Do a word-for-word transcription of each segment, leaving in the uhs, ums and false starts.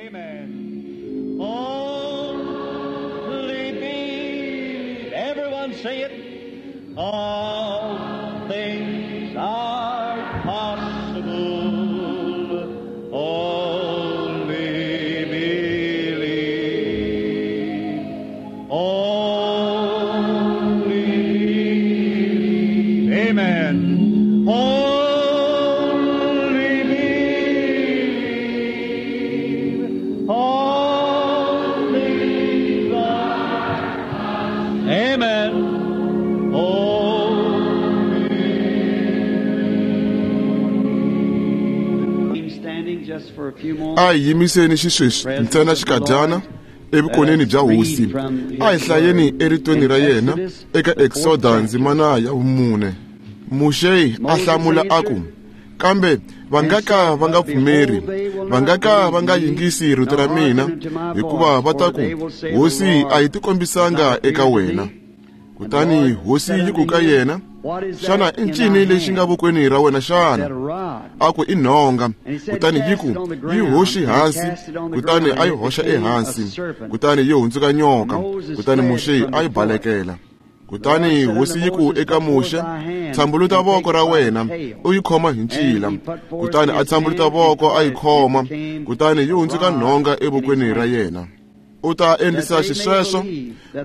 Amen. Only believe. Everyone say it. All things are possible. Only believe. Only believe. Amen. Only believe. All things are. Amen. Only Standing just for a few moments. A hi yimiseni xisweswi ntsena xikadyana evukoneni bya hosi. A hi hlayeni eritweni ra yena eka Exoda ndzimana ya vumune. Muxe a hlamula a ku, kambe va nga ka va nga pfumeri, va nga ka va nga yingisi rito ra mina, hikuva va ta ku, hosi a yi tikombisanga eka wena. Kutani hosi yi ku ka yena, xana i ncini lexi nga vokweni ra wena xana? A ku i nhonga. Kutani yi ku, yi hoxi hansi. Kutani a yi hoxa ehansi, kutani yi hundzuka nyoka. Kutani Muxe a yi balekela. Kutani hosi yi ku eka Muxe, tshambuluta voko ra wena u yi khoma hi ncila. Kutani a tshambuluta voko a yi khoma, kutani yi hundzuka nhonga evokweni ra yena. U ta endlisa xisweswo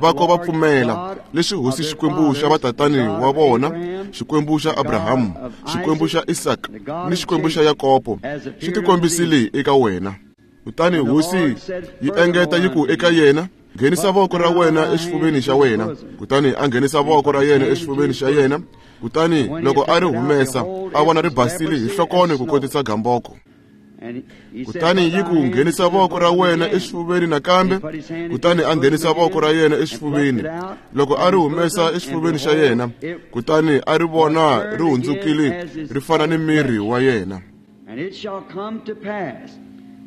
va ko va pfumela leswi hosi Xikwembu xa vatatani wa vona, Xikwembu xa Abrahamu, Xikwembu xa Isaka ni Xikwembu xa Yakobo xi tikombisile eka wena. Kutani hosi yi engeta yi ku eka yena, nghenisa voko ra wena exifuveni xa wena. Kutani a nghenisa voko ra yena exifuveni xa yena. Kutani loko a ri humesa, a vona ri basile hi nhlokone ku kotisa gamboko. Kutani yi ku, nghenisa voko ra wena exifuveni nakambe. Kutani a nghenisa voko ra yena exifuveni. Loko a ri humesa exifuveni xa yena, kutani a ri vona ri hundzukile ri fana ni miri wa yena. And it shall come to pass,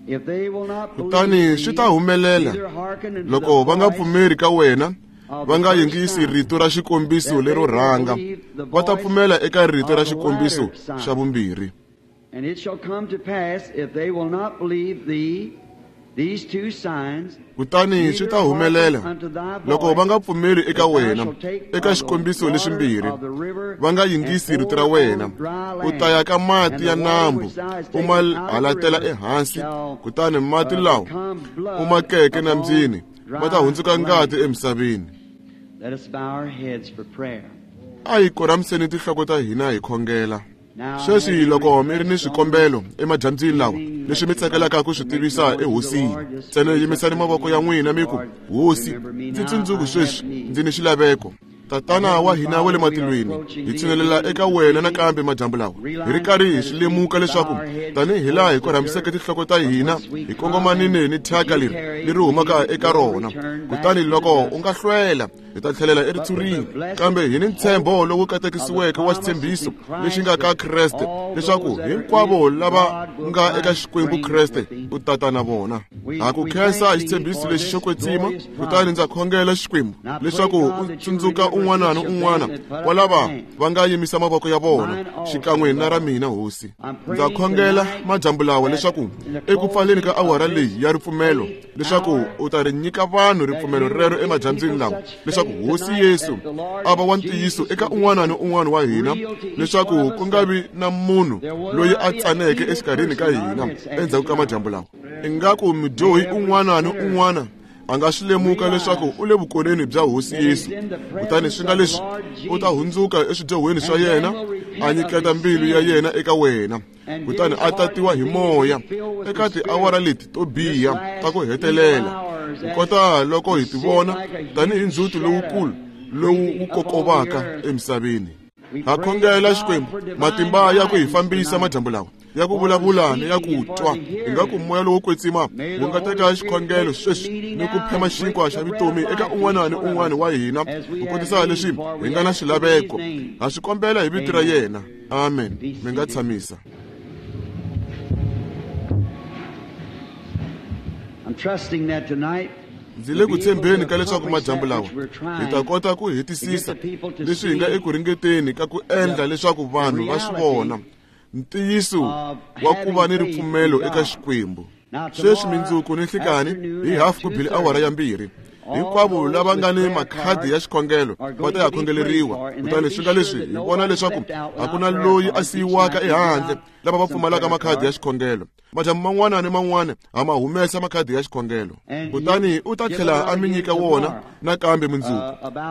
if they will not Kutani believe swi thee, ta humelela neither hearken unto loko the va nga voice pfumeri ka wena, va nga yingisi rito ra xikombiso lero rhanga, va ta pfumela eka rito ra xikombiso xa vumbirhi. And it shall come to pass, if they will not believe thee, these two signs, Kutani swi ta humelela loko va nga pfumeli eka wena eka xikombiso leximbirhi, va nga yingisi rito ra wena, u ta ya ka mati ya nambu u ma halatela ehansi, kutani mati lawa u ma keke nambyini ma ta hundzuka ngati emisaveni. Let us bow our heads for prayer. A hi koramiseni tinhloko ta hina hi khongela. Sweswi loko mi ri ni swikombelo emadyambyini lawa leswi mi tsakelaka ku swi tivisa ehosini, ntsena yimisani mavoko ya n'wina mi ku, hosi, ndzi tsundzuki sweswi ndzi ni xilaveko. Tatana wa hina wa le matilweni, hi tshinelela eka wena nakambe madyambu lawa, hi ri karhi hi swi lemuka leswaku tanihi laha hi korhamiseke tinhloko ta hina hi kongomanile ni thyaka leri leri humaka eka rona. Kutani loko u nga hlwela, hi ta tlhelela eritshurini, kambe hi ni ntshembo lowu katekisiweke wa xitshembiso lexi nga ka Kreste, leswaku hinkwavo lava nga eka Xikwembu Kreste u tata na vona. Ha ku khensa hi xitshembiso lexi xo kwetsima. Kutani ndza khongela Xikwembu leswaku u tsundzuka un'wana ni un'wana wa lava va nga yimisa mavoko ya vona xikan'we na ra mina hosi. Ndza khongela madyambu lawa leswaku eku pfaleni ka awara leyi ya ripfumelo, leswaku u ta ri nyika vanhu ripfumelo rero emadyambyini lawa, leswaku hosi Yesu a va wa ntiyiso eka un'wana ni un'wana wa hina, leswaku ku nga vi na munhu loyi a tsaneke exikarhini ka hina endzhaku ka madyambu lawa. Ingaku mudyohi un'wana ni un'wana a nga swi lemuka leswaku u le vukoneni bya hosi Yesu, kutani swi nga leswi u ta hundzuka eswidyohweni swa yena, a nyiketa mbilu ya yena eka wena, kutani a tatiwa hi moya eka tiawara leti to biha ta ku hetelela, ku kota loko hi ti vona tanihi ndzhuti lowukulu lowu wu kokovaka emisaveni. Ha khongela Xikwembu matimba ya ku hi fambisa madyambu lawa, ya ku vulavula ni ya ku twa. Ingaku moya lowo kwetsima wu nga teka xikhongelo sweswi ni ku phema xinkwa xa vutomi eka un'wana ni un'wana wa hina, ku kotisa leswi hi nga na xilaveko. Ha swi kombela hi vito ra yena. Amen. Mi nga tshamisa. I'm trusting that tonight Ndzi le ku tshembeni ka leswaku madyambu lawa hi ta kota ku hetisisa leswi hi nga eku ringeteni ka ku endla leswaku vanhu va swi vona ntiyiso wa ku va ni ripfumelo eka Xikwembu. Sweswi mindzuku ni nhlikani hi hafu ku bile awara ya mbirhi. Hinkwavo lava nga ni makhadi ya xikhongelo va ta ya khongeleriwa. Kutani swi nga leswi hi vona leswaku a ku na loyi a siyiwaka ehandle lava va pfumalaka makhadi ya xikhongelo. Madyambu man'wana ni man'wana ha ma humesa makhadi ya xikhongelo. Kutani u ta tlhela a mi nyika wona nakambe mundzuku.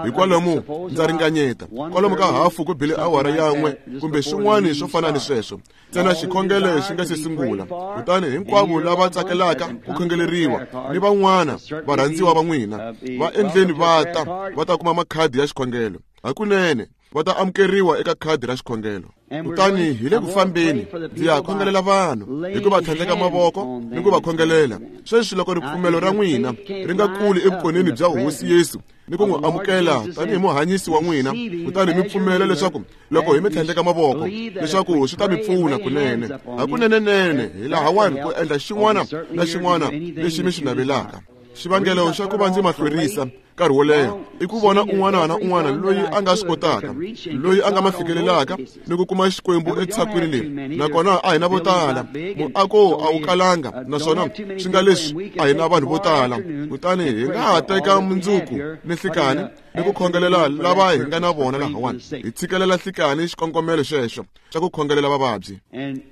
Hikwalomu ndza ringanyeta kwalomu ka hafu ku bile awara yan'we kumbe swin'wana swo fana ni sweswo. Ntsena xikhongelo xi nga se sungula. Kutani hinkwavo lava tsakelaka ku khongeleriwa ni van'wana varhandziwa va n'wina va endleni va ta va ta kuma makhadi ya xikhongelo. Hakunene va ta amukeriwa eka khadi ra xikhongelo. Kutani hi le ku fambeni ndzi ya khongelela vanhu hi ku va tlhandleka mavoko ni ku va khongelela. Sweswi loko ripfumelo ra n'wina ri nga kuli evukoneni bya Hosi Yesu ni ku n'wi amukela tanihi muhanyisi wa n'wina, kutani mi pfumela leswaku loko hi mi tlhandleka mavoko leswaku swi ta mi pfuna kunene hakunenenene hi lahawani ku endla xin'wana na xin'wana lexi mi xi navelaka. Xivangelo xa ku va ndzi ma hlwerisa nkarhi wo leha i ku vona un'wana na un'wana loyi a nga swi kotaka, loyi a nga ma fikelelaka ni ku kuma Xikwembu etshakwini leri. Nakona a hi na vo tala, muako a wu kalanga, naswona swi nga leswi a hi na vanhu vo tala. Kutani hi nga ha teka mundzuku ni nhlikani ni ku khongelela lava hi nga na vona lahawani, hi tshikelela nhlikani xikongomelo xexo xa ku khongelela vavabyi.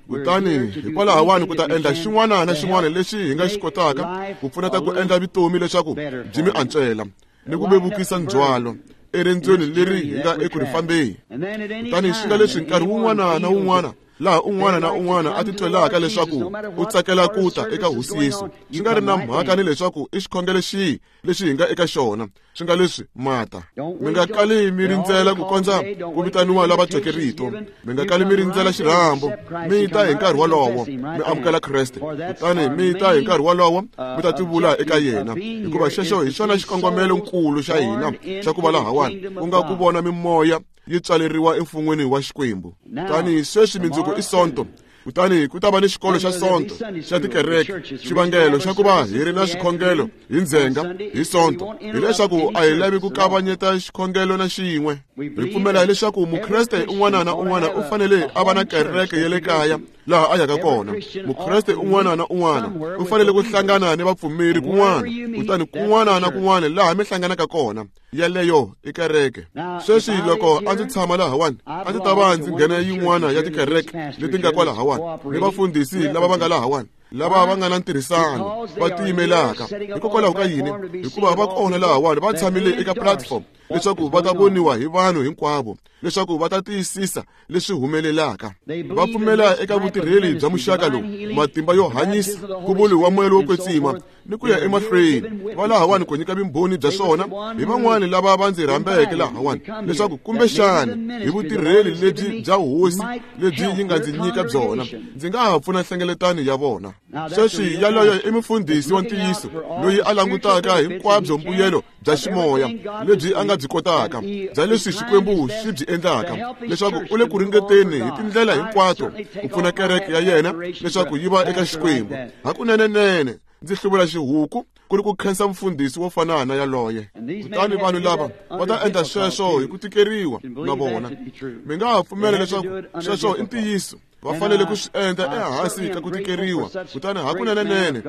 Kutani hikwalahawani ku ta endla xin'wana na xin'wana lexi hi nga xi kotaka ku pfuneta ku endla vutomi leswaku byi mi antswela ni ku vevukisa ndzhwalo eriendzweni leri hi nga eku ri fambeni. Kutani swi nga leswi nkarhi wun'wana na wun'wana laha un'wana na un'wana a titwelaka leswaku u tsakela ku ta eka Hosi Yesu, swi nga ri na mhaka ni leswaku i xikhongelo xihi lexi hi nga eka xona, swi nga leswi mata. Mi nga kali mi rindzela ku kondza ku vitaniwa lava tweke rito. Mi nga kali mi rindzela xirhambo. Mi ta hi nkarhi wolowo mi amukela Kreste. Kutani mi ta hi nkarhi wolowo mi ta tivula eka yena, hikuva xexo hi xona xikongomelonkulu xa hina xa ku va lahawani, ku nga ku vona mimoya yi tswaleriwa emfun'weni wa Xikwembu. Kutani sweswi mindzuku i Sonto. Kutani ku ta va ni xikolo xa Sonto xa tikereke. Xivangelo xa ku va hi ri na xikhongelo hi ndzhenga hi Sonto hileswaku a hi lavi ku kavanyeta xikhongelo na xin'we. Hi pfumela leswaku Mukreste un'wana na un'wana u fanele a va na kereke ya le kaya laha a yaka kona. Mukreste un'wana na un'wana u fanele ku hlangana ni vapfumeri kun'wana. Kutani kun'wana na kun'wana laha mi hlanganaka kona, yeleyo i kereke. Sweswi loko a ndzi tshama lahawani, a ndzi ta va ndzi nghena yin'wana ya tikereke leti nga kwalahawani ni vafundhisi lava va nga lahawani, lava va nga na ntirhisano va tiyimelaka. Hikokwalaho ka yini? Hikuva va kona lahawani va tshamile eka platform leswaku va ta voniwa hi vanhu hinkwavo, leswaku va ta tiyisisa leswi humelelaka. Va pfumela eka vutirheli bya muxaka lowu, matimba yo hanyisa, ku vuriwa moya lowo kwetsima ni ku ya emahlweni. Va lahawani ku nyika vumbhoni bya swona hi van'wani lava va ndzi rhambeke lahawani, leswaku kumbexani hi vutirheli lebyi bya Hosi lebyi yi nga ndzi nyika byona, ndzi nga ha pfuna nhlengeletano ya vona. Sweswi yaloyo i mufundhisi wa ntiyiso loyi a langutaka hinkwabyo mbuyelo bya ximoya lebyi a nga byi kotaka, bya leswi Xikwembu xi byi endlaka, leswaku u le ku ringeteni hi tindlela hinkwato ku pfuna kereke ya yena leswaku yi va eka Xikwembu. Hakunenenene ndzi hluvula xihuku ku ri ku khensa mufundhisi wo fana na yaloye. Kutani vanhu lava va ta endla sweswo hi ku tikeriwa na vona. Mi nga ha pfumela leswaku sweswo i ntiyiso. Va fanele ku swi endla ehansi ka ku tikeriwa. Kutani hakunenenene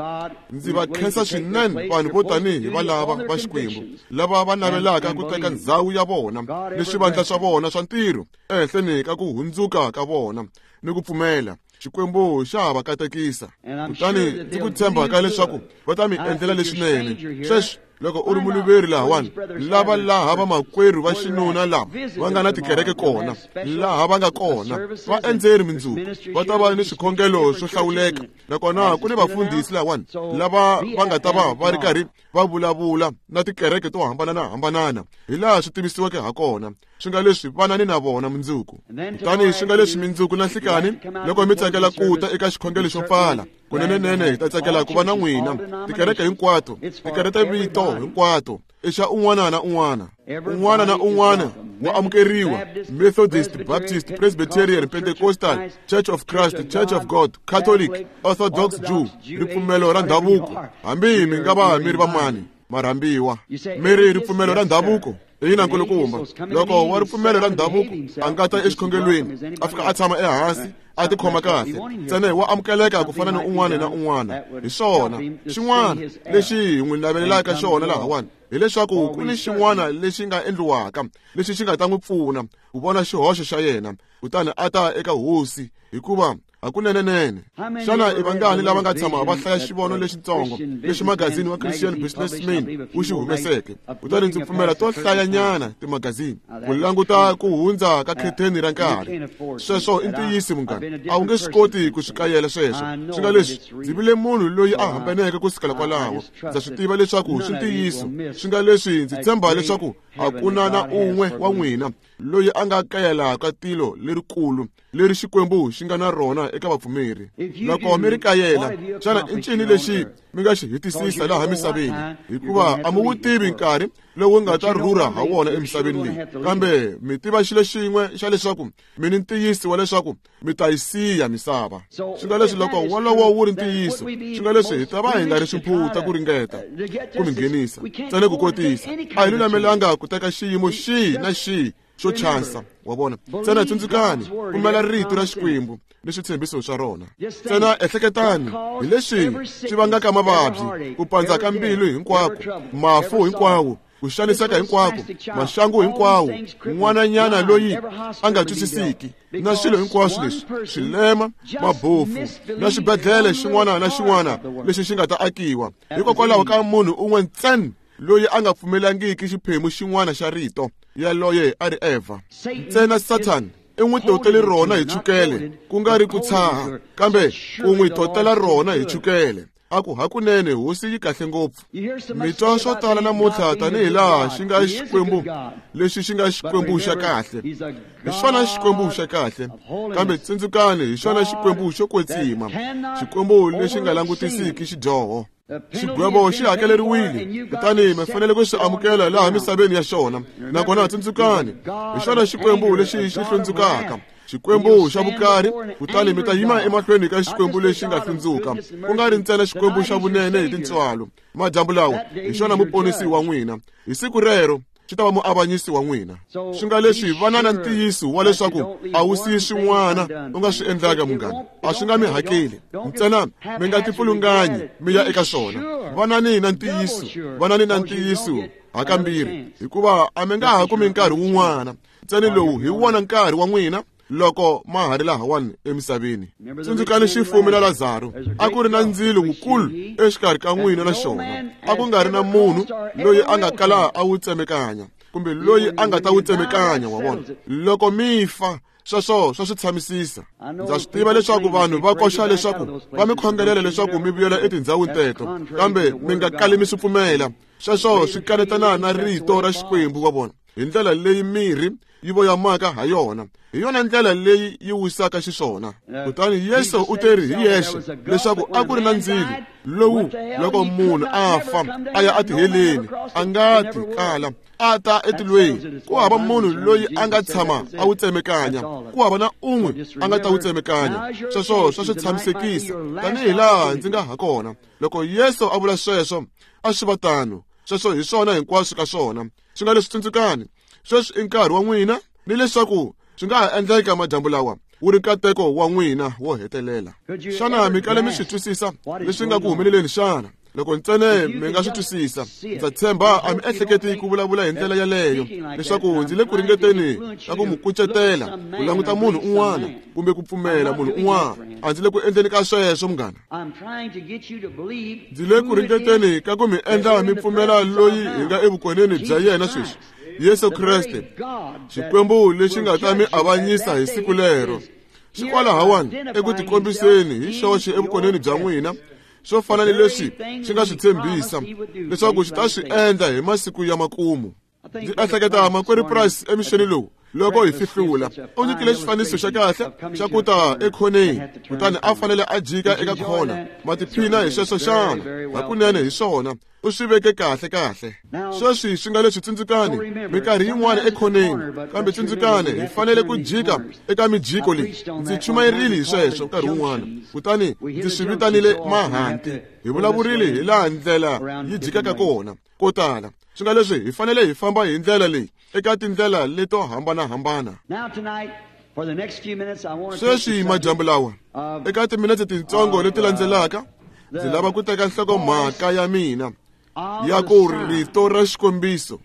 ndzi va khensa swinene vanhu vo tanihi valava va Xikwembu, lava va navelaka ku teka ndzhawu ya vona ni swivandla swa vona swa ntirho ehenhleni ka ku hundzuka ka vona ni ku pfumela. Xikwembu xa ha va katekisa. Kutani ndzi ku tshemba ka leswaku va ta mi endlela leswinene. Sweswi loko u ri muluveri lahawani, lava laha vamakwerhu va xinuna lava va nga na tikereke kona, laha va nga kona, va endzeri mindzuku, va ta va ni swikhongelo swo hlawuleka. Nakona ku ni vafundhisi lahawani lava va nga ta va va ri karhi va vulavula na tikereke to hambanana-hambanana hi laha swi tivisiweke ha kona. Swi nga leswi vanani na vona mindzuku. Kutani swi nga leswi mindzuku na nhlikani, loko mi tsakela ku ta eka xikhongelo xo pfala, kunenenene hi ta tsakela ku va na n'wina. Tikereke hinkwato, tikereke ta vito hinkwato, i xa un'wana na un'wana. Un'wana na un'wana wa amukeriwa. Methodist, Baptist, Presbyterian, Pentecostal, Church of Christ, Church of God, Catholic, Orthodox Jew, ripfumelo ra ndhavuko. Hambi mi nga va mi ri vamani, ma rhambiwa. Mi ri ripfumelo ra ndhavuko? Ina nkulukumba, loko wa ripfumelo ra ndhavuko a nga ta exikhongelweni a fika a tshama ehansi a tikhoma kahle, ntsena wa amukeleka ku fana ni un'wana na un'wana. Hi swona xin'wana lexi hi n'wi navelelaka xona lahawani, hileswaku ku ni xin'wana lexi nga endliwaka lexi xi nga ta n'wi pfuna ku vona xihoxo xa yena, kutani a ta eka hosi, hikuva hakunenenene. Xana i vangani lava nga tshama va hlaya xivono lexitsongo lexi magazini wa Christian Businessman wu xi humeseke? Kutani ndzi pfumela to hlayanyana timagazini ku languta ku hundza ka khetheni ra nkarhi. Sweswo i ntiyiso munghana, a wu nge swi koti ku swi kayela sweswo. Swi nga leswi, ndzi vile munhu loyi a hambaneke ku sukela kwalaho. Ndza swi tiva leswaku swi ntiyiso. Swi nga leswi, ndzi tshemba leswaku a ku na na un'we wa n'wina loyi a nga kayelaka tilo lerikulu leri Xikwembu xi nga na rona eka vapfumeri. Loko mi ri kayela, xana i ncini lexi mi nga xi hetisisa laha misaveni? Hikuva a mi wu tivi nkarhi lowu nga ta rhurha ha wona emisaveni leyi, kambe mi tiva xilo xin'we xa leswaku mi ni ntiyiso wa leswaku mi ta yi siya misava. Swi nga leswi, loko wolowo wu ri ntiyiso, swi nga leswi hi ta va hi nga ri swimphuta ku ringeta ku mi nghenisa ntsena ku kotisa. A hi lulamelanga ku teka xiyimo xihi na xihi xo chansa, wa vona. Ntsena tsundzukani, pfumela rito ra Xikwembu ni switshembiso swa rona. Ntsena ehleketani hi leswi swi vangaka mavabyi, ku pandza ka mbilu hinkwako, mafu hinkwawo, ku xaniseka hinkwako, maxangu hinkwawo, n'wananyana loyi a nga twisisiki, na swilo hinkwaswo leswi, swilema, mabofu, na xibedhlele xin'wana na xin'wana lexi xi nga ta akiwa, hikokwalaho ka munhu un'we ntsena loyi a nga pfumelangiki xiphemu xin'wana xa rito yaloye a ri Eva. Ntsena Satan i n'wi totele rona hi chukele, ku nga ri ku tshaha, kambe ku n'wi totela rona hi chukele. A ku hakunene hosi yi kahle ngopfu. Mi twa swo tala namuntlha tanihi laha xi nga Xikwembu lexi xi nga Xikwembu xa kahle. Hi xona Xikwembu xa kahle, kambe tsundzukani, hi xona Xikwembu xo kwetsima, Xikwembu lexi nga langutisiki xidyoho. Xigwevo xi hakeleriwile, kutani mi fanele ku swi amukela laha misaveni ya xona. Nakona tsundzukani, hi xona Xikwembu lexi xi hlundzukaka, Xikwembu xa vukari, kutani mi ta yima emahlweni ka Xikwembu lexi nga hlundzuka, ku nga ri ntsena Xikwembu xa vunene hi tintswalo. Madyambu lawa hi xona muponisi wa n'wina. Hi siku rero xi ta va muavanyisi wa n'wina. Swi nga leswi, vana na ntiyiso wa leswaku a wu siyi swin'wana u nga swi endlaka munghana, a swi nga mi hakeli. Ntsena mi nga tipfulunganyi mi ya eka swona. Vanani na ntiyiso, vanani na ntiyiso hakambirhi, hikuva a mi nga ha kumi nkarhi wun'wana. Ntsena lowu hi wona nkarhi wa n'wina loko ma ha ri lahawani emisaveni. Tsundzukani xifumi na Lazaro, a ku ri na ndzilo wukulu exikarhi ka n'wina na xona. A ku nga ri na munhu loyi a nga kala a wu tsemekanya, kumbe loyi a nga ta wu tsemekanya, wa vona. Loko mi fa, sweswo swa swi tshamisisa. Ndza swi tiva leswaku vanhu va koxa leswaku va mi khongelela leswaku mi vuyela etindhawini teto, kambe mi nga kali mi swi pfumela. Sweswo swi kanetana na rito ra Xikwembu, wa vona. Hi ndlela leyi mirhi yi voyamaka ha yona, hi yona ndlela leyi yi wisaka xiswona. Kutani Yesu u teri hi yexe leswaku a ku ri na ndzilo lowu loko munhu a fa a ya etiheleni a nga ti kala a ta etilweni. Ku hava munhu loyi a nga tshama a wu tsemekanya, ku hava na un'we a nga ta wu tsemekanya. Sweswo swa swi tshamisekisa tanihi laha ndzi nga ha kona. Loko Yesu a vula sweswo, a swi va tano. Sweswo hi swona hinkwaswo ka swona. Swi nga leswi, tsundzukani, sweswi i nkarhi wa n'wina, ni leswaku swi nga ha endleka madyambu lawa wu ri nkateko wa n'wina wo hetelela. Xana mi kale mi swi twisisa leswi nga ku humeleleni xana? Loko ntsena mi nga swi twisisa, ndza tshemba a mi ehleketi ku vulavula hi ndlela yaleyo, leswaku ndzi le ku ringeteni ka ku mu kucetela ku languta munhu un'wana kumbe ku pfumela munhu un'wana. A ndzi le ku endleni ka sweswo munghana. Ndzi le ku ringeteni ka ku mi endla mi pfumela loyi hi nga evukoneni bya yena sweswi, Yesu Kreste, Xikwembu lexi nga ta mi avanyisa hi siku lero. Xi kwalahawani eku tikombiseni hi xoxe evukoneni bya n'wina, swo fana ni leswi xi nga swi tshembisa leswaku xi ta swi endla hi masiku ya makumu. Ndzi ehleketa makwerhu Price emixeni lowu loko hi fihlula, u nyikile xifaniso xa kahle xa ku ta ekhoneni, kutani a fanele a jika eka khona. Ma tiphina hi sweswo xana? Hakunene hi swona, u swi veke kahle kahle. Sweswi swi nga leswi, tsundzukani, minkarhi yin'wana ekhoneni, kambe tsundzukani, hi fanele ku jika eka mijiko leyi. Ndzi chumayerile hi sweswo nkarhi wun'wana, kutani ndzi swi vitanile mahanti. Hi vulavurile hi laha ndlela yi jikaka kona ko tala. Swi nga leswi hi fanele hi famba hi ndlela leyi eka tindlela leto hambanahambana. Sweswi madyambu lawa eka timinetse tintsongo leti landzelaka ndzi lava ku teka nhlokomhaka ya mina ya ku rito ra xikombiso.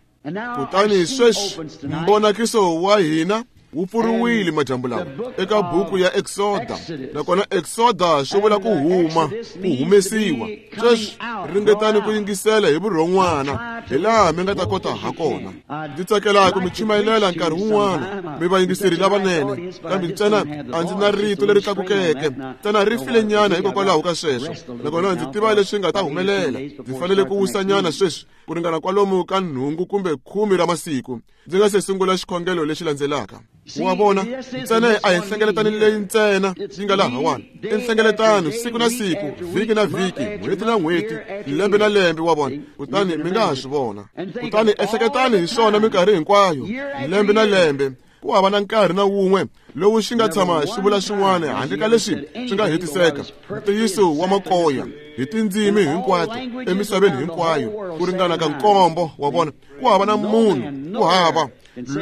Kutani sweswi mbonakiso wa hina wu pfuriwile madyambu lawa eka buku ya Exoda, nakona Exoda swi vula ku huma, ku humesiwa. Sweswi ringetani ku yingisela hi vurhon'wana hi laha mi nga ta kota ha kona. Ndzi tsakela ku mi chumayelela nkarhi wun'wana mi vayingiseri lavanene, kambe ntsena a ndzi na rito leri tlakukeke, ntsena ri file nyana hikokwalaho ka sweswo, nakona ndzi tiva leswi nga ta humelela. Ndzi fanele ku wisanyana sweswi ku ringana kwalomu ka nhungu kumbe khume ra masiku ndzi nga se sungula xikhongelo lexi landzelaka. Wa vona, ntsena a hi nhlengeletano leyi ntsena yi nga lahawani, i nhlengeletano siku na siku, vhiki na vhiki, n'hweti na n'hweti, lembe na lembe, wa vona. Kutani mi nga ha swi vona. Kutani ehleketani hi swona minkarhi hinkwayo, lembe na lembe. Ku hava na nkarhi na wun'we lowu xi nga tshama xi vula xin'wana handle ka leswi swi nga hetiseka. Ntiyiso wa makoya hi tindzimi hinkwato emisaveni hinkwayo ku ringana ka nkombo, wa vona. Ku hava na munhu, ku hava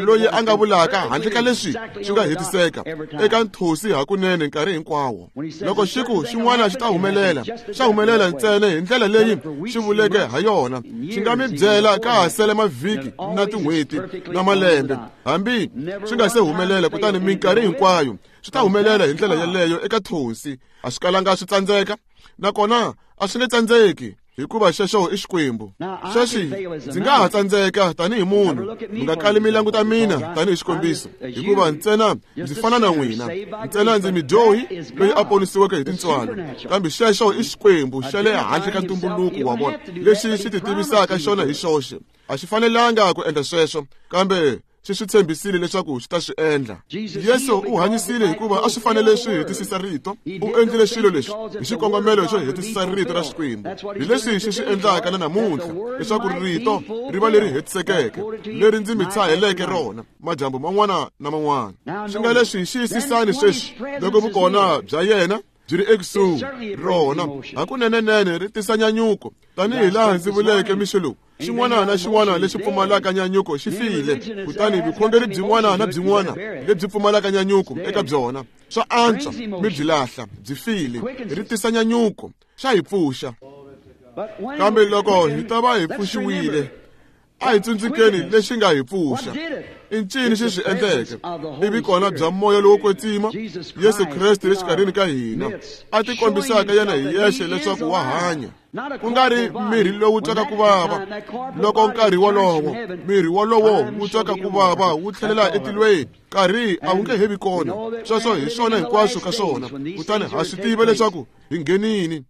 loyi a nga vulaka handle ka leswi swi nga hetiseka eka nthosi hakunene nkarhi hinkwawo. Loko xi ku xin'wana xi ta humelela, xa humelela ntsena hi ndlela leyi xi vuleke ha yona. Xi nga mi byela ka ha sele mavhiki na tin'hweti na malembe hambi swi nga se humelela, kutani minkarhi hinkwayo swi ta humelela hi ndlela yeleyo eka thonsi. A swi kalanga swi tsandzeka, nakona a swi nge tsandzeki, hikuva xexo i Xikwembu. Sweswi ndzi nga ha tsandzeka tanihi munhu, mi nga kali mi languta mina tanihi xikombiso, hikuva ntsena ndzi fana na n'wina, ntsena ndzi midyohi loyi a ponisiweke hi tintswalo. Kambe xexo i Xikwembu xa le handle ka ntumbuluko, wa vona, lexi xi ti tivisaka xona hi xoxe. A xi fanelanga ku endla sweswo, kambe xi swi tshembisile leswaku xi ta swi endla. Yesu u hanyisile hikuva a swi fanele swi hetisisa rito. U endlile swilo leswi hi xikongomelo xo hetisisa rito ra Xikwembu. Hi leswi xi swi endlaka na namuntlha, leswaku rito ri va leri hetisekeke, leri ndzi mi tshaheleke rona madyambu man'wana na man'wana. Swi nga leswi xiyisisani sweswi loko vukona bya yena byi ri ekusuhi, rona hakunenenene ri tisa nyanyuko, tanihi laha ndzi vuleke mixo lowu. Xin'wana na xin'wana lexi pfumalaka nyanyuko xi file, kutani vukhongeri byin'wana na byin'wana lebyi pfumalaka nyanyuko eka byona swa antswa mi byi lahla, byi file. Ri tisa nyanyuko, xa hi pfuxa. Kambe loko hi ta va hi pfuxiwile, a hi tsundzukeni lexi nga hi pfuxa. I ncini xi swi endleke? I vikona bya moya lowo kwetsima, Yesu Kreste le xikarhini ka hina, a ti kombisaka yena hi yexe leswaku wa hanya, ku nga ri mirhi lowu twaka ku vava. Loko nkarhi wolowo mirhi wolowo wu twaka ku vava wu tlhelela etilweni, nkarhi a wu nge he vi kona. Sweswo hi swona hinkwaswo ka swona. Kutani ha swi tiva leswaku hi nghenini,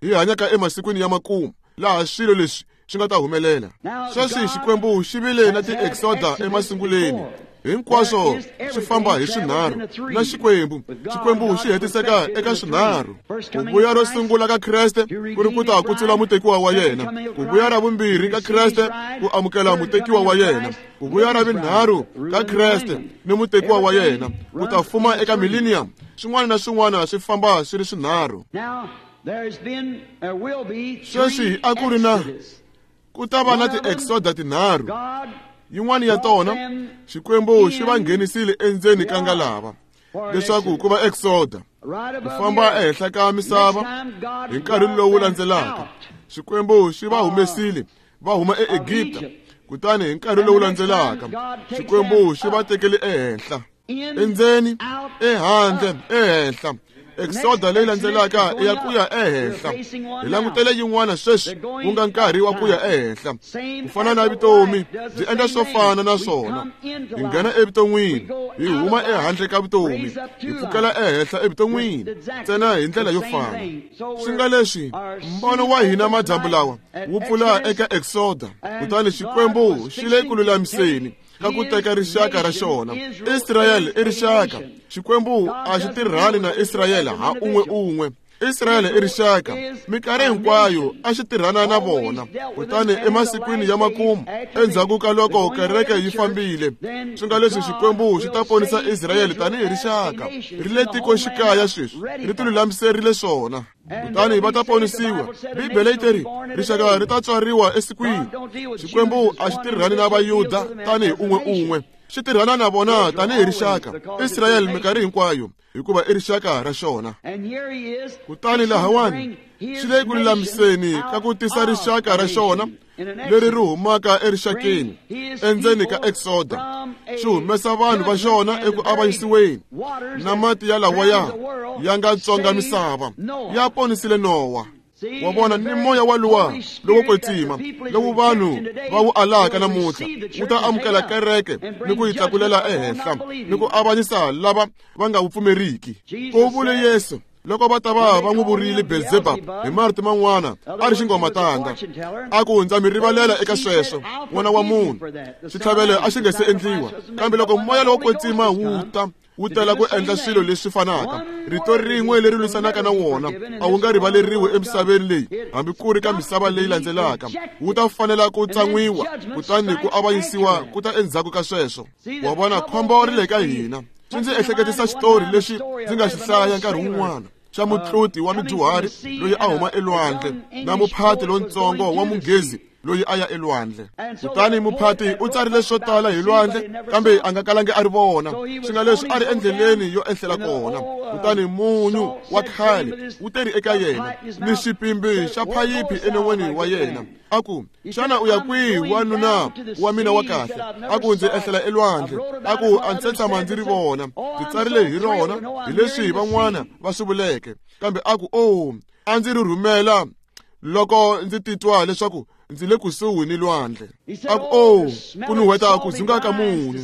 hi hanyaka emasikwini ya makumu, laha swilo leswi swi nga ta humelela. Sweswi Xikwembu xi vile na ti-exoda emasunguleni, hinkwaswo swi famba hi swinharhu na Xikwembu. Xikwembu xi hetiseka eka swinharhu. Ku vuya ro sungula ka Kreste ku ri ku ta kutsula mutekiwa wa yena, ku vuya ra vumbirhi ka Kreste ku amukela mutekiwa wa yena, ku vuya ra vunharhu ka Kreste ni mutekiwa wa yena ku ta fuma eka millennium. Swin'wana na swin'wana swi famba swi ri swinharhu. Sweswi a ku ri na ku ta va na ti-exoda tinharhu. Yin'wana ya tona Xikwembu xi va nghenisile endzeni ka ngalava leswaku ku va exoda, ku famba ehenhla ka misava. Hi nkarhi lowu landzelaka Xikwembu xi va humesile va huma eEgipta, kutani hi nkarhi lowu landzelaka Xikwembu xi va tekele ehenhla, endzeni, ehandle, ehenhla. Exoda leyi landzelaka i ya ku ya ehenhla. Hi langutele yin'wana sweswi, ku nga nkarhi wa ku ya ehenhla. Ku fana na vutomi byi endla swo fana na swona. Hi nghena evuton'wini, hi huma ehandle ka vutomi, hi pfukela ehenhla evuton'wini, ntsena hi ndlela yo fana. Swi nga leswi mbono wa hina madyambu lawa wu pfula eka Exoda, kutani Xikwembu xi le ku lulamiseni ka ku teka rixaka ra xona. Israyele i rixaka. Xikwembu a xi tirhani na Israyele ha un'we un'we. Israyele i rixaka, minkarhi hinkwayo a xi tirhana na vona. Kutani emasikwini ya makumu, endzhaku ka loko kereke yi fambile, swi nga leswi Xikwembu xi ta ponisa Israyele tanihi rixaka. Ri le tikoxikaya sweswi, ri tilulamiserile swona. Kutani va ta ponisiwa. Bibele yi teri rixaka ri ta tswariwa esikwini. Xikwembu a xi tirhani na Vayuda tanihi un'we un'we, xi tirhana na vona tanihi rixaka. Israyele minkarhi hinkwayo, hikuva i rixaka ra xona. Kutani lahawani xi le ku lulamiseni ka ku tisa rixaka ra xona leri ri humaka erixakeni endzeni ka Exoda, xi humesa vanhu va xona eku avanyisiweni na mati ya lawaya ya nga tsonga misava, ya ponisile Nowa. Wa vona, ni moya wa luwa lowo kwetsima lowu vanhu va wu alaka namuntlha wu ta amukela kereke ni ku yi tlakulela ehenhla ni ku avanyisa lava va nga wu pfumeriki. Ku vule Yesu loko va ta va va n'wi vurile Belzebub hi marito man'wana a ri xingomatanda, a ku ndza mi rivalela eka sweswo, n'wana wa munhu. Xitlhavelo a xi nga se endliwa, kambe loko moya lowo kwetsima wu ta, wu tela ku endla swilo leswi fanaka. Rito rin'we leri lwisanaka na wona a wu nga rivaleriwi emisaveni leyi, hambi ku ri ka misava leyi landzelaka. Wu ta fanela ku tsan'wiwa, kutani ku avanyisiwa ku ta endzhaku ka sweswo. Wa vona, khombo ri le ka hina. Swi ndzi ehleketisa xitori lexi ndzi nga xi hlaya nkarhi wun'wana xa mutluti wa mudyuhari loyi a huma elwandle na muphati lontsongo wa munghezi loyi a ya elwandle. Kutani muphati u tsarile swo tala hi lwandle, kambe a nga kalangi a ri vona, swi nga leswi a ri endleleni yo ehlela kona. Kutani munyu wa khale wu teri eka yena ni xipimbi xa phayiphi enon'weni wa yena, a ku, xana u ya kwihi wanuna wa mina wa kahle? A ku, ndzi ehlela elwandle. A ku, a ndzi se tshama ndzi ri vona, ndzi tsarile hi rona hi leswi van'wana va swi vuleke. Kambe a ku, o a ndzi ri rhumela loko ndzi titwa leswaku ndzi le kusuhi ni lwandle. A ku, o ku nuhweta ku dzunga ka munyu,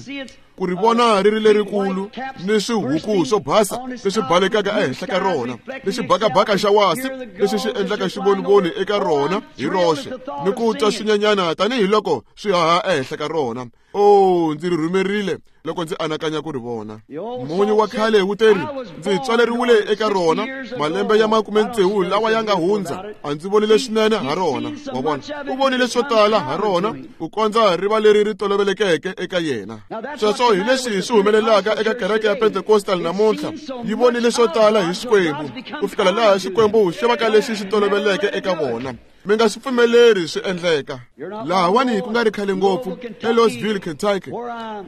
ku ri vona ri ri lerikulu ni swihuku swo basa leswi balekaka ehenhla ka rona, ni xibakabaka xa wasi lexi xi endlaka xivonivoni eka rona hi roxe, ni ku twa swinyenyana tanihiloko swi haha ehenhla ka rona. O ndzi ri rhumerile loko ndzi anakanya ku ri vona. Munyu wa khale wu teri, ndzi tswaleriwile eka rona malembe ya makume tsevu lawa ya nga hundza, a ndzi vonile swinene ha rona. Wa vona, u vonile swo tala ha rona ku kondza riva leri ri tolovelekeke eka yena. Sweswo hi leswi swi humelelaka eka kereke ya Pentecostal namuntlha. Yi vonile swo tala hi Xikwembu ku fikela laha Xikwembu xi va ka lexi xi toloveleke eka vona. Mi nga swi pfumeleri swi endleka. Lahawani ku nga ri khale ngopfu eLouisville, Kentucky,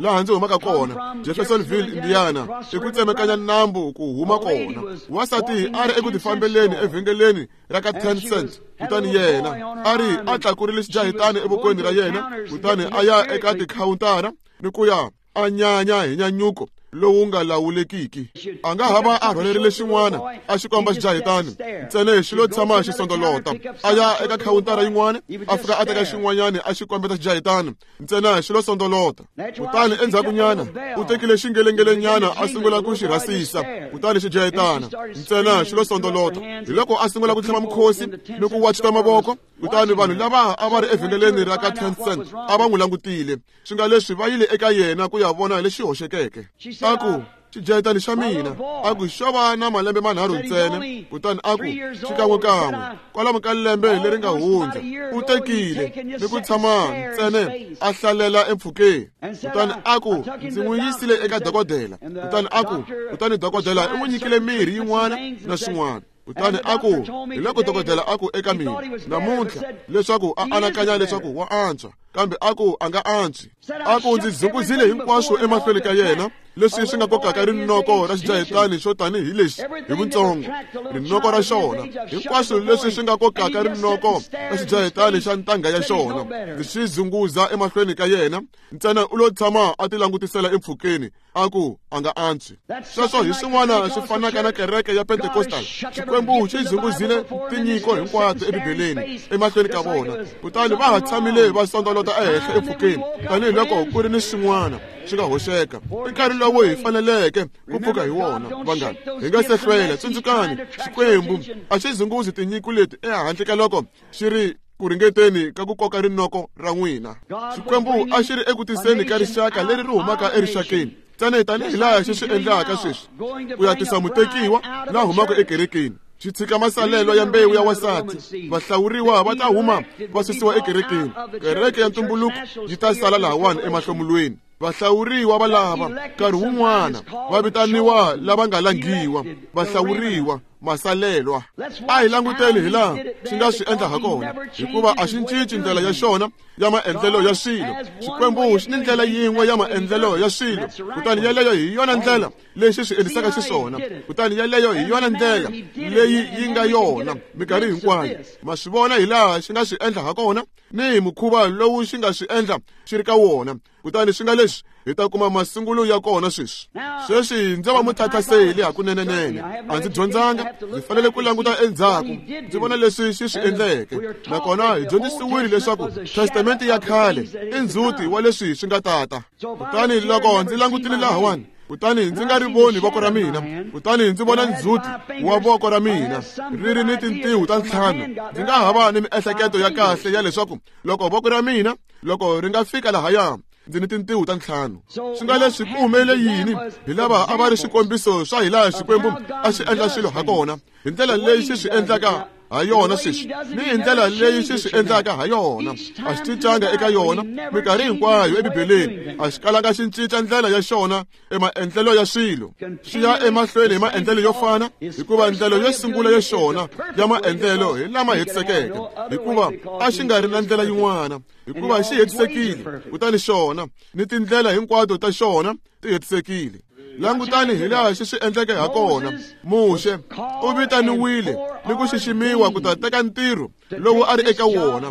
laha ndzi humaka kona, Jeffersonville, Indiana, i ku tsemekanya nambu ku huma kona. Wansati a ri eku tifambeleni evhengeleni ra ka ten cent, kutani yena a ri a tlakurile xijahitani evokweni ra yena, kutani a ya eka tikhawuntara ni ku ya a nyanya hi nyanyuko lowu nga lawulekiki. A nga hava a rhwalerile xin'wana a xi komba xijahitani ntsena xi lo tshama xi sondolota. A ya eka khawuntara yin'wana, a fika a teka xin'wanyana a xi kombeta xijahitani ntsena xi lo sondolota. Kutani endzhakunyana u tekile xingelengelenyana a sungula ku xi rhasisa, kutani xijahitana ntsena xi lo sondolota. Hi loko a sungula ku tlhava mukhosi ni ku wachita mavoko. Kutani vanhu lava a va ri evhengeleni ra ka ten cent a va n'wi langutile, swi nga leswi va yile eka yena ku ya vona lexi hoxekeke. A ku, xijahitani xa mina, a ku xo va na malembe manharhu ntsena. Kutani a ku, xikan'wekan'we kwalomu ka lembe leri nga hundza u tekile ni ku tshama ntsena a hlalela empfhukeni. Kutani a ku, ndzi n'wi yisile eka dokodela. Kutani a ku, kutani dokodela i n'wi nyikile mirhi yin'wana na swin'wana. Kutani a ku, hi loko dokodela a ku eka mina namuntlha leswaku a anakanya leswaku wa antswa, kambe a ku a nga antswi. A ku ndzi zunguzile hinkwaswo emahlweni ka yena leswi swi nga kokaka rinoko ra xijahitani xo tanihi lexi hi vuntsongo, rinoko ra xona, hinkwaswo leswi swi nga kokaka rinoko ra xijahitani xa ntangha ya xona, ndzi swi zunguza emahlweni ka yena ntsena u lo tshama a ti langutisela empfhukeni. A ku a nga antswi. Sweswo hi swin'wana swi fanaka na kereke ya Pentecostal. Xikwembu xi zunguzile tinyiko hinkwato eBibeleni emahlweni ka vona, kutani va ha tshamile va sondolota ehenhla empfhukeni tanihiloko ku ri ni swin'wana swi nga hoxeka. I nkarhi lowu hi faneleke ku pfuka hi wona, vanghana. Hi nga se hlwela. Tsundzukani, Xikwembu a xi zunguzi tinyiko leti ehandle ka loko xi ri ku ringeteni ka ku koka rinoko ra n'wina. Xikwembu a xi ri eku tiseni ka rixaka leri ri humaka erixakeni, ntsena tanihi laha xi swi endlaka sweswi, ku ya tisa mutekiwa la humaka ekerekeni. Xi tshika masalelo ya mbewu ya wansati. Vahlawuriwa va ta huma va susiwa ekerekeni. Kereke ya ntumbuluko yi ta sala lahawani emahlomulweni. Vahlawuriwa va lava nkarhi wun'wana va vitaniwa lava nga langiwa, vahlawuriwa, masalelwa. A hi languteni hi laha xi nga swi endla ha kona, hikuva a xi cinci ndlela ya xona ya maendlelo ya swilo. Xikwembu xi ni ndlela yin'we ya maendlelo ya swilo, kutani yeleyo hi yona ndlela leyi xi swi endlisaka xiswona, kutani yeleyo hi yona ndlela leyi yi nga yona minkarhi hinkwayo. Ma swi vona hi laha xi nga swi endla ha kona ni hi mukhuva lowu xi nga swi endla xi ri ka wona. Kutani swi nga leswi hi ta kuma masungulo ya kona sweswi. Sweswi ndzi va muthathaseli hakunenenene, a ndzi dyondzanga, ndzi fanele ku languta endzhaku ndzi vona leswi xi swi endleke. Nakona hi dyondzisiwile leswaku testamente ya khale i ndzhuti wa leswi swi nga tata. Kutani loko ndzi langutile lahawani, kutani ndzi nga ri voni voko ra mina, kutani ndzi vona ndzhuti wa voko ra mina ri ri ni tintiho ta ntlhanu, ndzi nga ha va ni miehleketo ya kahle ya leswaku loko voko ra mina loko ri nga fika lahaya, ndzi ni tintiho ta ntlhanu. Swi nga leswi ku humelele yini hi lava a va ri xikombiso swa hi laha Xikwembu a xi endla swilo ha kona, hi ndlela leyi xi swi endlaka ha yona sweswi ni hi ndlela leyi xi swi endlaka ha yona. A xi cincanga eka yona minkarhi hinkwayo eBibeleni. A xi kalanga xi cinca ndlela ya xona emaendlelo ya swilo. Xi ya emahlweni hi maendlelo yo fana, hikuva ndlela yo sungula ya xona ya maendlelo hi lama hetisekeke, hikuva a xi nga ri na ndlela yin'wana, hikuva xi hetisekile. Kutani xona ni tindlela hinkwato ta xona ti hetisekile. Langutani hi laha xi swi endleke ha kona. Muxe u vitaniwile ni ku xiximiwa ku ta teka ntirho lowu a ri eka wona,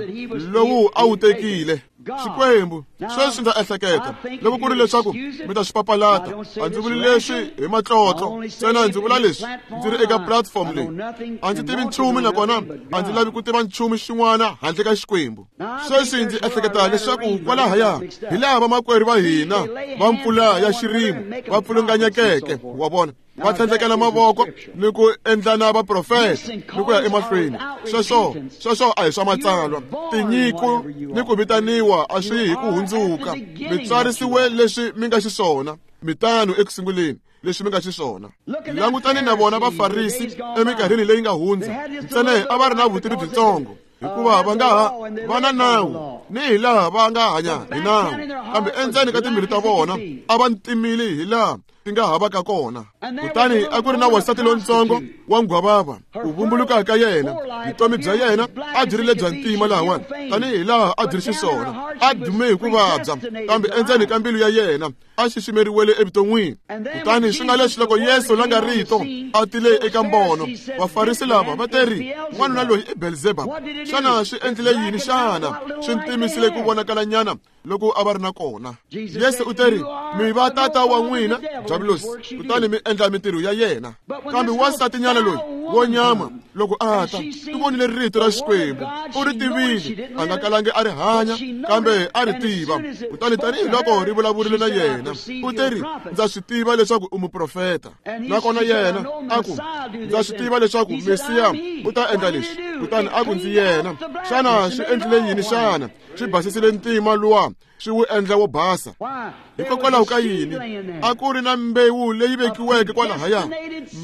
lowu a wu tekile. Xikwembu sweswi ndza ehleketa loko ku ri leswaku mi ta swi papalata, a ndzi vuli leswi hi matlotlo ntsena, ndzi vula leswi ndzi ri eka platform leyi. A ndzi tivi nchumu nakona a ndzi lavi ku tiva nchumu xin'wana handle ka Xikwembu. Sweswi ndzi ehleketa leswaku kwalahaya hi laha vamakwerhu va hina va mpfula ya xirimo va pfulunganyekeke, wa vona, va tlhandlekela mavoko ni ku endlana vaprofeta ni ku ya emahlweni. Sweswo sweswo a hi swa matsalwa. Tinyiko ni ku vitaniwa a swi hi ku hundzuka. Mi tsarisiwe leswi mi nga xiswona, mi tano eku sunguleni leswi mi nga xiswona. Langutani na vona Vafarisi eminkarhini leyi nga hundza, ntsena a va ri na vutivi byitsongo, hikuva va nga ha va na nawu ni hi laha va nga hanya hi nawu, kambe endzeni ka timbilu ta vona a va ntimile hi laha ti nga havaka kona. Kutani a ku ri na wansati lontsongo wa nghwavava, ku vumbuluka ka yena, vutomi bya yena a byi ri lebya ntima lahawani tanihi laha a byi ri xiswona. A dume hi ku vabya, kambe endzeni ka mbilu ya yena a xiximeriwele evuton'wini. Kutani swi nga leswi loko Yesu la nga rito a tile eka mbono, Vafarisi lava va teri, n'wanuna loyi i Belzebub. Xana swi endlile yini xana? Swi ntimisile ku vonakalanyana loko a va ri na kona. Yesu u teri, mi va tata wa n'wina Diabulosi, kutani mi endla mintirho ya yena. Kambe wansatinyana loyi wo nyama loko a ta, u vonile rito ra Xikwembu, u ri tivile, a nga kalangi a ri hanya, kambe a ri tiva. Kutani tanihiloko ri vulavurile na yena, u teri, ndza swi tiva leswaku u muprofeta. Nakona yena a ku, ndza swi tiva leswaku Mesiya u ta endla leswi. Kutani a ku, ndzi yena. Xana swi endlile yini xana? Swi basisile ntima luwa, swi wu endla wo basa. Hikokwalaho ka yini? A ku ri na mbewu leyi vekiweke kwalahaya,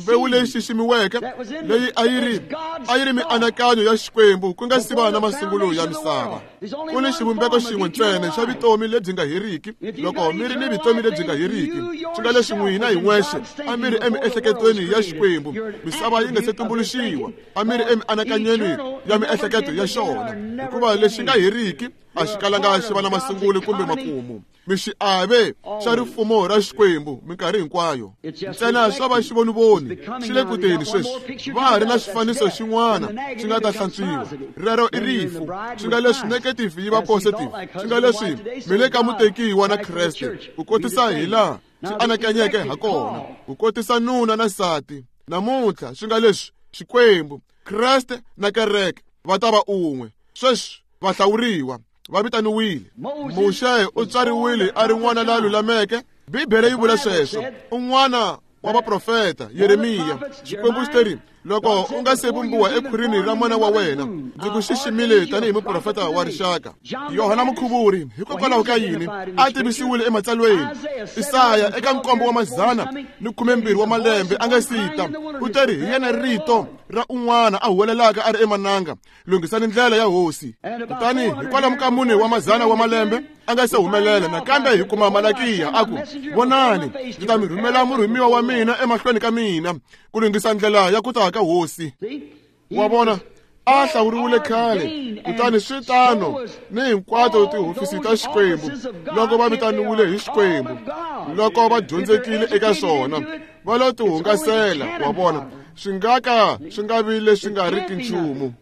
mbewu leyi xiximiweke, leyi a yi ri a yi ri mianakanyo ya Xikwembu ku nga si va na masungulo ya misava. Ku ni xivumbeko xin'we ntsena xa vutomi lebyi nga heriki. Loko mi ri ni vutomi lebyi nga heriki, swi nga leswi n'wina hi n'wexe a mi ri emiehleketweni ya Xikwembu misava yi nga se tumbuluxiwa, a mi ri emianakanyweni ya miehleketo ya xona, hikuva lexi nga heriki a xi kalanga xi va na masungulo kumbe makumu. Mi xiave xa rifumo ra Xikwembu minkarhi hinkwayo. Ntsena swa va xivonivoni xi le ku teni sweswi. Va ha ri na xifaniso xin'wana xi nga ta hlantswiwa. Rero i rifu. Swi nga leswi negative yi va positive. Swi nga leswi mi le ka mutekiwa na Kreste ku kotisa hi laha xi anakanyeke ha kona, ku kotisa nuna na nsati. Namuntlha swi nga leswi Xikwembu, Kreste na kereke va ta va un'we. Sweswi vahlawuriwa va vitaniwile. Muxe u tswariwile a ri n'wana la lulameke. Bibele yi vula sweswo. Un'wana wa vaprofeta, Yeremiya, Xikwembu xi teri, Loko u nga se vumbiwa ekhwirini ra mana wa wena, ndzi ku xiximile tanihi muprofeta wa rixaka. Yohana Mukhuvuri, hikokwalaho ka yini a tivisiwile ematsalweni? Isaya eka nkombo wa mazana ni khumembirhi wa malembe a nga sita, u teri hi yena rito ra un'wana a huwelelaka a ri emananga, lunghisani ndlela ya hosi. Kutani hikwalomu ka mune wa mazana wa malembe a nga se humelela, nakambe hi kuma Malakiya a ku, vonani, ndzi ta mi rhumela murhumiwa wa mina emahlweni ka mina ku lunghisa ndlela ya ku ta ka hosi. Wa vona, a hlawuriwile khale, kutani swi tano ni hinkwato tihofisi ta Xikwembu loko va vitaniwile hi Xikwembu, loko va dyondzekile eka swona, va lo tihungasela. Wa vona, swi nga ka swi nga vi leswi nga riki nchumu.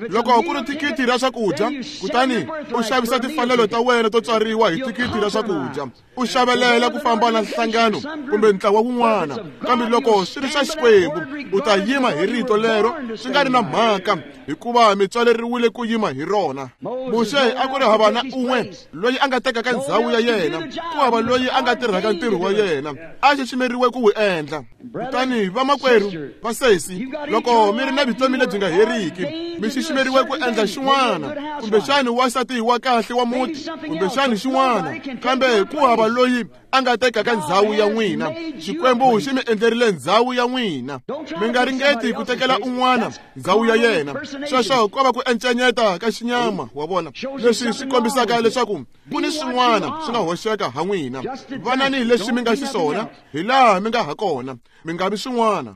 Loko ku ri thikithi ra swakudya, kutani u xavisa timfanelo ta wena to tswariwa hi thikithi ra swakudya, u xavelela ku famba na nhlangano kumbe ntlawa wun'wana. Kambe loko swi ri swa Xikwembu, u ta yima hi rito lero swi nga ri na mhaka, hikuva mi tswaleriwile ku yima hi rona. Muxe a ku ri hava na un'we loyi a nga tekaka ndzhawu ya yena, ku hava loyi a nga tirhaka ntirho wa yena, a xiximeriwe ku wu endla. Kutani vamakwerhu vasesi, loko mi ri na vutomi lebyi nga heriki, mi xiximeriwe ku endla xin'wana, kumbexani wansati wa kahle wa muti, kumbexani xin'wana, kambe ku hava loyi a nga tekaka ndzhawu ya n'wina. Xikwembu xi mi endlerile ndzhawu ya n'wina. Mi nga ringeti ku tekela un'wana ndzhawu ya yena. Sweswo ko va ku encenyeta ka xinyama, wa vona, leswi swi kombisaka leswaku ku ni swin'wana swi nga hoxeka ha n'wina. Vanani leswi mi nga xiswona, hi laha mi nga ha kona, mi nga vi swin'wana.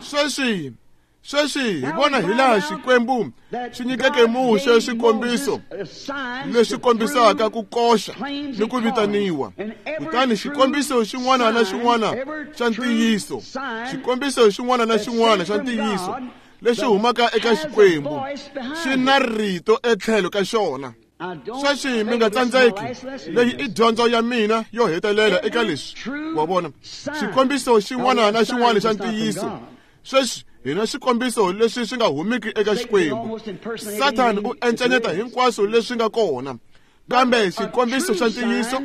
Sweswi sweswi hi vona hi laha Xikwembu xi nyikeke Muxe swikombiso leswi kombisaka ku koxa ni ku vitaniwa. Kutani xikombiso xin'wana na xin'wana xa ntiyiso, xikombiso xin'wana na xin'wana xa ntiyiso lexi humaka eka Xikwembu xi na rito etlhelo ka xona. Sweswi mi nga tsandzeki, leyi i dyondzo ya mina yo hetelela eka leswi. Wa vona, xikombiso xin'wana na xin'wana xa ntiyiso. Sweswi hi na xikombiso leswi swi nga humiki eka Xikwembu. Sathani u encenyeta hinkwaswo leswi nga kona, kambe xikombiso xa ntiyiso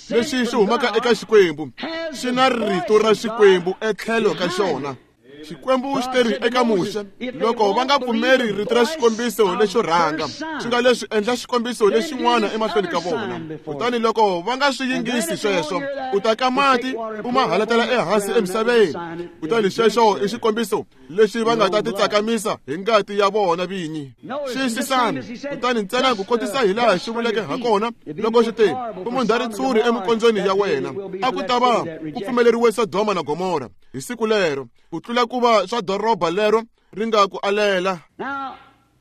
lexi xi humaka eka Xikwembu xi na rito ra Xikwembu etlhelo ka xona. Xikwembu xi teri eka Muxe, loko va nga pfumeri rito ra xikombiso lexo rhanga, swi nga leswi endla xikombiso lexin'wana emahlweni ka vona. Kutani loko va nga swi yingisi sweswo, u ta ka mati u ma halatela ehansi emisaveni. Kutani xexo i xikombiso lexi va nga ta titsakamisa hi ngati ya vona vinyi. Xiyisisani, kutani ntsena ku kotisa hi laha xi vuleke ha kona loko xi te, u mundha ritshuri emikondzweni ya wena, a ku ta va ku pfumeleriwe Sodoma na Gomora hi siku lero, ku tlula ku va swa doroba lero ri nga ku alela.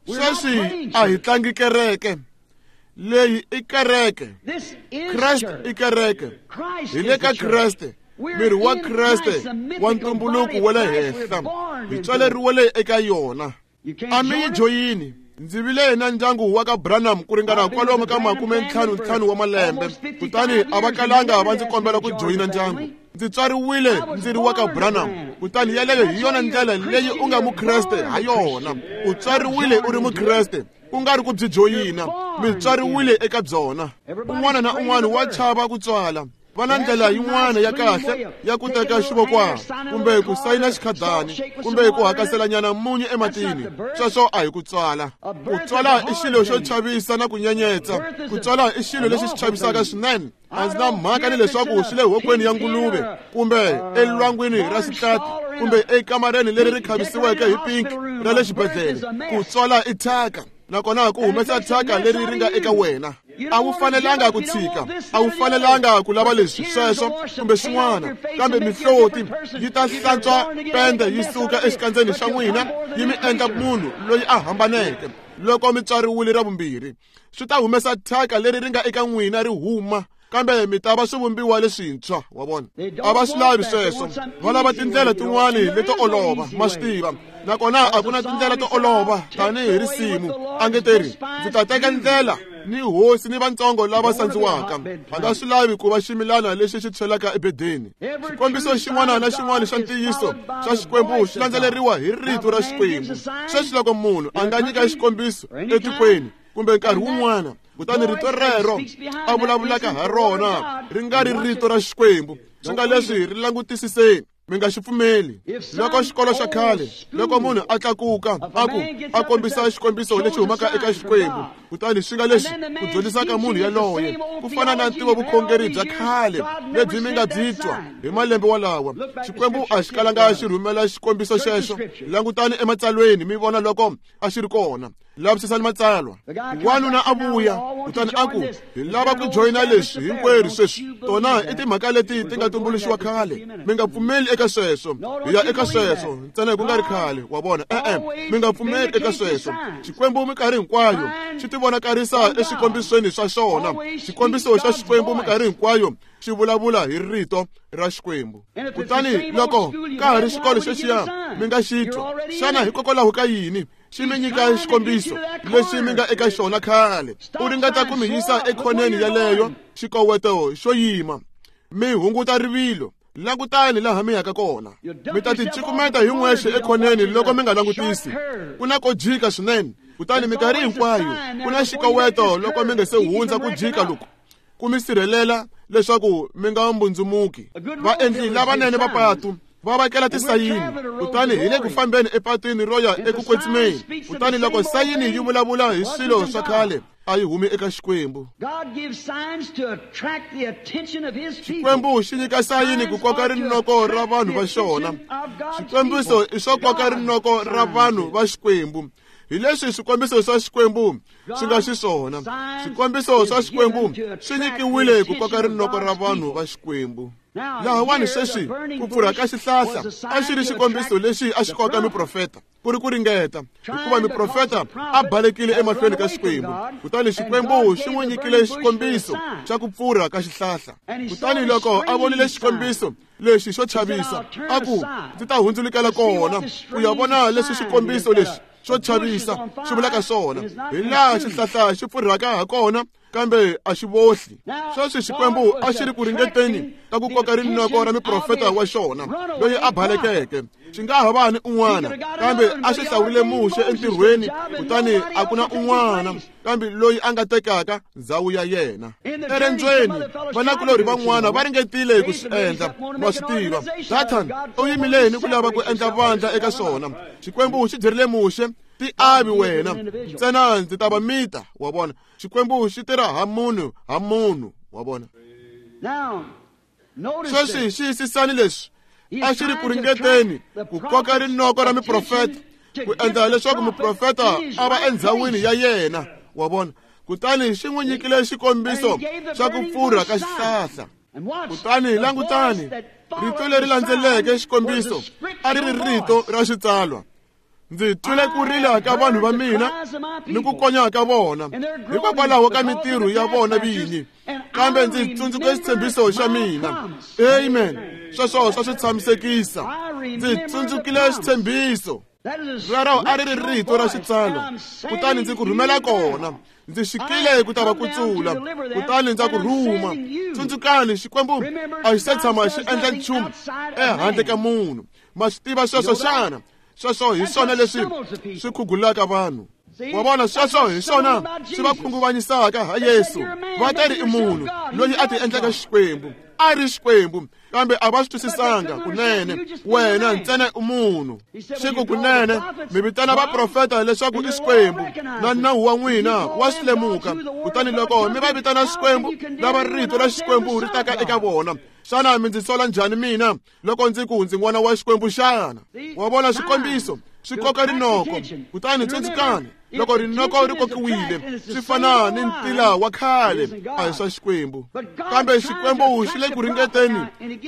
Sweswi a hi tlangi kereke. Leyi i kereke. Kreste i kereke. Hi le ka Kreste, miri wa Kreste wa ntumbuluko wa le henhla, hi tswaleriwile eka yona. A mi yi joyini. Ndzi vile na ndyangu wa ka Branham ku ringana kwalomu ka makume ntlhanu ntlhanu wa malembe, kutani a va kalanga va ndzi kombela ku joyina ndyangu. Ndzi tswariwile ndzi ri wa ka Branham, kutani yeleyo hi yona ndlela leyi u nga Mukreste ha yona. U tswariwile u ri Mukreste, ku nga ri ku byi joyina, mi tswariwile eka byona. Un'wana na un'wana wa chava ku tswala. Va na ndlela yin'wana ya kahle ya ku teka xivokwana, kumbe ku sayina xikhadani, kumbe ku hakaselanyana munyu ematini. Sweswo a hi ku tswala. Ku tswala i xilo xo chavisa na ku nyenyetsa. Ku tswala i xilo lexi xi chavisaka swinene. A ndzi na mhaka ni leswaku swi le hokweni ya nguluve, kumbe elwangwini ra xitlati, kumbe ekamareni leri ri khavisiweke hi pinki ra le xibedhlele. Ku tswala i thyaka, nakona ku humesa thyaka leri ri nga eka wena. A wu fanelanga ku tshika, a wu fanelanga ku lava leswi sweswo kumbe swin'wana, kambe mihloti yi ta hlantswa pende yi suka exikandzeni xa n'wina, yi mi endla munhu loyi a hambaneke. Loko mi tswariwile ra vumbirhi, swi ta humesa thyaka leri ri nga eka n'wina ri huma, kambe mi ta va swivumbiwa leswintshwa. Wa vona, a va swi lavi sweswo. Va lava tindlela tin'wani leto olova, ma swi tiva. Nakona a ku na tindlela to olova tanihi risimu. A nge teri, ndzi ta teka ndlela ni hosi ni vantsongo lava sandziwaka. A nga swi lavi ku va ximilana lexi xi tshwelaka ebedeni. Xikombiso xin'wana na xin'wana xa ntiyiso xa Xikwembu xi landzeleriwa hi rito ra Xikwembu. Sweswi loko munhu a nga nyika xikombiso etikweni kumbe nkarhi wun'wana, kutani rito rero a vulavulaka ha rona ri nga ri rito ra Xikwembu, swi nga leswi ri langutisiseni. Mi nga xi pfumeli. Loko xikolo xa khale, loko munhu a tlakuka a ku a kombisa xikombiso lexi humaka eka Xikwembu, kutani swi nga lexi ku dyondzisaka munhu yaloye ku fana na ntivo vukhongeri bya khale lebyi mi nga byi twa hi malembe walawa, Xikwembu a xi kalanga xi rhumela xikombiso xexo. Langutani ematsalweni mi vona loko a xi ri kona. Lavisisani matsalwa. Wanuna a vuya kutani a ku, hi lava ku joyina leswi hinkwerhu sweswi. Tona i timhaka leti ti nga tumbuluxiwa khale. Mi nga pfumeli eka sweswo. Hi ya eka sweswo ntsena hi ku nga ri khale, wa vona. E-e, mi nga pfumeli eka sweswo. Xikwembu minkarhi hinkwayo xi tivonakarisa eswikombisweni swa xona. Xikombiso xa Xikwembu minkarhi hinkwayo xi vulavula hi rito ra Xikwembu. Kutani loko ka ha ri xikolo xexiya mi nga xi twa, xana hikokwalaho ka yini xi mi nyika xikombiso lexi mi nga eka xona khale? U ringeta ku mi yisa ekhoneni yaleyo, xikoweto xo yima, mi hunguta rivilo. Langutani laha mi yaka kona. Mi ta ti cukumeta hi n'wexe ekhoneni loko mi nga langutisi. Ku na ko jika swinene, kutani minkarhi hinkwayo ku na xikoweto loko mi nga se hundza ku jika loku, ku mi sirhelela leswaku mi nga mbundzumuki. Vaendli lavanene va patu va vekela tisayini, kutani hi le ku fambeni epatwini ro ya eku kwetsimeni. Kutani loko sayini yi vulavula hi swilo swa khale, a yi humi eka Xikwembu. Xikwembu xi nyika sayini ku koka rinoko ra vanhu va xona. Xikombiso i swo koka rinoko ra vanhu va Xikwembu. Hi leswi swikombiso swa Xikwembu swi nga xiswona. Swikombiso swa Xikwembu swi nyikiwile ku koka rinoko ra vanhu va Xikwembu. Lahawani sweswi ku pfurha ka xihlahla a xi ri xikombiso lexi a xi koka miprofeta, ku ri ku ringeta, hikuva miprofeta a balekile emahlweni ka Xikwembu. Kutani Xikwembu xi n'wi nyikile xikombiso xa ku pfurha ka xihlahla. Kutani loko a vonile xikombiso lexi xo chavisa, a ku, ndzi ta hundzulukela kona ku ya vona leswi xikombiso lexi xo chavisa xi vulaka swona, hi laha xihlahla xi pfurhaka ha kona, kambe a xi vohli. Sweswi Xikwembu a xi ri ku ringeteni ka ku koka rinoko ra miprofeta wa xona loyi a balekeke. Xi nga ha va ni un'wana, kambe a xi hlawurile Muxe entirhweni, kutani a ku na un'wana kambe loyi a nga tekaka ndzhawu ya yena. Erendzweni vanakulorhi van'wana va ringetile ku swi endla, wa swi tiva. Dathan u yimile ni ku lava ku endla vandla eka swona. Xikwembu xi byerile Muxe, ti avi wena ntsena ndzi ta va mita, wa vona. Xikwembu xi tirha ha munhu ha munhu, wa vona. Sweswi xiyisisani leswi a xi ri ku ringeteni ku koka rinoko ra miprofeta, ku endla leswaku muprofeta a va endzhawini ya yena, wa vona. Kutani xi n'wi nyikile xikombiso xa ku pfurha ka xihlahla. Kutani langutani, rito leri landzeleke xikombiso a ri ri rito ra xitsalwa. Ndzi twile ku rila ka vanhu va mina ni ku konya ka vona hikokwalaho ka mintirho ya vona vinyi, kambe ndzi tsundzuke xitshembiso xa mina. Amen. Sweswo swa swi tshamisekisa. Ndzi tsundzukile xitshembiso. Rero a ri ri rito ra xitsalwa. Kutani ndzi ku rhumela kona. Ndzi xikile ku ta va kutsula, kutani ndza ku rhuma. Tsundzukani, Xikwembu a xi se tshama xi endla nchumu ehandle ka munhu. Ma swi tiva sweswo xana? Sweswo hi swona leswi swi khugulaka vanhu. Wa vona, sweswo hi swona swi va khunguvanyisaka ha Yesu. Va ta ri i munhu loyi a ti endlaka Xikwembu. A ri Xikwembu, kambe a va swi twisisanga kunene. Wena ntsena i munhu. Xi ku kunene mi vitana vaprofeta leswaku i Xikwembu, na nawu wa n'wina wa swi lemuka. Kutani loko mi va vitana Xikwembu, lava rito ra Xikwembu ri taka eka vona, xana mi ndzi sola njhani mina loko ndzi ku ndzi n'wana wa Xikwembu xana? Wa vona, xikombiso swi koka rinoko. Kutani tsundzukani, loko rinoko ri kokiwile, swi fana ni ntila wa khale, a hi swa Xikwembu. Kambe Xikwembu xi le ku ringeteni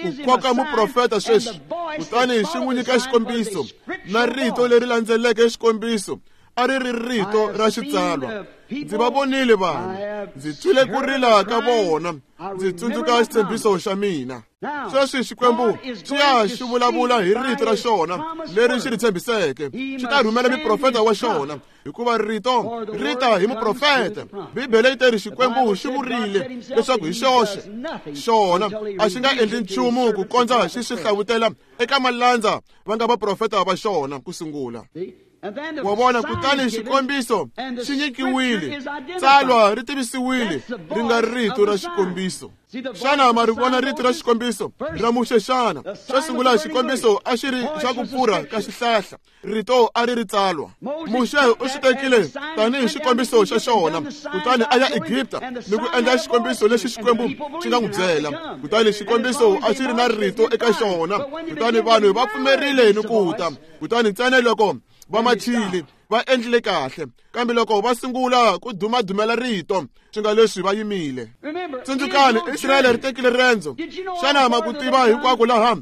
ku koka muprofeta sweswi, kutani xi n'wi nyika xikombiso, na rito leri landzeleke xikombiso a ri ri rito ra xitsalwa. Ndzi va vonile vanhu, ndzi twile ku rila ka vona, ndzi tsundzuka xitshembiso xa mina. Sweswi Xikwembu xi ya xi vulavula hi rito ra xona leri xi ri tshembiseke. Xi ta rhumela muprofeta wa xona, hikuva rito ri ta hi muprofeta. Bibele yi teri Xikwembu xi vurile leswaku hi xoxe xona a xi nga endli nchumu ku kondza xi swi hlavutela eka malandza va nga vaprofeta va xona ku sungula. Wa vona, kutani xikombiso xi nyikiwile, tsalwa ri tivisiwile, ri nga rito ra xikombiso. Xana ma ri vona rito ra xikombiso ra Muxe xana? Xo sungula xikombiso a xi ri xa ku pfurha ka xihlahla, rito a ri ri tsalwa. Muxe u xi tekile tanihi xikombiso xa xona, kutani a ya Egipta ni ku endla xikombiso lexi Xikwembu xi nga n'wi byela. Kutani xikombiso a xi ri na rito eka xona, kutani vanhu va pfumerile ni ku ta. Kutani ntsena loko va machile va endlile kahle, kambe loko va sungula ku dumadumela rito, swi nga leswi va yimile. Tsundzukani, Israyele ri tekile rendzo. Xana ma ku tiva hinkwako laha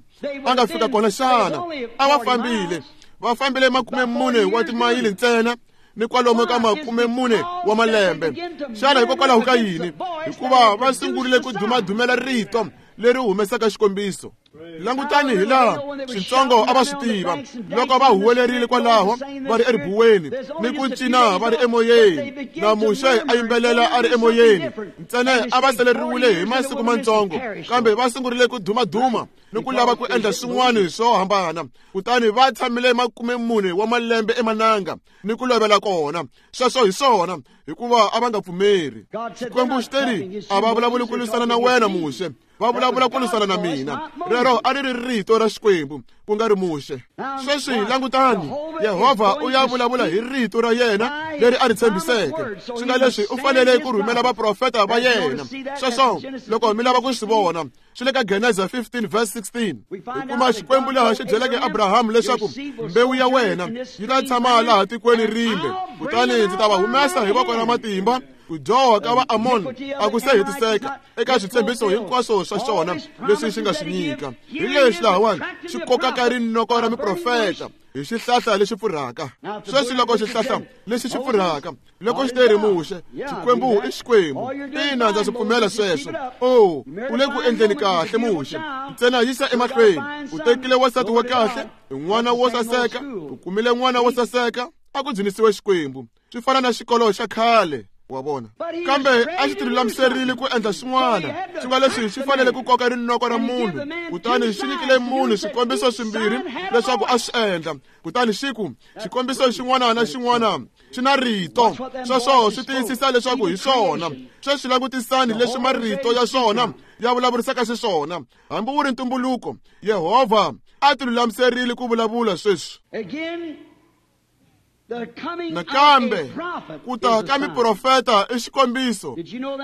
a nga fika kona xana? A va fambile, va fambile makume mune wa timayili ntsena ni kwalomu ka makume mune wa malembe. Xana hikokwalaho ka yini? Hikuva va sungurile ku dumadumela rito leri humesaka xikombiso. Langutani hi laha switsongo a va swi tiva loko va huwelerile kwalaho va ri eribuweni ni ku cina va ri emoyeni, na Muxe a yimbelela a ri emoyeni. Ntsena a va seleriwile hi masiku mantsongo, kambe va sungurile ku dumaduma ni ku lava ku endla swin'wana swo hambana. Kutani va tshamile makume mune wa malembe emananga ni ku lovela kona. Sweswo hi swona, hikuva a va nga pfumeri. Xikwembu xi teri, a va vulavuli ku lwisana na wena Muxe, va vulavula ku lwisana na mina. Rero a ri ri rito ra Xikwembu, ku nga ri Muxe. Sweswi langutani, Yehovha u ya vulavula hi rito ra yena leri a ri tshembiseke. Swi nga leswi u fanele ku rhumela vaprofeta va yena. Sweswo loko mi lava ku swi vona, swi le ka Geneza fifteen verse sixteen. Hi kuma Xikwembu laha xi byeleke Abrahamu leswaku mbewu ya wena yi ta tshama laha tikweni rimbe, kutani ndzi ta va humesa hi voko ra matimba. Ku dyoha ka Vaamoni a ku se hetiseka eka switshembiso hinkwaswo swa xona leswi xi nga swi nyika. Hi leswi lahawani xi kokaka rinoko ra miprofeta hi xihlahla lexi pfurhaka. Sweswi loko xihlahla lexi xi pfurhaka, loko xi teri Muxe, Xikwembu i Xikwembu. Ina, ndza swi pfumela sweswo. O, u le ku endleni kahle Muxe, ntsena yisa emahlweni. U tekile wansati wa kahle, n'wana wo saseka, u kumile n'wana wo saseka, a ku dzunisiwe Xikwembu. Swi fana na xikolo xa khale, wa vona. Kambe a xi tilulamiserile ku endla swin'wana, swi nga leswi xi fanele ku koka rinoko ra munhu. Kutani xi nyikile munhu swikombiso swimbirhi leswaku a swi endla. Kutani xi ku, xikombiso xin'wana na xin'wana xi na rito. Sweswo swi tiyisisa leswaku hi swona. Sweswi langutisani leswi marito ya swona ya vulavurisaka xiswona. Hambi wu ri ntumbuluko, Yehovha a tilulamiserile ku vulavula sweswi. Nakambe ku ta ka miprofeta i xikombiso.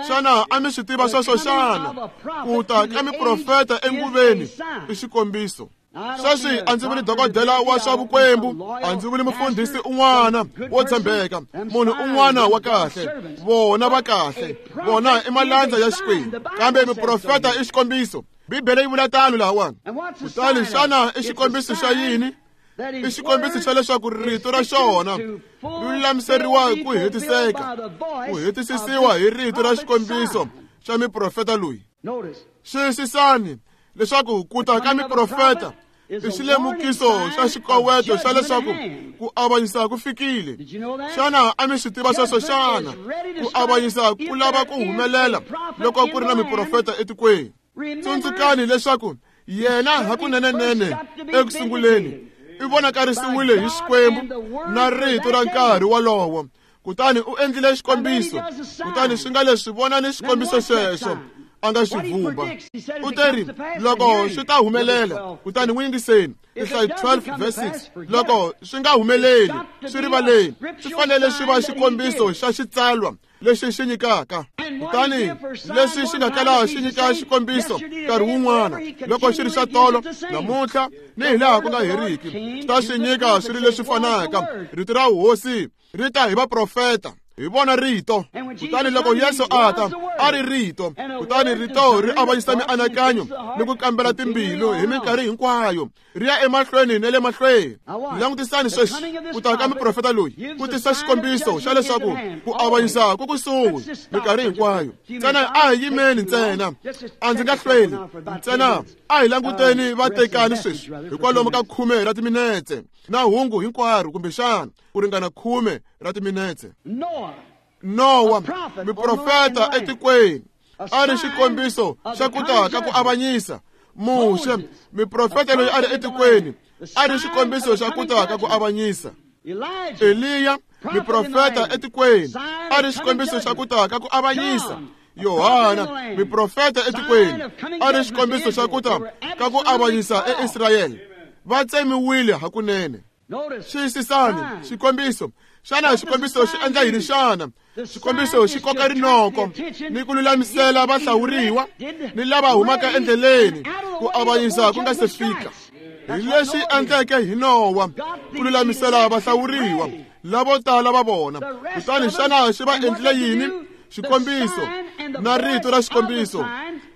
Xana a mi swi tiva sweswo xana? Ku ta ka miprofeta enguveni i xikombiso. Sweswi a ndzi vuli dokodela wa swa vukwembu, a ndzi vuli mufundhisi un'wana wo tshembeka, munhu un'wana wa kahle. Vona va kahle, vona i malandza ya Xikwembu, kambe miprofeta i xikombiso. Bibele yi vula tano lahawani. Kutani xana i xikombiso xa yini? I xikombiso xa leswaku rito ra xona ri lulamiseriwa ku hetiseka, ku hetisisiwa hi rito ra xikombiso xa miprofeta loyi. Xiyisisani leswaku ku ta ka miprofeta i xilemukiso xa xikoweto xa leswaku ku avanyisa ku fikile. Xana a mi swi tiva sweswo xana? Ku avanyisa ku lava ku humelela loko ku ri na miprofeta etikweni. Tsundzukani leswaku yena hakunenenene eku sunguleni i vonakarisiwile hi Xikwembu na rito ra nkarhi wolowo. Kutani u endlile xikombiso, kutani swi nga leswi vonani xikombiso xexo a nga xi vumba. U teri loko swi ta humelela, kutani n'wi yingiseni. Tinhlayo twelve verse six. Loko swi nga humeleli, swi rivaleni, swi fanele swi va xikombiso xa xitsalwa lexi xi nyikaka. Kutani leswi xi nga kala xi nyika xikombiso nkarhi wun'wana, loko xi ri xa tolo, namuntlha ni hi laha ku nga heriki, swi ta swi nyika swi ri leswi fanaka. Rito ra hosi ri ta hi vaprofeta, hi vona rito. Kutani loko Yesu a ta, a ri rito. Kutani rito ri avanyisa mianakanyo ni ku kambela timbilu hi minkarhi hinkwayo, ri ya emahlweni na le mahlweni. Langutisani sweswi ku ta ka miprofeta loyi ku tisa xikombiso xa leswaku ku avanyisa ku kusuhi minkarhi hinkwayo. Ntsena a hi yimeni ntsena, a ndzi nga hlweli ntsena, a hi languteni vatekani sweswi hikwalomu ka khume ra timinetse na hungu hinkwaro, kumbexana ku ringana khume ra timinetse. Nowa, miprofeta etikweni, a ri xikombiso xa ku ta ka ku avanyisa. Muxe, miprofeta loyi a ri etikweni, a ri xikombiso xa ku ta ka ku avanyisa. Eliya muprofeta etikweni a ri xikombiso xa ku ta ka ku avanyisa. Yohana muprofeta etikweni a ri xikombiso xa ku ta ka ku avanyisa eIsrayele. Va tsemiwile hakunene. Xiyisisani xikombiso. Xana xikombiso xi endla yini xana? Xikombiso xi koka rinoko ni ku lulamisela vahlawuriwa ni lava humaka endleleni ku avanyisa ku nga se fika. Hi leswi endleke hi Nowa ku lulamisela vahlawuriwa lavo tala va vona. Kutani xana xi va endlile yini? Xikombiso na rito ra xikombiso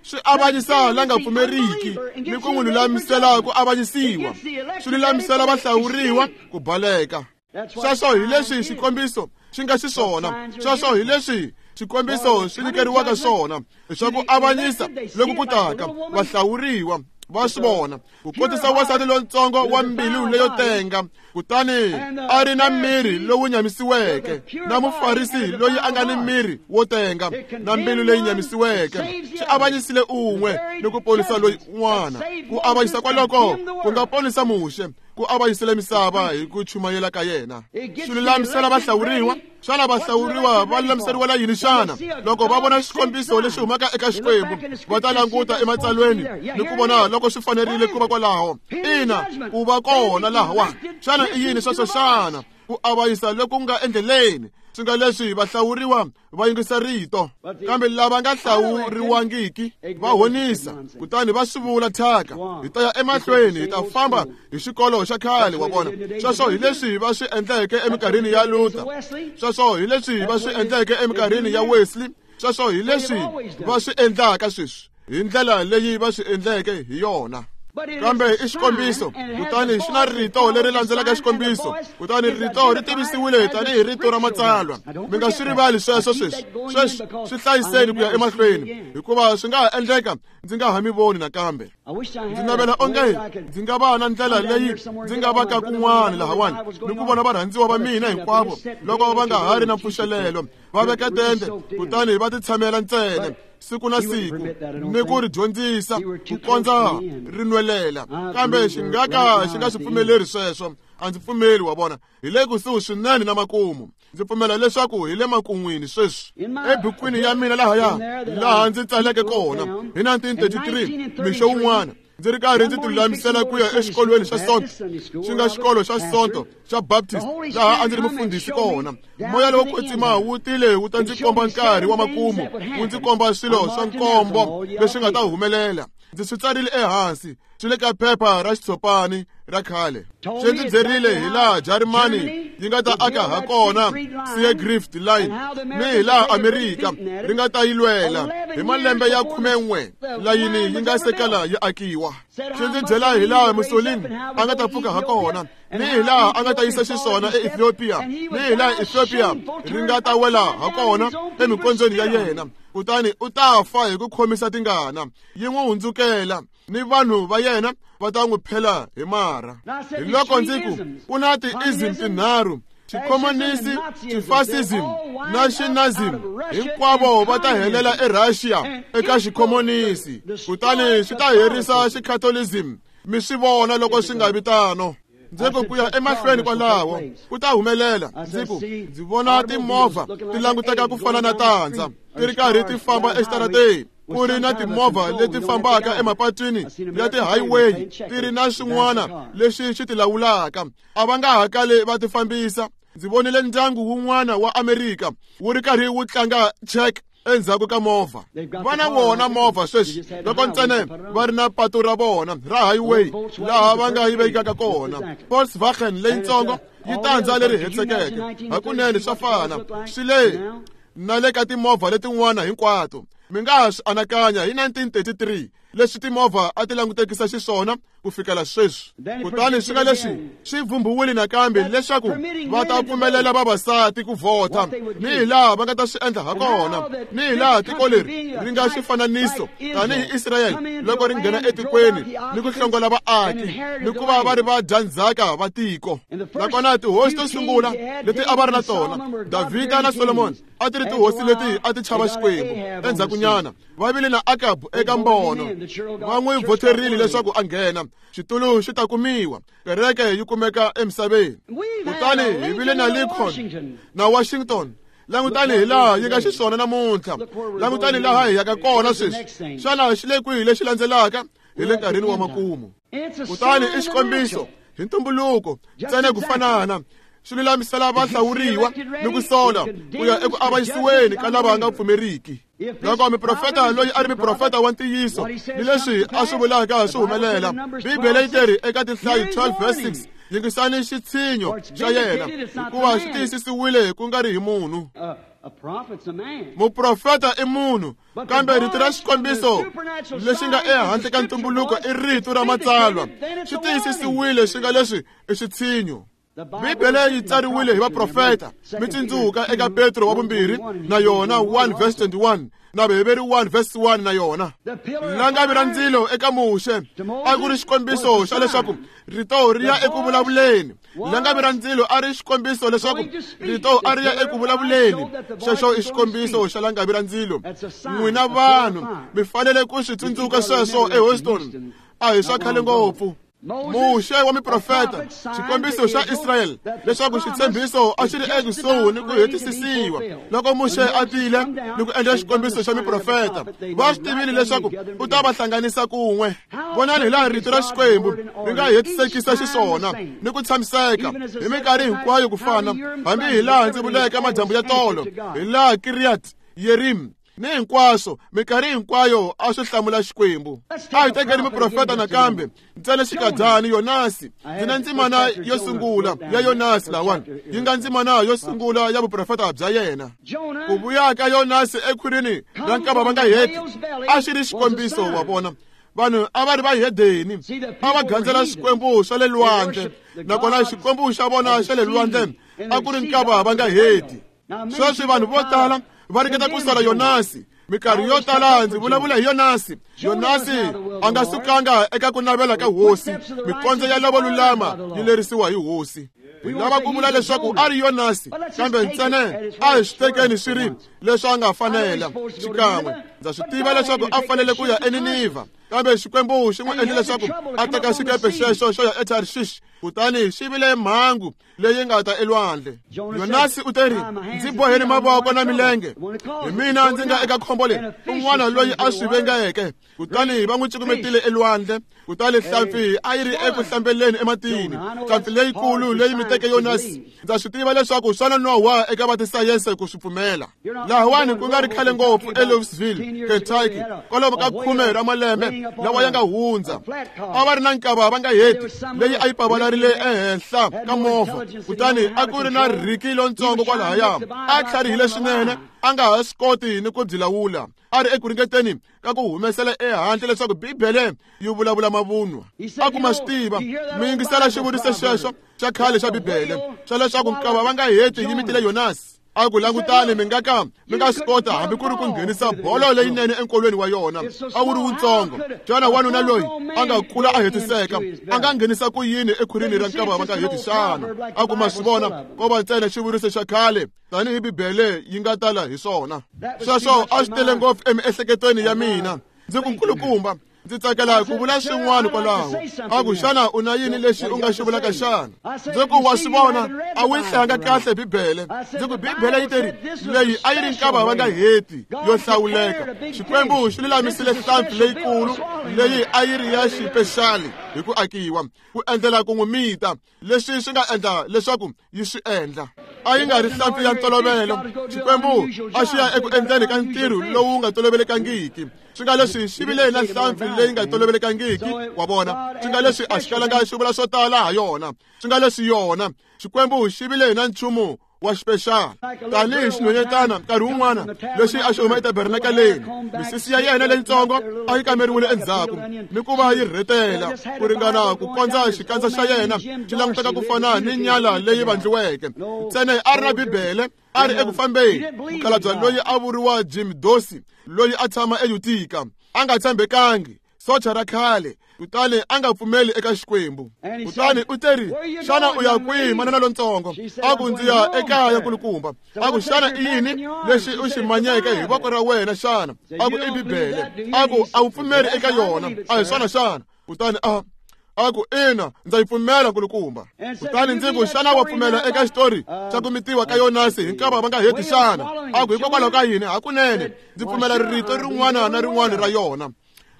swi avanyisa la nga pfumeriki ni ku n'wi lulamisela ku avanyisiwa. Swi lulamisela vahlawuriwa ku baleka. Sweswo hi leswi xikombiso xi nga xiswona. Sweswo hi leswi xikombiso xi nyikeriwaka swona, swa ku avanyisa loko ku taka vahlawuriwa va swi vona. Ku kotisa wansati lontsongo wa mbilu leyo tenga, kutani a ri na miri lowu nyamisiweke, na mufarisi loyi a nga ni miri wo tenga na mbilu leyi nyamisiweke. Xi avanyisile un'we ni ku ponisa loyi un'wana. Ku avanyisa kwaloko ku nga ponisa Muxe, ku avanyisile misava hi ku chumayela ka yena. Swi lulamisela vahlawuriwa. Xana vahlawuriwa va lulamiseriwela yini xana? Loko va vona xikombiso lexi humaka eka Xikwembu, va ta languta ematsalweni ni ku vona loko swi fanerile ku va kwalaho. Ina, ku va kona lahawani. Xana i yini sweswo xana? Ku avanyisa loku nga endleleni. Swi nga leswi vahlawuriwa va yingisa rito, kambe lava nga hlawuriwangiki va honisa, kutani va swi vula thyaka. Hi ta ya emahlweni, hi ta famba hi xikolo xa khale, wa vona. Sweswo hi leswi va swi endleke eminkarhini ya Luther. Sweswo hi leswi va swi endleke eminkarhini ya Wesley. Sweswo hi leswi va swi endlaka sweswi, hi ndlela leyi va swi endleke hi yona. Kambe i xikombiso, kutani xi na rito leri landzelaka xikombiso, kutani rito ri tivisiwile tanihi rito ra matsalwa. Mi nga swi rivali sweswo sweswi. Sweswi swi hlayiseni ku ya emahlweni, hikuva swi nga ha endleka ndzi nga ha mi voni nakambe. Ndzi navela onge ndzi nga va na ndlela leyi ndzi nga va ka kun'wana lahawani ni ku vona varhandziwa va mina hinkwavo loko va nga ha ri na mpfuxelelo, va veka tende kutani va titshamela ntsena siku na siku ni ku ri dyondzisa ku kondza ri nwelela. Kambe xi nga ka xi nga swi pfumeleri sweswo. A ndzi pfumeli, wa vona. Hi le kusuhi swinene na makumu. Ndzi pfumela leswaku hi le makun'wini sweswi. Ebukwini ya mina lahaya laha ndzi tsaleke kona hi nineteen thirty-three, mixo wun'wana ndzi ri karhi ndzi tilulamisela ku ya exikolweni xa Sonto, xi nga xikolo xa Sonto xa Baptist, laha a ndzi ri mufundhisi kona. Moya lowo kwetsima wu tile wu ta ndzi komba nkarhi wa makumu, wu ndzi komba swilo swa nkombo leswi nga ta humelela. Ndzi swi tsarile ehansi, swi le ka phepha ra xitshopani ra khale. Swi ndzi byerile hi laha Jarimani yi nga ta aka ha kona Seagrift Line, ni hi laha Amerika ri nga ta yi lwela hi malembe ya khumen'we layini yi nga se kala yi akiwa. Swi ndzi byela hi laha Mussolini a nga ta pfuka ha kona, ni hi laha a nga ta yisa xiswona eEthiopia, ni hi laha Ethiopia ri nga ta wela ha kona emikondzweni ya yena. Kutani u ta fa hi ku khomisa tingana, yi n'wi hundzukela, ni vanhu va yena va ta n'wi phela hi marha. Hi loko ndzi ku ku na ti-ism tinharhu, xikhomonisi, xifasism na xinazim, hinkwavo va ta helela eRussia eka xikhomonisi, kutani swi ta herisa xikatholism. Mi swi vona loko swi nga vi tano. Ndzi ku ku ya emahlweni kwalaho ku ta humelela. Ndzi ku ndzi vona timovha ti languteka ku fana na tandza ti ri karhi ti famba exitarateni, ku ri na timovha leti fambaka emapatwini ya ti-highway ti ri na swin'wana leswi swi ti lawulaka. A va nga ha kali va ti fambisa. Ndzi vonile ndyangu wun'wana wa Amerika wu ri karhi wu tlanga check endzhaku ka movha. Va na wona movha sweswi loko ntsena va ri na patu ra vona ra highway laha va nga yi vekaka kona. Volkswagen leyitsongo yi tandza leri hetisekeke. Hakunene swa fana swi le na le ka timovha letin'wana hinkwato. Mi nga ha swi anakanya hi nineteen thirty-three leswi timovha a ti langutekisa xiswona ku fikela sweswi. Kutani swi nga leswi swi vhumbiwile nakambe leswaku va ta pfumelela vavasati ku vhota, ni hi laha va nga ta swi endla ha kona, ni hi laha tiko leri ri nga xifananiso tanihi Israyele loko ri nghena etikweni ni ku hlongola vaaki ni ku va va ri vadyandzhaka va tiko. Nakona tihosi to sungula leti a va ri na tona, Davhida na Solomoni, a ti ri tihosi leti a ti chava Xikwembu. Endzhakunyana va vile na Akabu eka mbono, va n'wi vhoterile leswaku a nghena. Xitulu xi ta kumiwa. Kereke yi kumeka emisaveni. Kutani hi vile na Lincoln na Washington. Langutani hi laha yi nga xiswona namuntlha. Langutani laha hi yaka kona sweswi. Xana xi le kwihi lexi landzelaka? Hi le nkarhini wa makumu. Kutani i xikombiso hi ntumbuluko ntsena ku fanana. Swi lulamisela vahlawuriwa ni ku sola ku ya eku avanyisiweni ka lava nga pfumeriki. Loko muprofeta loyi a ri muprofeta wa ntiyiso ni leswi a swi vulaka swi humelela, Bibele yi teri eka Tinhlayo twelve verse six, yingisani xitshinyo xa yena, hikuva xi tiyisisiwile ku nga ri hi munhu. Muprofeta i munhu, kambe rito ra xikombiso lexi nga ehandle ka ntumbuluko i rito ra matsalwa. Xi tiyisisiwile swi nga leswi i xitshinyo. Bibele yi tsariwile hi vaprofeta. Mi tsundzuka eka Petro wa vumbirhi na yona one verse twenty-one na Vaheberi one verse one na yona. Langavi ra ndzilo eka Muxe a ku ri xikombiso xa leswaku rito ri ya eku vulavuleni. Langavi ra ndzilo a ri xikombiso leswaku rito a ri ya eku vulavuleni. Xexo i xikombiso xa langavi ra ndzilo. N'wina vanhu mi fanele ku swi tsundzuka sweswo eHouston. A hi swa khale ngopfu. Muxe wa miprofeta, xikombiso xa Israyele leswaku xitshembiso a xi ri ekusuhi ni ku hetisisiwa. Loko Muxe a tile ni ku endla xikombiso xa miprofeta, va swi tivile leswaku u ta va hlanganisa kun'we. Vonani hi laha rito ra Xikwembu ri nga hetisekisa xiswona ni ku tshamiseka hi minkarhi hinkwayo ku fana, hambi hi laha ndzi vuleke madyambu ya tolo, hi laha Kiryat Yerim ni hinkwaswo, minkarhi hinkwayo a swi hlamula Xikwembu. A hi tekeni muprofeta nakambe ntsena xikadyani Yonasi. Ndzi na ndzimana yo sungula ya Yonasi lawani, yi nga ndzimana yo sungula ya vuprofeta bya yena. Ku vuya ka Yonasi ekhwirini ra nkava va nga heti a xi ri xikombiso wa vona. Vanhu a va ri vahedeni, a va gandzela xikwembu xa le lwandle, nakona xikwembu xa vona xa le lwandle a ku ri nkava va nga heti. Sweswi vanhu vo tala va ringeta ku sala Yonasi. Minkarhi yo tala ndzi vulavula hi Yonasi. Yonasi a nga sukanga eka ku navela ka hosi. Mikondzo ya lavo lulama yi lerisiwa hi hosi. Hi lava ku vula leswaku a ri Yonasi, kambe ntsena a hi swi tekeni swi ri leswi a nga fanela. Xikan'we ndza swi tiva leswaku a fanele ku ya eNinivha, kambe Xikwembu xi n'wi endle leswaku a teka xikepe xexo xo ya eTarshish, kutani xi vile mhangu leyi nga ta elwandle. Yonasi u teri, ndzi boheni mavoko na milenge, hi mina ndzi nga eka khombo leri, un'wana loyi a swi vengeke. Kutani va n'wi cukumetile elwandle, kutani hlampfi a yi ri eku hlambeleni ematini, hlampfi leyikulu leyi miteke Yonasi. Ndza swi tiva leswaku swa nonoha eka va tisayense ku swi pfumela. Lahawani ku nga ri khale ngopfu eLouisville, Kentucky, kwalomu ka khume ra malembe lawa ya nga hundza, a va ri na nkava va nga heti leyi a yi pavalarile ehenhla ka movha. Kutani a ku ri na Ricky lontsongo kwalahaya, a tlharihile swinene, a nga ha swi koti ni ku byi lawula. A ri eku ringeteni ka ku humesela ehandle leswaku Bibele yi vulavula mavunwa. A kuma swi tiva, mi yingisela xivuriso xexo xa khale xa Bibele xa leswaku nkava va nga heti yi mitile Yonasi. A ku langutani, mi nga ka mi nga swi kota hambi ku ri ku nghenisa bolo leyinene enkolweni wa yona. A wu ri wutsongo. Xana wanuna loyi a nga kula a hetiseka a nga nghenisa ku yini ekhwirini ra nkava va nga heti xana? A ku ma swi vona, ko va ntsena xivuriso xa khale tanihi Bibele yi nga tala hi swona. Sweswo a swi tele ngopfu emiehleketweni ya mina. Ndzi ku nkulukumba, ndzi tsakela ku vula swin'wana kwalaho. A ku xana u na yini lexi u nga xi vulaka xana? Ndzi ku wa swi vona, a wu yi hlayanga kahle Bibele. Ndzi ku Bibele yi teri leyi a yi ri nkava va nga heti yo hlawuleka. Xikwembu xi lulamisile hlampfi leyikulu leyi a yi ri ya xipexali hi ku akiwa ku endlela ku n'wi mita. Leswi swi nga endla leswaku yi swi endla. A yi nga ri hlampfi ya ntolovelo. Xikwembu a xi ya eku endleni ka ntirho lowu nga tolovelekangiki. Swi nga leswi xi vile na hlampfi leyi nga tolovelekangiki, wa vona. Swi nga leswi a xi kalanga xi vula swo tala ha yona. Swi nga leswi yona Xikwembu xi vile na nchumu wa xipexala. Tanihi xinhwanyetana nkarhi wun'wana lexi a xi huma etabernakaleni, misisi ya yena leyitsongo a yi kameriwile endzhaku ni ku va yi rhetela ku ringana ku kondza xikandza xa yena xi languteka ku fana ni nyala leyi vandliweke. Ntsena a ri na Bibele, a ri eku fambeni. Mukhalabye loyi a vuriwa Jim Dorsey, loyi a tshama eUtica, a nga tshembekangi, socha ra khale, kutani a nga pfumeli eka Xikwembu. Kutani u teri, xana u ya kwihi manana lontsongo? A ku ndzi ya ekaya kulukumba. A ku xana i yini lexi u xi manyeke hi voko ra wena xana? A ku i Bibele. A ku a wu pfumeli eka yona, a hi swona xana? Kutani a A ku ina, ndza yi pfumela nkulukumba. Kutani ndzi ku xana wa pfumela eka xitori xa ku mitiwa ka Yonasi hi nkava va nga heti xana? A ku hikokwalaho ka yini? Hakunene ndzi pfumela rito rin'wana na rin'wana ra yona.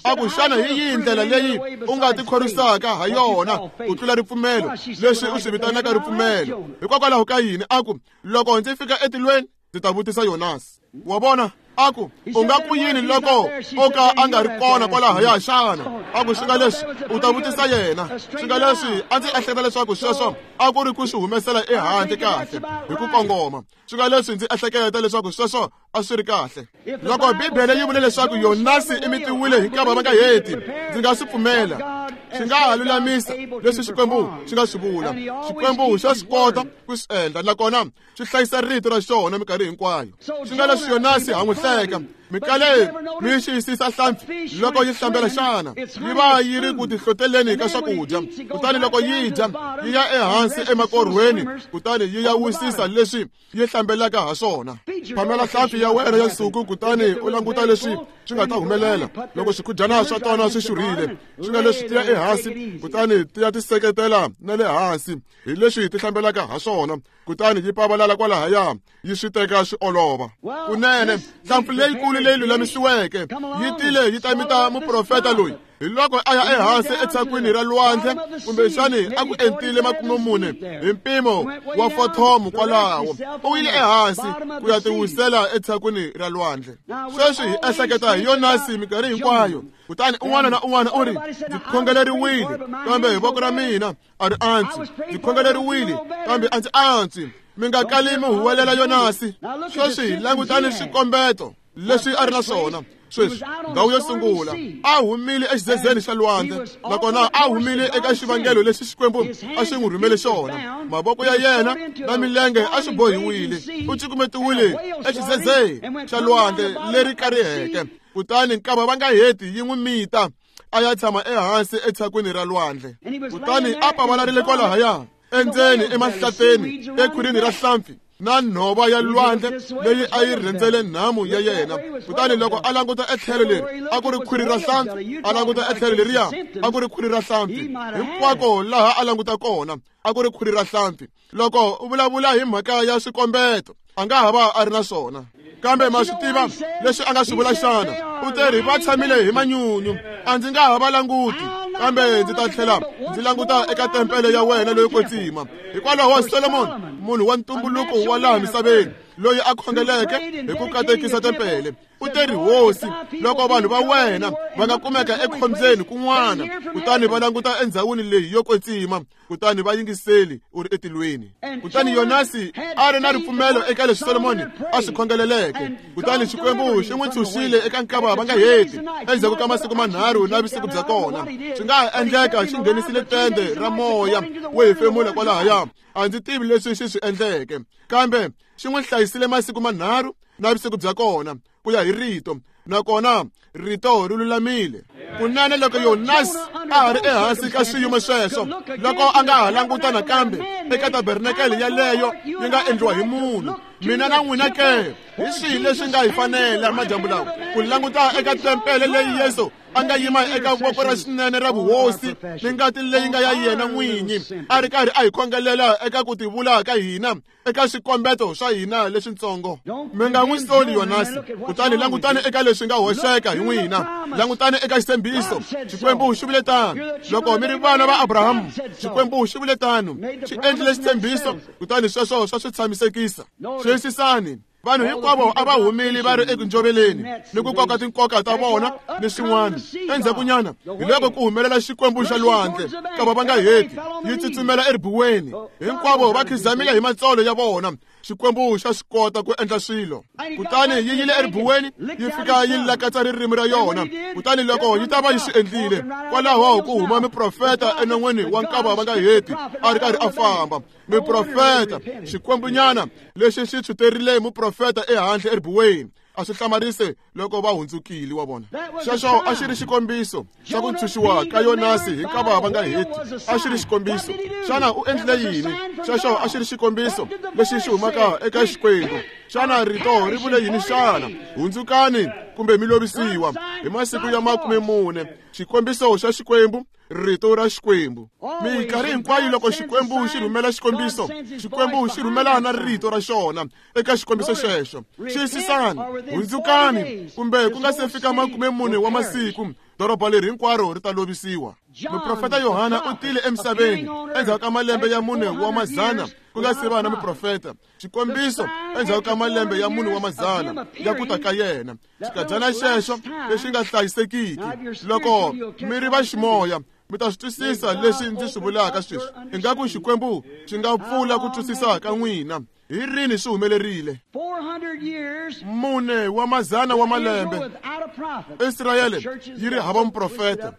A ku xana hi yihi ndlela leyi u nga tikhorwisaka ha yona ku tlula ripfumelo leswi u swi vitanaka ripfumelo? Hikokwalaho ka yini? A ku loko ndzi fika etilweni ndzi ta vutisa Yonasi. Wa vona? A ku u nga ku yini loko o ka a nga ri kona kwalahaya xana? A ku swi nga leswi u ta vutisa yena. Swi nga leswi a ndzi ehleketa leswaku sweswo a ku ri ku swi humesela ehandle kahle hi ku kongoma. Swi nga leswi ndzi ehleketa leswaku sweswo a swi ri kahle. Loko Bibele yi vule leswaku Yonasi i mitiwile hi nkava va nga heti, ndzi nga swi pfumela. Swi nga ha lulamisa leswi Xikwembu xi nga swi vula. Xikwembu xa swi kota ku swi endla, nakona swi hlayisa rito ra xona minkarhi hinkwayo. Swi nga leswi Yonasi ha n'wi hleka. Mikale mi xiyisisa hlampfi loko yi hlambela xana yi va yi ri ku tihloteleni ka swakudya, kutani loko yi dya yi ya ehansi emakorhweni, kutani yi ya wisisa leswi yi hlambelaka ha swona. Phamela hlampfi ya wena ya nsuku, kutani u languta leswi swi nga ta humelela loko swikhudyana swa tona swi xurhile. Swi nga leswi ti ya ehansi, kutani ti ya tiseketela na le hansi hi leswi ti hlambelaka ha swona, kutani yi pavalala kwalahaya yi swi teka swi olova. Kunene hlampfi leyikulu leyi lulamisiweke yi tile yi ta mita muprofeta loyi. Hi loko a ya ehansi etshakwini ra lwandle, kumbexani a ku entile makume mune hi mpimo wa fothomu kwalaho, u yile ehansi ku ya tiwisela etshakwini ra lwandle. Sweswi hi ehleketa hi Yonasi minkarhi hinkwayo, kutani un'wana na un'wana u ri ndzi khongeleriwile kambe hi voko ra mina a ri antswi, ndzi khongeleriwile kambe a ndzi antswi. Mi nga kali mi huwelela Yonasi. Sweswi langutani swikombeto leswi a ri na swona. Sweswi ndhawu yo sungula a humile exizezeni xa lwandle, nakona a humile eka xivangelo lexi Xikwembu a xi n'wi rhumele xona. Mavoko ya yena na milenge a swi bohiwile, u cukumetiwile exizezeni xa lwandle leri kariheke, kutani nkava va nga heti yi n'wi mita a ya tshama ehansi etshakwini ra lwandle. Kutani a pavalarile kwalahaya endzeni emahlateni ekhwirini ra hlampfi na nhova ya lwandle leyi a yi rhendzele nhamu ya yena. Kutani loko a languta etlhelo leri a ku ri khwiri ra hlampfi, a languta etlhelo leriya a ku ri khwiri ra hlampfi, hinkwako laha a languta kona a ku ri khwiri ra hlampfi. Loko u vulavula hi mhaka ya swikombeto, a nga ha va a ri na swona, kambe ma swi tiva leswi a nga swi vula xana? U te ri va tshamile hi manyunyu, a ndzi nga ha va languti, kambe ndzi ta tlhela ndzi languta eka tempele ya wena leyo kwetsima. Hikwalaho Solomon, munhu wa ntumbuluko wa laha misaveni loyi a khongeleke hi ku katekisa tempele, u te ri hosi, loko vanhu va wena va nga kumeka ekhombyeni kun'wana, kutani va languta endhawini leyi yo kwetsima, kutani va yingiseli u ri etilweni. Kutani Yonasi a ri na ripfumelo eka leswi Solomoni a swi khongeleleke, kutani Xikwembu xi n'wi ntshunxile eka nkava va nga heti endzhaku ka masiku manharhu na vusiku bya kona. Swi nga ha endleka xi nghenisile tende ra moya wo hefemula kwalahaya, a ndzi tivi leswi xi swi endleke, kambe xi n'wi hlayisile masiku manharhu na vusiku bya kona ku ya hi rito, nakona rito ri lulamile. Kunene loko Yonasi a ha ri ehansi ka swiyimo sweswo, loko a nga ha languta nakambe eka tabernakele yaleyo yi nga endliwa hi munhu, mina na n'wina ke hi swihi leswi nga hi fanela madyambu lawa ku languta eka tempele leyi Yesu a nga yima eka voko ra xinene ra vuhosi ni ngati leyi nga ya yena n'winyi, a ri karhi a hi khongelela eka ku tivula ka hina eka swikombeto swa hina leswitsongo. Mi nga n'wi soli Yonasi, kutani langutani eka leswi nga hoxeka hi n'wina. Langutani eka xitshembiso. Xikwembu xi vule tano. Loko mi ri vana va Abrahamu, Xikwembu xi vule tano, xi endlile xitshembiso, kutani sweswo swa swi tshamisekisa. Xiyisisani, vanhu hinkwavo a va humile va ri eku njoveleni ni ku koka tinkoka ta vona ni swin'wana. Endzhakunyana hi loko ku humelela Xikwembu xa lwandle, kava va nga heti yi tsutsumela eribuweni, hinkwavo va khizamile hi matsolo ya vona. Xikwembu xa swi kota ku endla swilo. Kutani yi yile eribuweni, yi fika yi lakatsa ririmi ra yona. Kutani loko yi ta va yi swi endlile, kwalaho ku huma muprofeta enon'wini wa nkava va nga heti a ri karhi a famba. Muprofeta, Xikwembunyana lexi xi tshwuterile muprofeta ehandle eribuweni. A swi hlamarise loko va hundzukile wa vona. Xexo a xi ri xikombiso xa ku ntshunxiwa ka Yonasi hi nkava va nga heti. A xi ri xikombiso. Xana u endlile yini? Xexo a xi ri xikombiso lexi xi humaka eka Xikwembu. Xana rito ri vule yini xana? Hundzukani kumbe mi lovisiwa hi masiku ya makume mune. Xikombiso xa Xikwembu, rito ra Xikwembu. Minkarhi hinkwayo loko Xikwembu xi rhumela xikombiso, Xikwembu xi rhumela na rito ra xona eka xikombiso xexo. Xiyisisani, hundzukani kumbe ku nga se fika makume mune wa masiku, doroba leri hinkwaro ri ta lovisiwa. Muprofeta Yohana u tile emisaveni endzhaku ka malembe ya mune wa mazana ku nga se va na muprofeta. Xikombiso endzhaku ka malembe ya mune wa mazana ya ku ta ka yena. Xikadyana xexo lexi nga hlayisekiki. Loko mi ri va ximoya, mi ta swi twisisa leswi ndzi swi vulaka sweswi. Ingaku Xikwembu xi nga pfula ku twisisa ka n'wina. Hi rini swi humelerile? Mune wa mazana wa malembe Israyele yi ri hava muprofeta.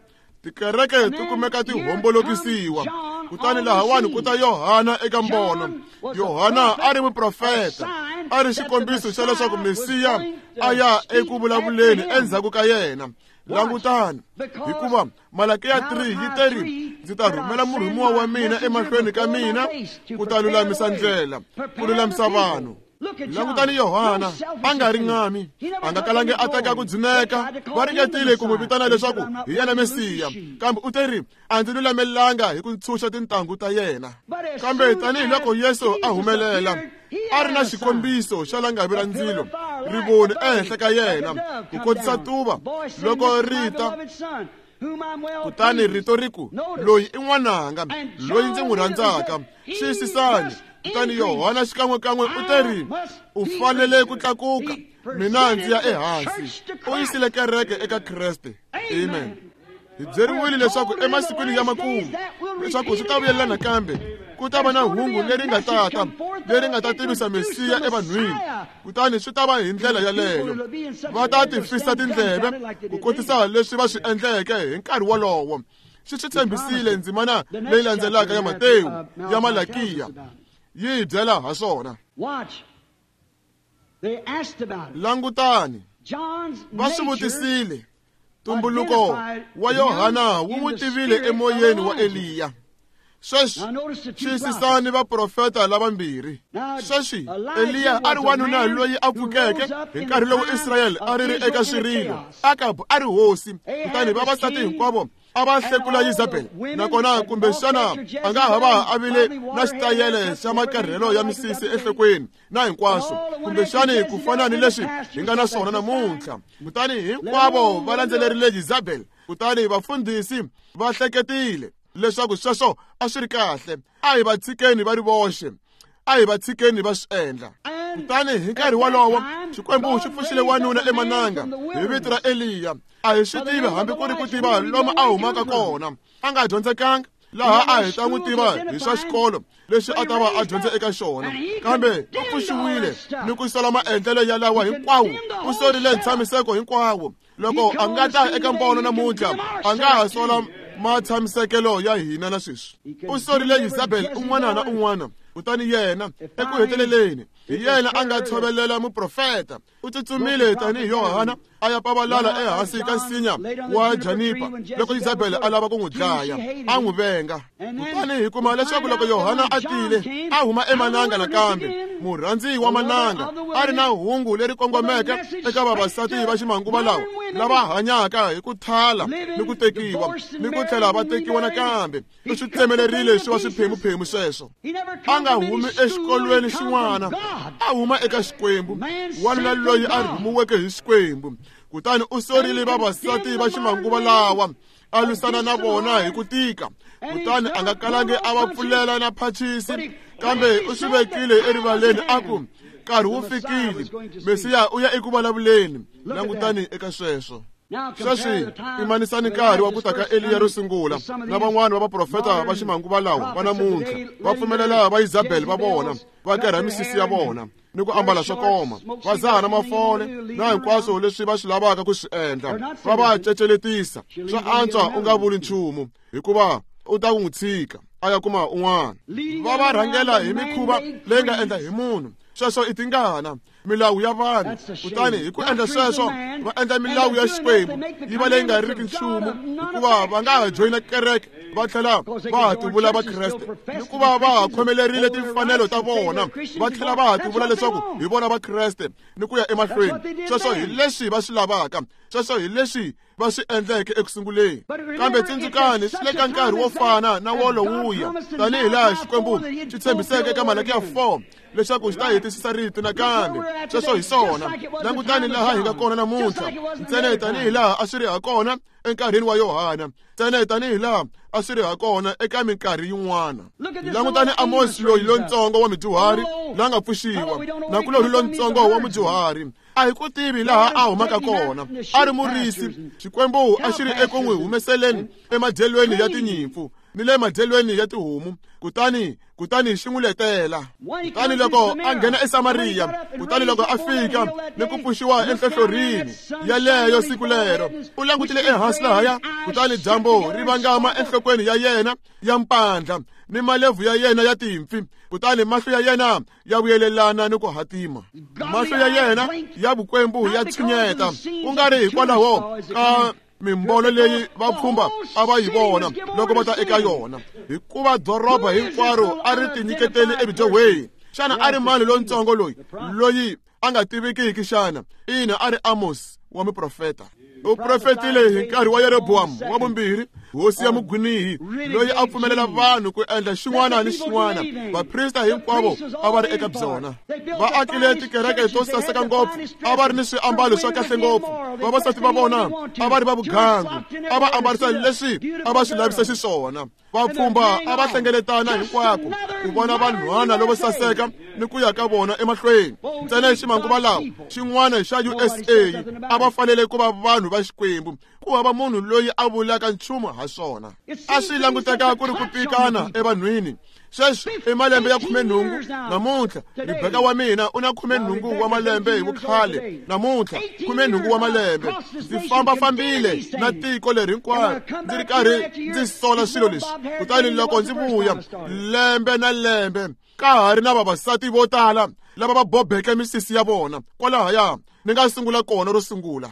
Tikereke ti kumeka ti hombolokisiwa. Kutani lahawani ku ta Yohana eka mbono. Yohana a ri muprofeta, a ri xikombiso xa leswaku Mesiya a ya eku vulavuleni endzhaku ka yena. Langutani, hikuva Malakiya three yi teri, ndzi ta rhumela murhumiwa wa mina emahlweni ka mina ku ta lulamisa ndlela, ku lulamisa vanhu. Langutani Yohana, a nga ri ngami, a nga kalangi a teka ku dzuneka. Va ringetile ku n'wi vitana leswaku hi yena Mesiya, kambe u teri, a ndzi lulamelanga hi ku ntshunxa tintangu ta yena. Kambe tanihiloko Yesu a humelela, a ri na xikombiso xa langavi ra ndzilo, rivoni ehenhla ka yena, ku kotisa tuva loko ri ta. Kutani rito ri ku, loyi i n'wananga, loyi ndzi n'wi rhandzaka. Xiyisisani. Kutani Yohana xikan'wekan'we u teri, u fanele ku tlakuka, mina ndzi ya ehansi. U yisile kereke eka Kreste. Amen. Hi byeriwile leswaku emasikwini ya makumu, leswaku swi ta vuyelela nakambe, ku ta va na hungu leri nga tata, leri nga ta tivisa Mesiya evanhwini. Kutani swi ta va hi ndlela yaleyo. Va ta tifisa tindleve ku kotisa leswi va swi endleke hi nkarhi wolowo. Xi swi tshembisile ndzimana leyi landzelaka ya Matewu ya Malakiya yi hi byela ha swona. Langutani, va swi vutisile. Tumbuluko wa Yohana wu n'wi tivile emoyeni wa Eliya. Sweswi xiyisisani vaprofeta lavambirhi. Sweswi Eliya a ri wanuna loyi a pfukeke hi nkarhi lowu Israyele a ri ri eka swirilo. Akabu a ri hosi, kutani vavasati hinkwavo a va hlekula Yezabele. Nakona kumbexana a nga ha va a vile na xitayele xa makarhelo ya misisi enhlokweni na hinkwaswo, kumbexani ku fana ni leswi hi nga na swona namuntlha. Kutani hinkwavo va landzelerile Yezabele. Kutani vafundhisi va hleketile leswaku sweswo a swi ri kahle. A hi va tshikeni va ri voxe, a hi va tshikeni va swi endla. Kutani hi nkarhi wolowo Xikwembu xi pfuxile wanuna emananga hi vito ra Eliya. A hi swi tivi hambi ku ri ku tiva lomu a humaka kona. A nga dyondzekanga laha a hi ta n'wi tiva hi swa xikolo lexi a ta va a dyondze eka xona, kambe u pfuxiwile ni ku sola maendlelo ya lawa hinkwawo. U sorile ntshamiseko hinkwawo. Loko a nga ta eka mbono namuntlha, a nga ha sola matshamisekelo ya hina na sweswi. U sorile Yezabele un'wana na un'wana. Kutani yena eku heteleleni hi yena a nga tshovelela muprofeta. U tsutsumile tanihi Yohana a ya pavalala ehansi ka nsinya wa Janipa loko Yezabele a lava ku n'wi dlaya, a n'wi venga. Kutani hi kuma leswaku loko Yohana a tile a huma emananga nakambe, murhandzi wa mananga, a ri na hungu leri kongomeke eka vavasati va ximanguva lawa lava hanyaka hi ku thala ni ku tekiwa ni ku tlhela va tekiwa nakambe. U swi tsemelerile swi va swiphemuphemu sweswo. A nga humi exikolweni xin'wana, a huma eka Xikwembu, wanuna loyi a rhumiweke hi Xikwembu. Kutani u sorile vavasati va ximanguva lawa, a lwisana na vona hi ku tika. Kutani a nga kalangi a va pfulela na phachisi, kambe u swi vekile erivaleni a ku, nkarhi wu fikile, Mesiya u ya eku vulavuleni. Langutani eka sweswo. Sweswi pimanisani nkarhi wa ku ta ka Eliya ro sungula na van'wana va vaprofeta va ximanguva lawa va namuntlha va pfumelela va Yezabele va vona va kerha misisi ya vona ni ku ambala swo koma, va zaha na mafole na hinkwaswo leswi va swi lavaka ku swi endla, va va ceceletisa. Swa antswa u nga vuli nchumu, hikuva u ta n'wi tshika a ya kuma un'wana. Va va rhangela hi mikhuva leyi nga endla hi munhu. Sweswo i tingana, milawu ya vanhu. Kutani hi ku endla sweswo va endla milawu ya Xikwembu yi va leyi nga riki nchumu, hikuva va nga ha joyina kereke Va tlhela va ha tivula Vakreste hikuva va ha khomelerile timfanelo ta vona, va tlhela va ha tivula leswaku hi vona Vakreste ni ku ya emahlweni. Sweswo hi leswi va swi lavaka, sweswo hi leswi va swi endleke eku sunguleni. Kambe tsundzukani, swi le ka nkarhi wo fana na wolowuya, tanihi laha Xikwembu xi tshembiseke eka Malakiya four leswaku xi ta hetisisa rito nakambe. Sweswo hi swona. Langutani laha hi nga kona namuntlha, ntsena tanihi laha a swi ri ha kona enkarhini wa Yohana, ntsena tanihi laha a swi ri ha kona eka minkarhi yin'wana. Langutani Amos loyi lontsongo wa mudyuhari la nga pfuxiwa, nakulorhi lontsongo wa mudyuhari, a hi ku tivi laha a humaka kona, a ri murisi. Xikwembu a xi ri eku n'wi humeseleni emadyelweni ya tinyimpfu ni le madyelweni ya tihomu, kutani kutani xi n'wi letela. Kutani loko a nghena eSamariya, kutani loko a fika ni ku pfuxiwa enhlohlorhini yaleyo siku lero, u langutile ehansi lahaya, kutani dyambu ri vangama enhlokweni ya yena ya mpandla ni malebvu ya yena ya timpfi, kutani mahlo ya yena ya vuyelelana ni ku hatima. Mahlo ya yena ya vukwembu ya tshinyeta, ku nga ri hikwalaho ka mimbono leyi vapfhumba a va yi vona loko va ta eka yona, hikuva doroba hinkwaro a ri tinyiketeli evudyohweni. Xana a ri mani lontsongo loyi loyi a nga tivikiki xana? Ina, a ri Amos wa muprofeta. U profetile hi nkarhi wa Yeroboamu wa vumbirhi, hosi ya mugwinihi, loyi a pfumelela vanhu ku endla xin'wana ni xin'wana. Vaprista hinkwavo a va ri eka byona. Va akile tikereke to saseka ngopfu, a va ri ni swiambalo swa kahle ngopfu. Vavasati va vona a va ri va vugangu, a va ambarisa leswi a va swi lavisa xiswona. Vapfhumba a va hlengeletana hinkwako ku vona vanhwana lavo saseka ni ku ya ka vona emahlweni. Ntsena hi ximanguva lawa xin'wana xa U S A a va fanele ku va vanhu va Xikwembu, ku hava munhu loyi a vulaka nchumu ha swona. A swi languteka ku ri ku pikana evanhwini. Sweswi i malembe ya khumenhungu namuntlha. Rebeka wa mina u na khumenhungu wa malembe hi vukhale namuntlha, khumenhungu wa malembe. Ndzi fambafambile na tiko leri hinkwaro ndzi ri karhi ndzi sola swilo leswi. Kutani loko ndzi vuya lembe na lembe, ka ha ri na vavasati vo tala lava va bobeke misisi ya vona kwalahaya ni nga sungula kona ro sungula.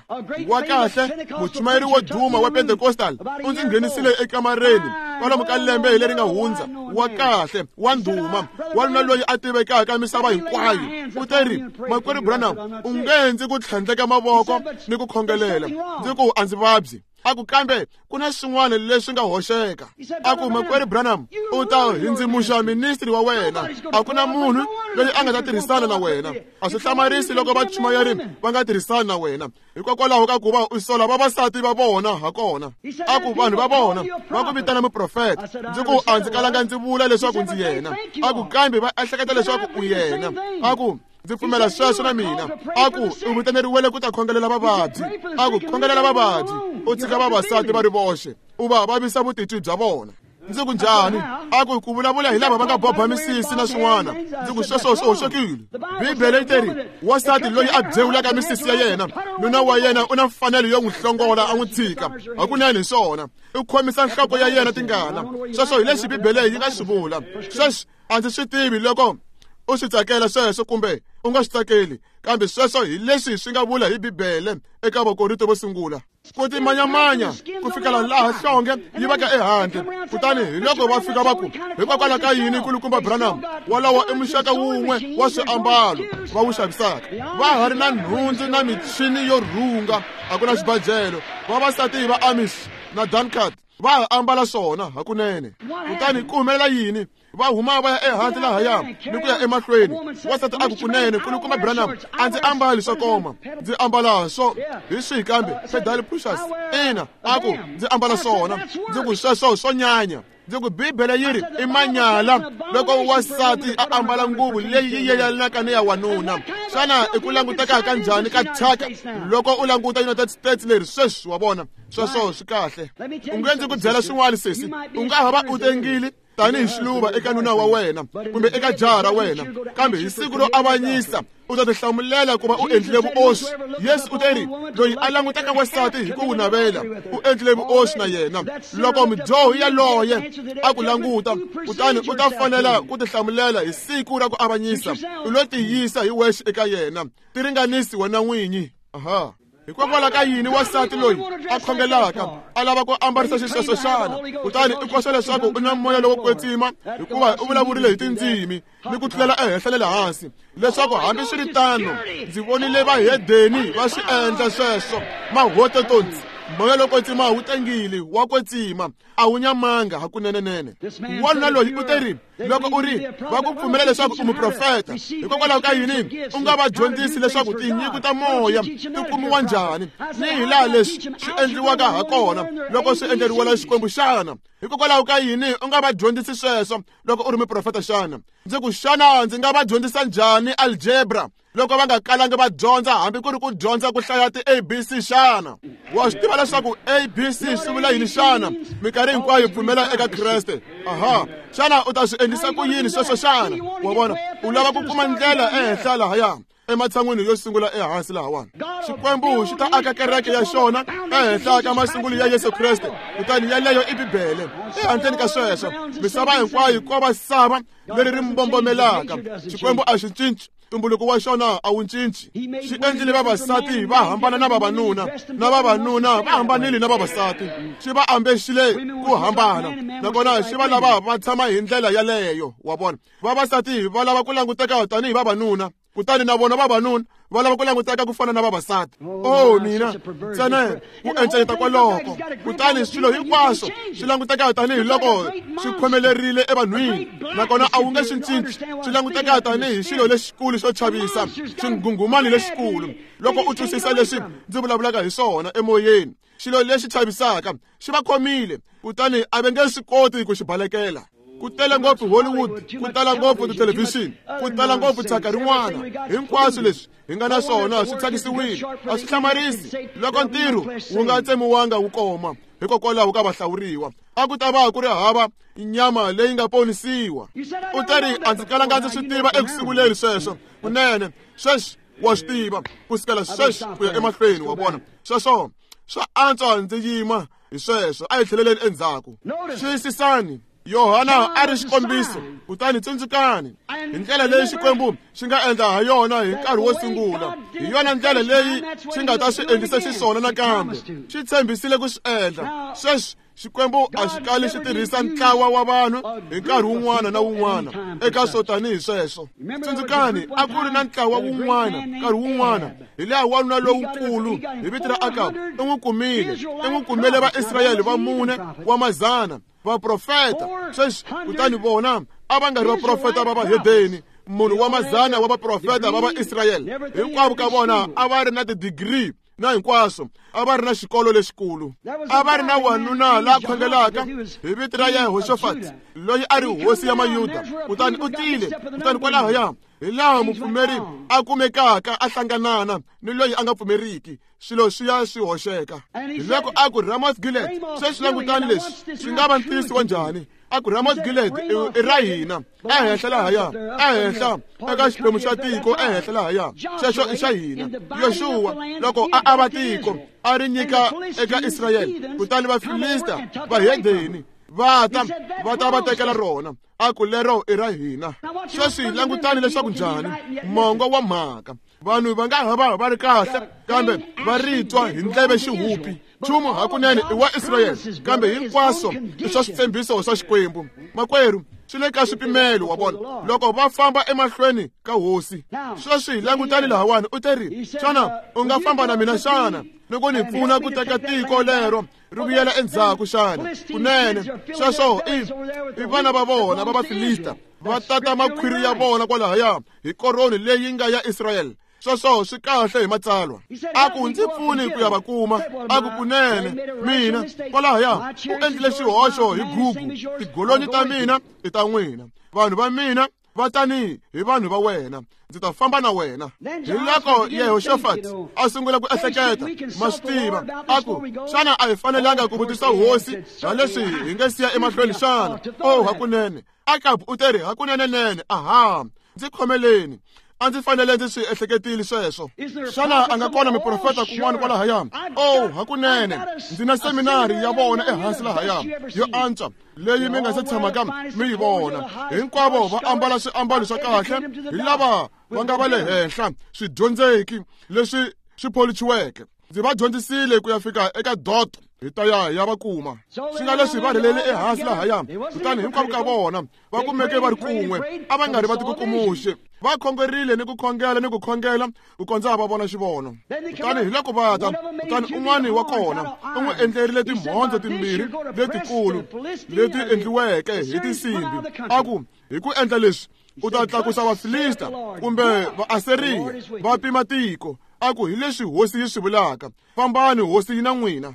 Wa kahle muchumayeri wo duma wa Pentecostal u ndzi nghenisile ekamareni kwalomu ka lembe hi leri nga hundza. Wa kahle wa ndhuma, wanuna loyi a tivekaka misava hinkwayo, u te ri, Makwerhu Branham, u nge ndzi ku tlhandleka mavoko ni ku khongelela. Ndzi ku a ndzi vabyi. A ku kambe ku na swin'wana leswi nga hoxeka. A ku Makwerhu Branham, u ta hindzimuxa ministry wa wena. A ku na munhu loyi a nga ta tirhisana na wena. A swi hlamarisi loko vachumayeri va nga tirhisani na wena, hikokwalaho ka ku va u sola vavasati va vona ha kona. A ku vanhu va vona va ku vitana muprofeta. Ndzi ku a ndzi kalanga ndzi vula leswaku ndzi yena. A ku kambe va ehleketa leswaku u yena. A ku ndzi pfumela sweswo na mina. A ku u vitaneriwele ku ta khongelela vavabyi. A ku khongelela vavabyi, u tshika vavasati va ri voxe, u va vavisa vutitwi bya vona. Ndzi ku njhani? A ku ku vulavula hi lava va nga boba misisi na swin'wana. Ndzi ku sweswo swi hoxekile. Bibele yi teri wansati loyi a byewulaka misisi ya yena, nuna wa yena u na mfanelo yo n'wi hlongola a n'wi tshika. Hakunene hi swona, u khomisa nhloko ya yena tingana. Sweswo hi leswi Bibele yi nga swi vula. Sweswi a ndzi swi tivi loko u swi tsakela sweswo kumbe u nga swi tsakeli, kambe sweswo hi leswi swi nga vula hi Bibele eka Vakorinto vo sungula. Ku timanyamanya ku fikela laha hlonge yi vaka ehandle. Kutani hi loko va fika va ku, hikokwalaho ka yini kulukumba Branham walowo i muxaka wun'we wa swiambalo va wu xavisaka? Va ha ri na nhundzu na michini yo rhunga, a ku na xibajelo. Vavasati va Amish na Dunkard va ha ambala swona hakunene. Kutani ku humelela yini? Va huma va ya ehansi lahaya ni ku ya emahlweni. Wansati a ku kunene kulukumba Branham, a ndzi ambali swo koma, ndzi ambala swo hi swihi kambe pedal pushers. Ina, a ku ndzi ambala swona. Ndzi ku sweswo swo nyanya. Ndzi ku Bibele yi ri i manyala loko wansati a ambala nguvu leyi yi yelanaka ni ya wanuna. Xana i ku languteka ka njhani ka thyaka loko u languta United States leri sweswi? Wa vona, sweswo swi kahle. U nge ndzi ku byela swin'wana sesi, u nga ha va u tengile tanihi xiluva eka nuna wa wena kumbe eka jaha ra wena, kambe hi siku ro avanyisa u ta tihlamulela ku va u endlile vuoswi. Yesu u te ri loyi a langutaka wansati hi ku wu navela u endlile vuoswi na yena. Loko mudyohi yaloye a ku languta, kutani u ta fanela ku tihlamulela hi siku ra ku avanyisa. U lo tiyisa hi wexe eka yena, tiringanisi wena n'winyi. Aha. Hikokwalaho ka yini wansati loyi a khongelaka a lava ku ambarisa xisweswo xana? Kutani i koxa leswaku u na moya lowo kwetsima hikuva u vulavurile hi tindzimi ni ku tlulela ehenhla na le hansi, leswaku hambiswiritano ndzi vonile vahedeni va swi endla sweswo. Mahototontsi, moya lowo kwetsima wu tengile, wa kwetsima, a wu nyamanga hakunenenene. Wanuna loyi u te ri, loko u ri va ku pfumela leswaku u muprofeta, hikokwalaho ka yini u nga va dyondzisi leswaku tinyiko ta moya ti kumiwa njhani ni hi laha leswi swi endliwaka ha kona loko swi endleriwela Xikwembu xana? Hikokwalaho ka yini u nga va dyondzisi sweswo loko u ri muprofeta xana? Ndzi ku, xana ndzi nga va dyondzisa njhani algebra loko va nga kalangi va dyondza hambi ku ri ku dyondza ku hlaya ti-A B C xana? Wa swi tiva leswaku A B C swi vula yini xana? Minkarhi hinkwayo pfumela eka Kreste. Aha, xana u ta swi endlisa ku yini sweswo xana? Wa vona, u lava ku kuma ndlela ehenhla lahaya ematshan'wini yo sungula ehansi lahawani. Xikwembu xi ta aka kereke ya xona ehenhla ka masungulo ya Yesu Kreste, kutani yaleyo i Bibele. Ehandleni ka sweswo, misava hinkwayo ko va sava leri ri mbombomelaka. Xikwembu a xi cinci, ntumbuluko wa xona a wu cinci. Xi endlile vavasati va hambana na vavanuna, na vavanuna va hambanile na vavasati. Xi va ambexile ku hambana, nakona xi va lava va tshama hi ndlela yaleyo. Wa vona, vavasati va lava ku languteka tanihi vavanuna, kutani na vona vavanuna va lava ku languteka ku fana na vavasati. Oh mina, ntsena ku encenyeta kwaloko, kutani swilo hinkwaswo swi languteka tanihi loko swi khomelerile evanhwini, nakona a wu nge swi cinci. Swi languteka tanihi xilo lexikulu xo chavisa, xinghunghumani lexikulu. Loko u twisisa leswi ndzi vulavulaka hi swona emoyeni, xilo lexi chavisaka xi va khomile, kutani a va nge swi koti ku xi balekela. Ku tele ngopfu Hollywood, ku tala ngopfu tithelevhixini, ku tala ngopfu thyaka rin'wana. Hinkwaswo leswi hi nga na swona swi thyakisiwile. A swi hlamarisi loko ntirho wu nga tsemiwanga wu koma hikokwalaho ka vahlawuriwa. A ku ta va ku ri hava nyama leyi nga ponisiwa. U te ri, a ndzi kalanga ndzi swi tiva eku sunguleni sweswo. Kunene sweswi wa swi tiva ku sukela sweswi ku ya emahlweni. Wa vona, sweswo swa antswa ndzi yima hi sweswo. A hi tlheleleni endzhaku. Xiyisisani, Yohana a ri xikombiso, kutani tsundzukani hi ndlela leyi Xikwembu xi nga endla ha yona hi nkarhi wo sungula, hi yona ndlela leyi xi nga ta swi endlisa xiswona nakambe. Xi tshembisile ku swi endla. Sweswi Xikwembu a xi kali xi tirhisa ntlawa wa vanhu hi nkarhi wun'wana na wun'wana eka swo tanihi sweswo. Tsundzukani, a ku ri na ntlawa wun'wana nkarhi wun'wana, hi laha wanuna lowukulu hi vito ra Akabu i n'wi kumile, i n'wi kumele Vaisrayele va mune wa mazana vaprofeta. Sweswi kutani vona a va nga ri vaprofeta va vahedeni, munhu wa mazana wa vaprofeta va Vaisrayele. Hinkwavo ka vona a va ri na tidigiri na hinkwaswo, a va ri na xikolo lexikulu. A va ri na wanuna la khongelaka hi vito ra Yehoshafati, loyi a ri hosi ya Mayuda. Kutani u tile, kutani kwalahaya hi laha mupfumeri a kumekaka a hlanganana ni loyi a nga pfumeriki, swilo swi ya swi hoxeka. Hi loko a ku Ramoth Gilead, sweswi langutani leswi swi nga va ntiyiso wa njhani? A ku Ramoth Gilead i ra hina, ehenhla lahaya, ehenhla eka xiphemu xa tiko, ehenhla lahaya, xexo i xa hina. Yoxuwa loko a ava tiko a ri nyika eka Israyele, kutani Vafilista vahedeni va ta va ta va tekela rona. A ku lero i ra hina. Sweswi langutani leswaku njhani mongo wa mhaka. Vanhu va nga ha va va ri kahle, kambe va ri twa hi ndleve xihupi. Nchumu hakunene i wa Israyele, kambe hinkwaswo i swa switshembiso swa Xikwembu. Makwerhu, swi le ka swipimelo. Wa vona, loko va famba emahlweni ka hosi. Sweswi langutani lahawani, u te ri, xana u nga famba na mina xana ni ku ni pfuna ku teka tiko lero ri vuyela endzhaku xana? Kunene sweswo i i vana va vona va Vafilista va tata makhwiri ya vona kwalahaya hi koroni leyi nga ya Israyele. Sweswo swi kahle hi matsalwa. A ku ndzi pfuni ku ya va kuma. A ku kunene mina kwalahaya u endlile xihoxo hi gugu. Tigolonyi ta mina i ta n'wina, vanhu va mina va tani hi vanhu va wena, ndzi ta famba na wena. Hi loko Yehoshafati a sungula ku ehleketa, ma swi tiva, a ku, xana a hi fanelanga ku vutisa hosi ha leswi hi nge siya emahlweni xana? Oh, hakunene. Akabu u te ri, hakunenenene, aha, ndzi khomeleni. A ndzi fanele ndzi swi ehleketile sweswo. Xana a nga kona miprofeta kun'wana kwalahaya? Oh, hakunene, ndzi na seminari ya vona ehansi lahaya yo antswa leyi mi nga se tshamaka mi yi vona. Hinkwavo va ambala swiambalo swa kahle, hi lava va nga va le henhla swidyondzeki leswi swi pholichiweke. Ndzi va dyondzisile ku ya fika eka dot hi ta ya ya va kuma. Swi nga leswi va rhelele ehansi lahaya, kutani hinkwavo ka vona va kumeke va ri kun'we, a va nga ri va tikukumuxe. Va khongerile ni ku khongela ni ku khongela ku kondza va vona xivono. Kutani hi loko va ta, kutani un'wana wa kona u n'wi endlerile timhondzo timbirhi letikulu leti endliweke hi tinsimbi, a ku hi ku endla leswi u ta tlakusa Vafilista kumbe Vaasiriya va pima tiko. A ku hi leswi hosi yi swi vulaka, fambani, hosi yi na n'wina.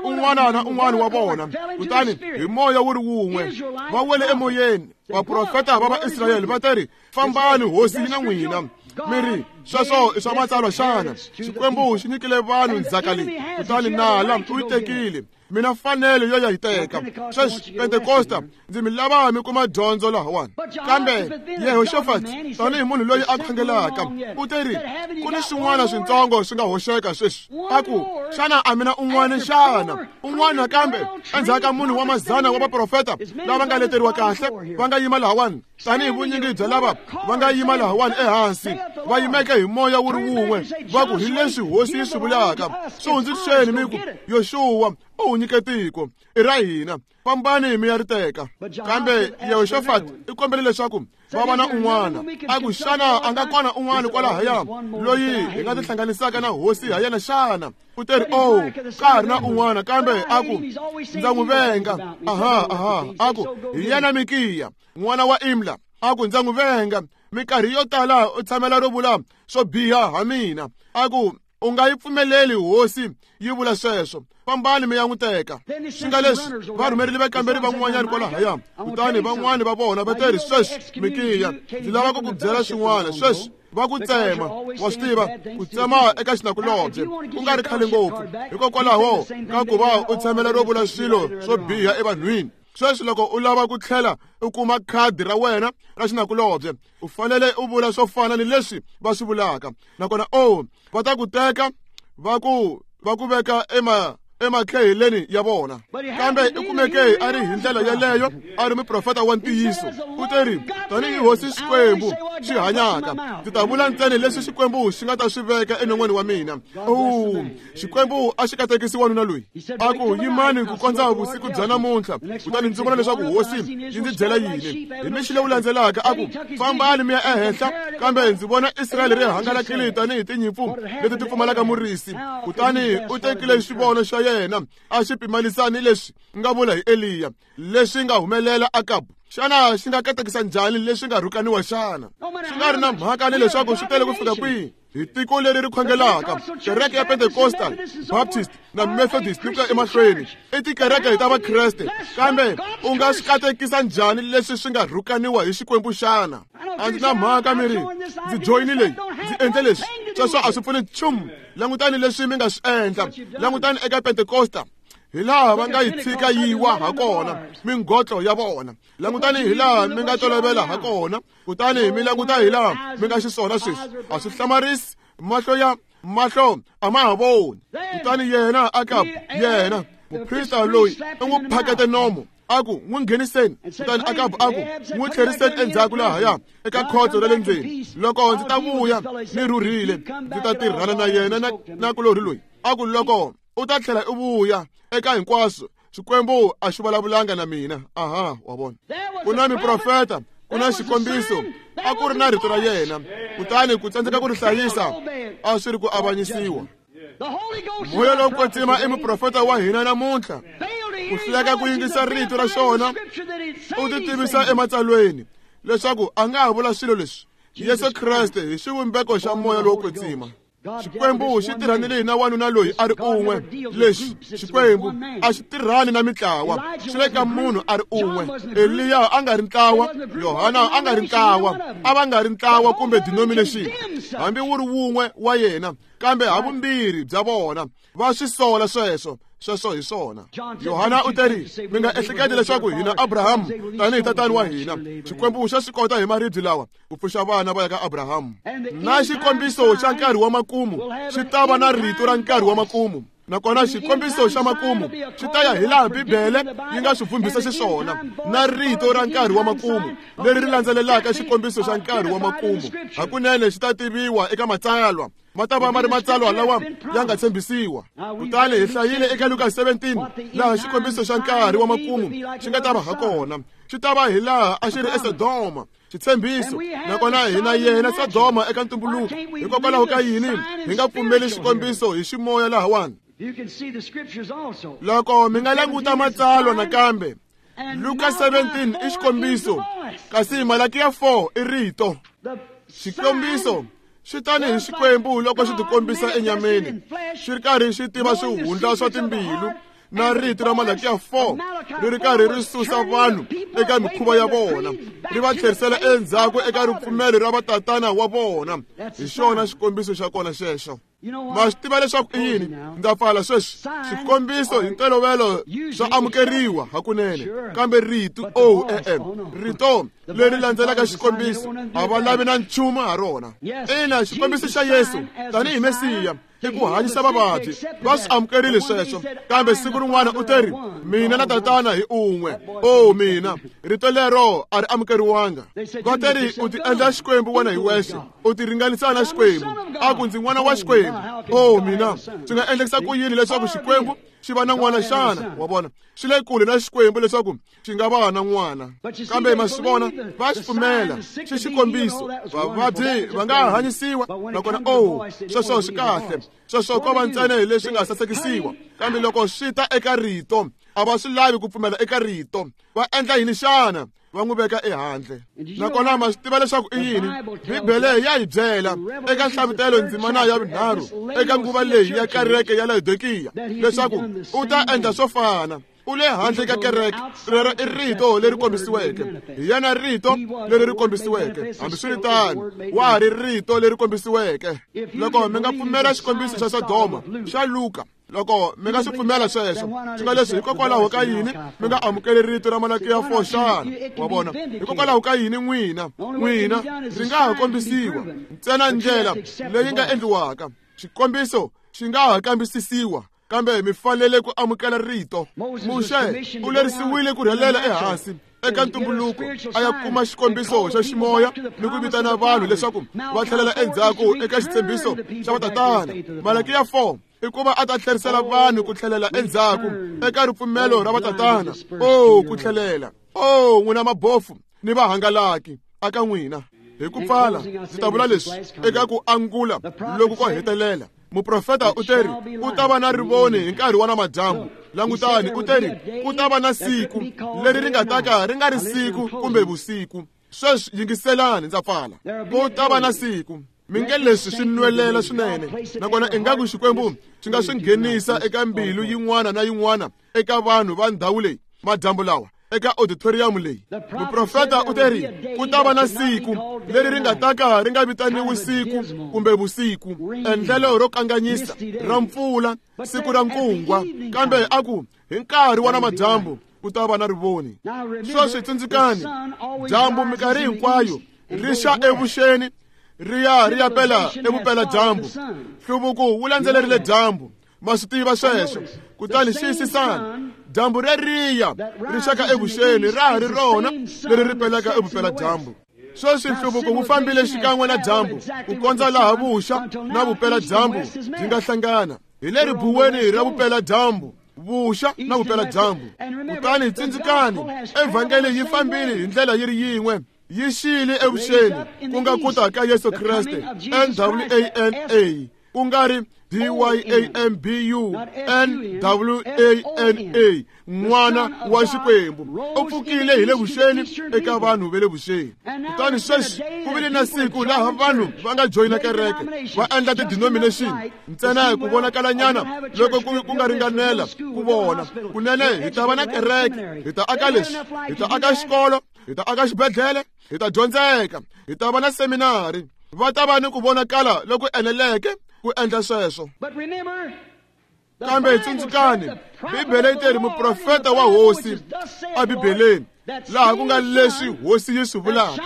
Un'wana na un'wana wa vona, kutani hi moya wu ri wun'we va wele emoyeni. Vaprofeta va Vaisrayele va teri, fambani, hosi yi na n'wina. Mi ri, sweswo i swa matsalwa xana? Xikwembu xi nyikile vanhu ndzhaka leyi, kutani nala u yi tekile. Mina fanele yo ya yi teka. Sweswi Pentekosta, ndzi mi lava mi kuma dyondzo lahawani. Kambe Yehoshafat, tanihi munhu loyi a khongelaka, u teri ku ni swin'wana swintsongo swi nga hoxeka sweswi. A ku, xana a mina un'wana xana? Un'wana kambe endzhaku ka munhu wa mazana wa vaprofeta lava nga leteriwa kahle va nga yima lahawani, tanihi vunyingi bya lava va nga yima lahawani ehansi, va yimeke hi moya wu ri wun'we, va ku hi leswi hosi yi swi vulaka. Swi hundziseni mi ku, Yoxuwa u wu nyike tiko, i ra hina, fambani mi ya ri teka. Kambe Yehoshafat i kombele leswaku va va na un'wana. A ku, xana a nga kona un'wana kwalahaya loyi hi nga tihlanganisaka na hosi ha yena xana? U teri, oh, ka ha ri na un'wana, kambe a ku ndza n'wi venga. Aha, aha. A ku hi yena Mikiya n'wana wa Imla. A ku ndza n'wi venga, minkarhi yo tala u tshamela ro vula swo biha ha mina. A ku u nga yi pfumeleli hosi yi vula sweswo, fambani mi ya n'wi teka. Swi nga leswi va rhumerile vakamberi van'wanyana kwalahaya, kutani van'wani va vona va teri, sweswi Mikiya, ndzi lava ku ku byela swin'wana. Sweswi va ku tsema, wa swi tiva, ku tsema eka xinakulobye ku nga ri khale ngopfu, hikokwalaho ka ku va u tshamela ro vula swilo swo biha evanhwini. Sweswi loko u lava ku tlhela u kuma khadi ra wena ra xinakulobye, u fanele u vula swo fana ni leswi va swi vulaka. Nakona oh, va ta ku teka va ku va ku veka ema emakheheleni ya vona. Kambe i kumeke a ri hi ndlela yeleyo, a ri muprofeta wa ntiyiso. U teri, tanihi hosi Xikwembu xi hanyaka, ndzi ta vula ntsena leswi Xikwembu xi nga ta swi veka enon'weni wa mina. Oh, Xikwembu a xi katekisi wanuna loyi. A ku yimani ku kondza vusiku bya namuntlha, kutani ndzi vona leswaku hosi yi ndzi byela yini. Hi mixi lewu landzelaka a ku, fambani mi ya ehenhla, kambe ndzi vona Israyele ri hangalakile tanihi tinyimpfu leti ti pfumalaka murisi. Kutani u tekile xivono xa yena a xi pimanisa ni leswi nga vula hi Eliya, leswi nga humelela Akabu. Xana xi nga katekisa njhani leswi nga rhukaniwa xana? Swi nga ri na mhaka ni leswaku swi tele ku fika kwihi. Hi tiko leri ri khongelaka, kereke ya Pentecostal, Baptist na Methodist ni ku ya emahlweni, i tikereke hi ta Vakreste. Kambe u nga swi katekisa njhani leswi swi nga rhukaniwa hi Xikwembu xana? A ndzi na mhaka mi ri, ndzi joyini leyi, ndzi endle leswi, sweswo a swi pfuni nchumu. Langutani leswi mi nga swi endla. Langutani eka Pentecosta, hi laha va nga yi tshika yi wa ha kona mingotlo ya vona. Langutani hi laha mi nga tolovela ha kona, kutani mi languta hi laha mi nga xiswona sweswi. A swi hlamarisi, mahlo ya mahlo a ma ha voni. Kutani yena Akabu, yena muprista loyi, u n'wi phakete nomo, a ku n'wi ngheniseni. Kutani Akabu a ku n'wi tlheriseni endzhaku lahaya eka khotso ra le ndzeni. Loko ndzi ta vuya ni rhurhile, ndzi ta tirhana na yena na nakulorhi loyi. A ku loko u ta tlhela u vuya eka hinkwaswo, Xikwembu a xi vulavulanga na mina. Aha, wa vona, ku na miprofeta, ku na xikombiso, a ku ri na rito ra yena. Kutani ku tsandzeka ku ri hlayisa a swi ri ku avanyisiwa. Moya lowo kwetsima i muprofeta wa hina namuntlha. Ku hluleka ku yingisa rito ra xona, u ti tivisa ematsalweni leswaku a nga ha vula swilo leswi. Yesu Kreste hi xivumbeko xa moya lowo kwetsima. Xikwembu xi tirhanile na wanuna loyi a ri un'we. Lexi Xikwembu a xi tirhani na mitlawa, xi le ka munhu a ri un'we. Eliya a nga ri ntlawa, Yohana a nga ri ntlawa, a va nga ri ntlawa kumbe denomination, hambi wu ri wun'we wa yena, kambe havumbirhi bya vona va swi sola sweswo. Sweswo hi swona. Yohana u teri, mi nga ehleketi leswaku hina Abrahamu tanihi tatani wa hina. Xikwembu xa swi kota hi maribye lawa ku pfuxa vana va ya ka Abrahamu. Na xikombiso xa nkarhi wa makumu xi ta va na rito ra nkarhi wa makumu. Nakona xikombiso xa makumu xi ta ya hi laha Bibele yi nga swi vumbisa xiswona, na rito ra nkarhi wa makumu leri ri landzelelaka xikombiso xa nkarhi wa makumu hakunene xi ta tiviwa eka matsalwa. Ma ta va ma ri matsalwa lawa ya nga tshembisiwa. Kutani hi hlayile eka Luka seventeen laha xikombiso xa nkarhi wa makumu xi nga ta va ha kona. Xi ta va hi laha a xi ri eSodoma, xitshembiso. Nakona hi na yena Sodoma eka ntumbuluko. Hikokwalaho ka yini hi nga pfumeli xikombiso hi ximoya lahawani? Loko mi nga languta matsalwa nakambe, Luka seventeen i xikombiso, kasi Malakiya four i rito. Xikombiso xi tani hi Xikwembu loko xi tikombisa enyameni, xi ri karhi xi tiva swihundla swa timbilu, na rito ra Malakiya four ri ri karhi ri susa vanhu eka mikhuva ya vona, ri va tlherisela endzhaku eka ripfumelo ra vatatana wa vona. Hi xona xikombiso xa kona xexo. Ma swi tiva leswaku i yini? Ndza pfala sweswi. Xikombiso hi ntolovelo swa amukeriwa hakunene, kambe rito o e-e, rito leri landzelaka xikombiso a va lavi na nchumu ha rona. Ina, xikombiso xa Yesu tanihi Mesiya i ku hanyisa vavabyi, va swi amukerile sweswo, kambe siku rin'wana u teri, mina na tatana hi un'we. O mina, rito lero a ri amukeriwanga. Va teri u ti endla Xikwembu wena hi wexe, u ti ringanisa na Xikwembu, a ku ndzi n'wana wa Xikwembu. O mina, swi nga endlekisa ku yini leswaku Xikwembu xi va na n'wana xana? Wa vona, swi le kule na Xikwembu leswaku xi nga va na n'wana. Kambe ma swi vona, va xi pfumela, xi xikombiso. Vavabyi va nga hanyisiwa, nakona o sweswo swi kahle, sweswo ko va ntsena hi leswi nga sasekisiwa. Kambe loko swi ta eka rito, a va swi lavi ku pfumela eka rito. Va endla yini xana? Va n'wi veka ehandle. Nakona ma swi tiva leswaku i yini? Bibele ya hi byela eka Nhlavutelo ndzimana ya vunharhu eka nguva leyi ya kereke ya Laodikiya leswaku u ta endla swo fana. U le handle ka kereke. Rero i rito leri kombisiweke. Hi yena rito leri ri kombisiweke. Hambiswiritano, wa ha ri rito leri kombisiweke. Loko mi nga pfumela xikombiso xa Sodoma xa Luka, loko mi nga swi pfumela sweswo, swi nga leswi hikokwalaho ka yini mi nga amukeli rito ra Malakiya four xana? Wa vona, hikokwalaho ka yini n'wina n'wina ri nga ha kombisiwa ntsena ndlela leyi nga endliwaka. Xikombiso xi nga ha kambisisiwa, kambe mi fanele ku amukela rito. Muxe u lerisiwile ku rhelela ehansi eka ntumbuluko a ya kuma xikombiso xa ximoya ni ku vitana vanhu leswaku va tlhelela endzhaku eka xitshembiso xa vatatana. Malakiya four i ku va a ta tlherisela vanhu ku tlhelela endzhaku eka ripfumelo ra vatatana. O ku tlhelela! O n'wina mabofu ni vahangalaki aka n'wina. Hi ku pfala, ndzi ta vula leswi eka ku angula loku ko hetelela. Muprofeta u teri ku ta va na rivoni hi nkarhi wa namadyambu. Langutani, u teri ku ta va na siku leri ri nga ta ka ri nga ri siku kumbe vusiku. Sweswi yingiselani, ndza pfala. Ku ta va na siku. Mi nge leswi swi nwelela swinene, nakona ingaku Xikwembu xi nga swi nghenisa eka mbilu yin'wana na yin'wana eka vanhu va ndhawu leyi madyambu lawa eka auditorium leyi. Muprofeta u teri ku ta va na siku leri ri nga ta ka ri nga vitaniwi siku kumbe vusiku, endlelo ro kanganyisa ra mpfula, siku ra nkungwa, kambe a ku hi nkarhi wa namadyambu ku ta va na rivoni. Sweswi tsundzukani, dyambu minkarhi hinkwayo ri xa evuxeni ri ya ri ya pela evupeladyambu. Nhluvuko wu landzelerile dyambu. Ma swi tiva sweswo. Kutani xiyisisani, dyambu reriya ri xaka evuxeni ra ha ri rona leri ri pelaka evupeladyambu. Sweswi nhluvuko wu fambile xikan'we na dyambu ku kondza laha vuxa na vupeladyambu byi nga hlangana. Hi le ribuweni ra vupeladyambu, vuxa na vupeladyambu. Kutani tsundzukani, evhangeli yi fambile hi ndlela yi ri yin'we, yi xile evuxeni, ku nga ku ta ka Yesu Kreste, N W A N A, ku nga ri D Y A M B U N W A N A, n'wana wa Xikwembu. U pfukile hi le vuxeni eka vanhu va le vuxeni. Kutani sweswi ku vile na siku laha vanhu va nga joyina kereke, va endla ti-denomination ntsena ku vonakalanyana loko ku nga ringanela ku vona. Kunene hi ta va na kereke, hi ta aka leswi, hi ta aka xikolo, hi ta aka xibedhlele, hi ta dyondzeka, hi ta va na seminari. Va ta va ni ku vonakala loku eneleke ku endla sweswo. Kambe tsundzukani, Bibele yi teri muprofeta wa Hosi eBibeleni, laha ku nga leswi Hosi yi swi vulaka,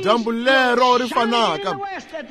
dyambu lero ri fanaka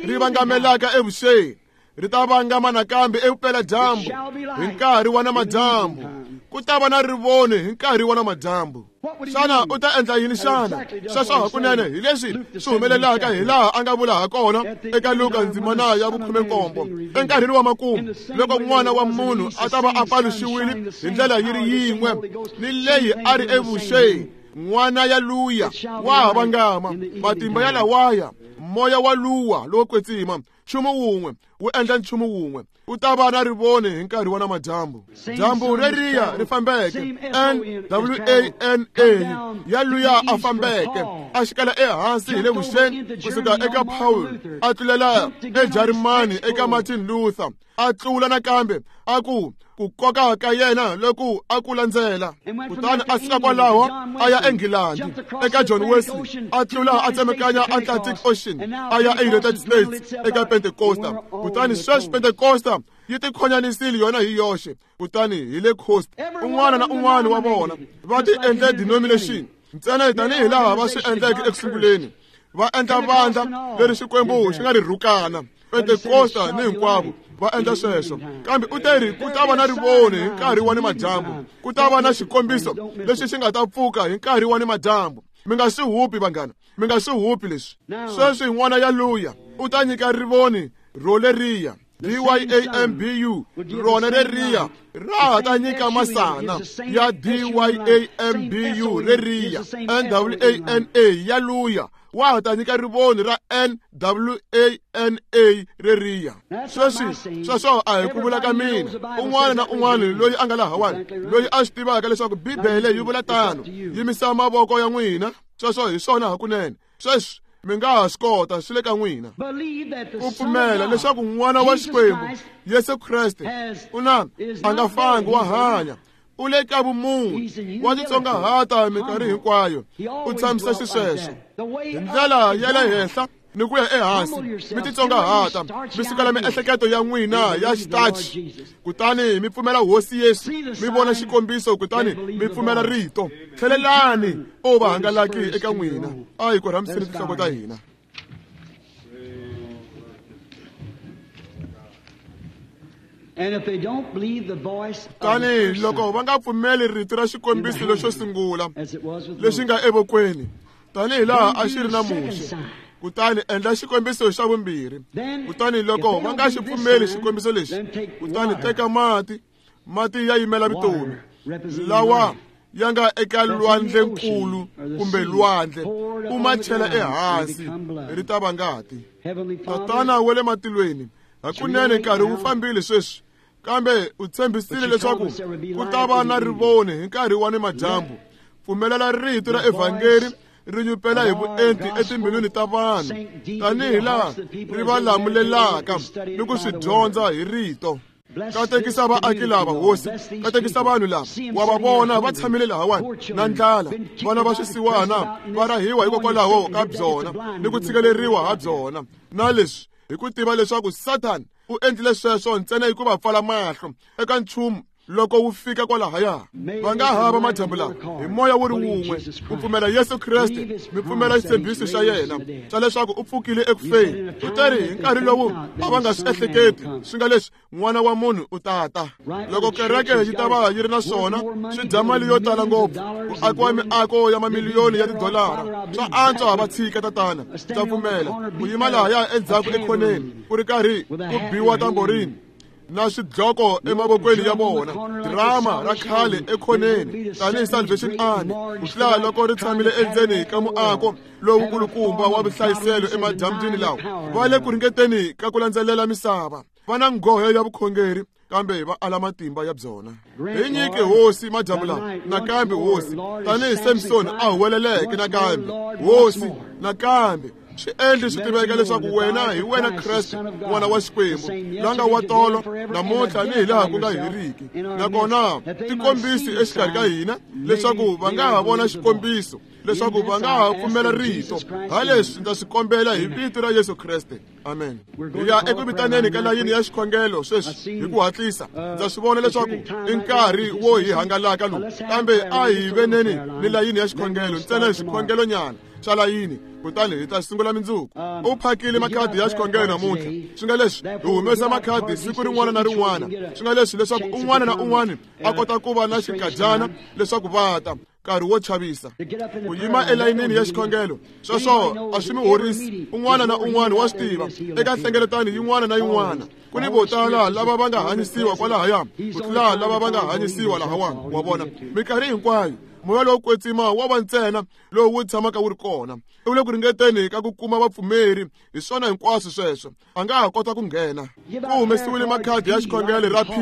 ri vangamelaka evuxeni ri ta vangama nakambe evupeladyambu hi nkarhi wa namadyambu. Ku ta va na rivoni hi nkarhi wa namadyambu. Xana u ta endla yini xana? Sweswo hakunene hi leswi swi humelelaka hi laha a nga vula ha kona eka Luka ndzimana ya vukhume-nkombo. Enkarhini wa makumu, loko n'wana wa munhu a ta va a paluxiwile hi ndlela yi ri yin'we ni leyi a ri evuxeni, n'wana ya luya wa ha vangama, matimba ya lawaya, moya wa luwa lowo kwetsima, nchumu wun'we wu endla nchumu wun'we. U ta va na rivoni hi nkarhi wa namadyambu. Dyambu reriya ri fambeke, N W A N A ya luya a fambeke, a xikela ehansi hi le vuxeni kusuka eka Paul, a tlulela eJarimani eka Martin Luther, a tlula nakambe a ku ku koka ka yena loku a ku landzela. Kutani a suka kwalaho a ya eNgilandi eka John Wesley, a tlula a tsemekanya Atlantic Ocean a ya eUnited States eka Pentecosta. Kutani sweswi Pentecosta yi tikhonyanisile yona hi yoxe, kutani hi le coast un'wana na un'wana wa vona va ti endle denomination ntsena tanihi laha va swi endleke ekusunguleni, va endla vandla leri Xikwembu xi nga ri rhukana. Pentecosta ni hinkwavo va endla sweswo. Kambe u te ri ku ta va na rivoni hi nkarhi wa nimadyambu, ku ta va na xikombiso lexi xi nga ta pfuka hi nkarhi wa nimadyambu. Mi nga swi hupi vanghana, mi nga swi hupi leswi. Sweswi n'wana ya luya u ta nyika rivoni ro leriya D Y A M B U, rona reriya ra ha ta nyika masana ya D Y A M B U reriya N W A N A ya luya wa ha ta nyika rivoni ra N W A N A reriya. Sweswi sweswo a hi ku vula ka mina. Un'wana na un'wana loyi a nga lahawani, loyi a swi tivaka leswaku Bibele yi vula tano, yimisa mavoko ya n'wina. Sweswo hi swona hakunene. Sweswi mi nga ha swi kota, swi le ka n'wina. Ku pfumela leswaku n'wana wa Xikwembu Yesu Kreste u na a nga fangi wa hanya, u le ka vumunhu, wa titsongahata minkarhi hinkwayo, u tshamisa xisweswo hi ndlela ya le henhla ni ku ya ehansi. Mi titsongahata, mi sukela miehleketo ya n'wina ya xitachi, kutani mi pfumela Hosi Yesu, mi vona xikombiso, kutani mi pfumela rito. Tlhelelani o va hangalaki eka n'wina. A hi korhamiseni tinhloko ta hina. Tani loko va nga pfumeli rito ra xikombiso lexo sungula lexi nga evokweni, tanihi laha a xi ri na Muxe, kutani endla xikombiso xa vumbirhi. Kutani loko va nga xi pfumeli xikombiso lexi, kutani teka mati, mati ya yimela vutomi, lawa ya nga eka lwandlenkulu kumbe lwandle, u ma chela ehansi, ri ta va ngati. Tatana wa le matilweni, hakunene nkarhi wu fambile sweswi, kambe u tshembisile leswaku ku ta va na rivoni hi nkarhi wa nimadyambu. Pfumelela rito ra evhangeri ri nyupela hi vuenti etimbilwini ta vanhu, tanihi laha ri va lamulelaka ni ku swi dyondza hi rito. Katekisa vaaki lava, Hosi, katekisa vanhu lava. Wa va vona va tshamile lahawani na ndlala, vana va swisiwana va rahiwa hikokwalaho ka byona ni ku tshikeleriwa ha byona, na leswi hi ku tiva leswaku Satan u endlile sweswo ntsena hikuva pfala mahlo eka nchumu loko wu fika kwalahaya. Va nga hava madyambu lawa hi moya wu ri wun'we ku pfumela Yesu Kreste, mi pfumela xitshembiso xa yena xa leswaku u pfukile ekufeni. U teri hi nkarhi lowu a va nga swi ehleketi swi nga leswi, n'wana wa munhu u tata. Loko kereke yi ta va yi ri na swona, swi dya mali yo tala ngopfu ku akiwa miako ya mamiliyoni ya tidolara. Swa antswa va tshika tatana, ndza pfumela ku yima lahaya endzhaku ekhoneni ku ri karhi ku biwa tamborini na swidloko emavokweni ya vona, drama ra khale ekhoneni tanihi Salvation Army, ku tlula loko ri tshamile endzeni ka muako lowukulukumba wa vuhlayiselo emadyambyini lawa. Va le ku ringeteni ka ku landzelela misava, va na nghohe ya vukhongeri, kambe va ala matimba ya byona. Hi nyike Hosi madyambu lawa nakambe, Hosi, tanihi Samson a huweleleke nakambe, Hosi, nakambe swi endli swi tiveka leswaku wena hi wena Kreste, n'wana wa Xikwembu, la nga wa tolo, namuntlha ni hi laha ku nga heriki. Nakona tikombisi exikarhi ka hina leswaku va nga ha vona xikombiso, leswaku va nga ha pfumela rito. Ha leswi ndza swi kombela hi vito ra Yesu Kreste. Amen. Hi ya eku vitaneni ka layini ya xikhongelo sweswi hi ku hatlisa. Ndza swi vona leswaku i nkarhi wo hi hangalaka lowu, kambe a hi veneni ni layini ya xikhongelo ntsena, xikhongelonyana xa layini, kutani hi ta sungula mindzuku. U phakile makhadi ya xikhongelo namuntlha, swi nga leswi hi humesa makhadi siku rin'wana na rin'wana, swi nga leswi leswaku un'wana na un'wana a kota ku va na xinkadyana leswaku va ta. nkarhi wo chavisa. Ku yima elayinini ya xikhongelo sweswo a swi mi horisi. Un'wana na un'wana wa swi tiva eka nhlengeletano yin'wana na yin'wana ku ni vo tala lava va nga hanyisiwa kwalahaya ku tlula lava va nga hanyisiwa lahawani. Wa vona, minkarhi hinkwayo moya lowo kwetsima wa va ntsena lowu wu tshamaka wu ri kona. U le ku ringeteni ka ku kuma vapfumeri, hi swona hinkwaswo sweswo. A nga ha kota ku nghena. Ku humesiwile makhadi ya xikhongelo ra P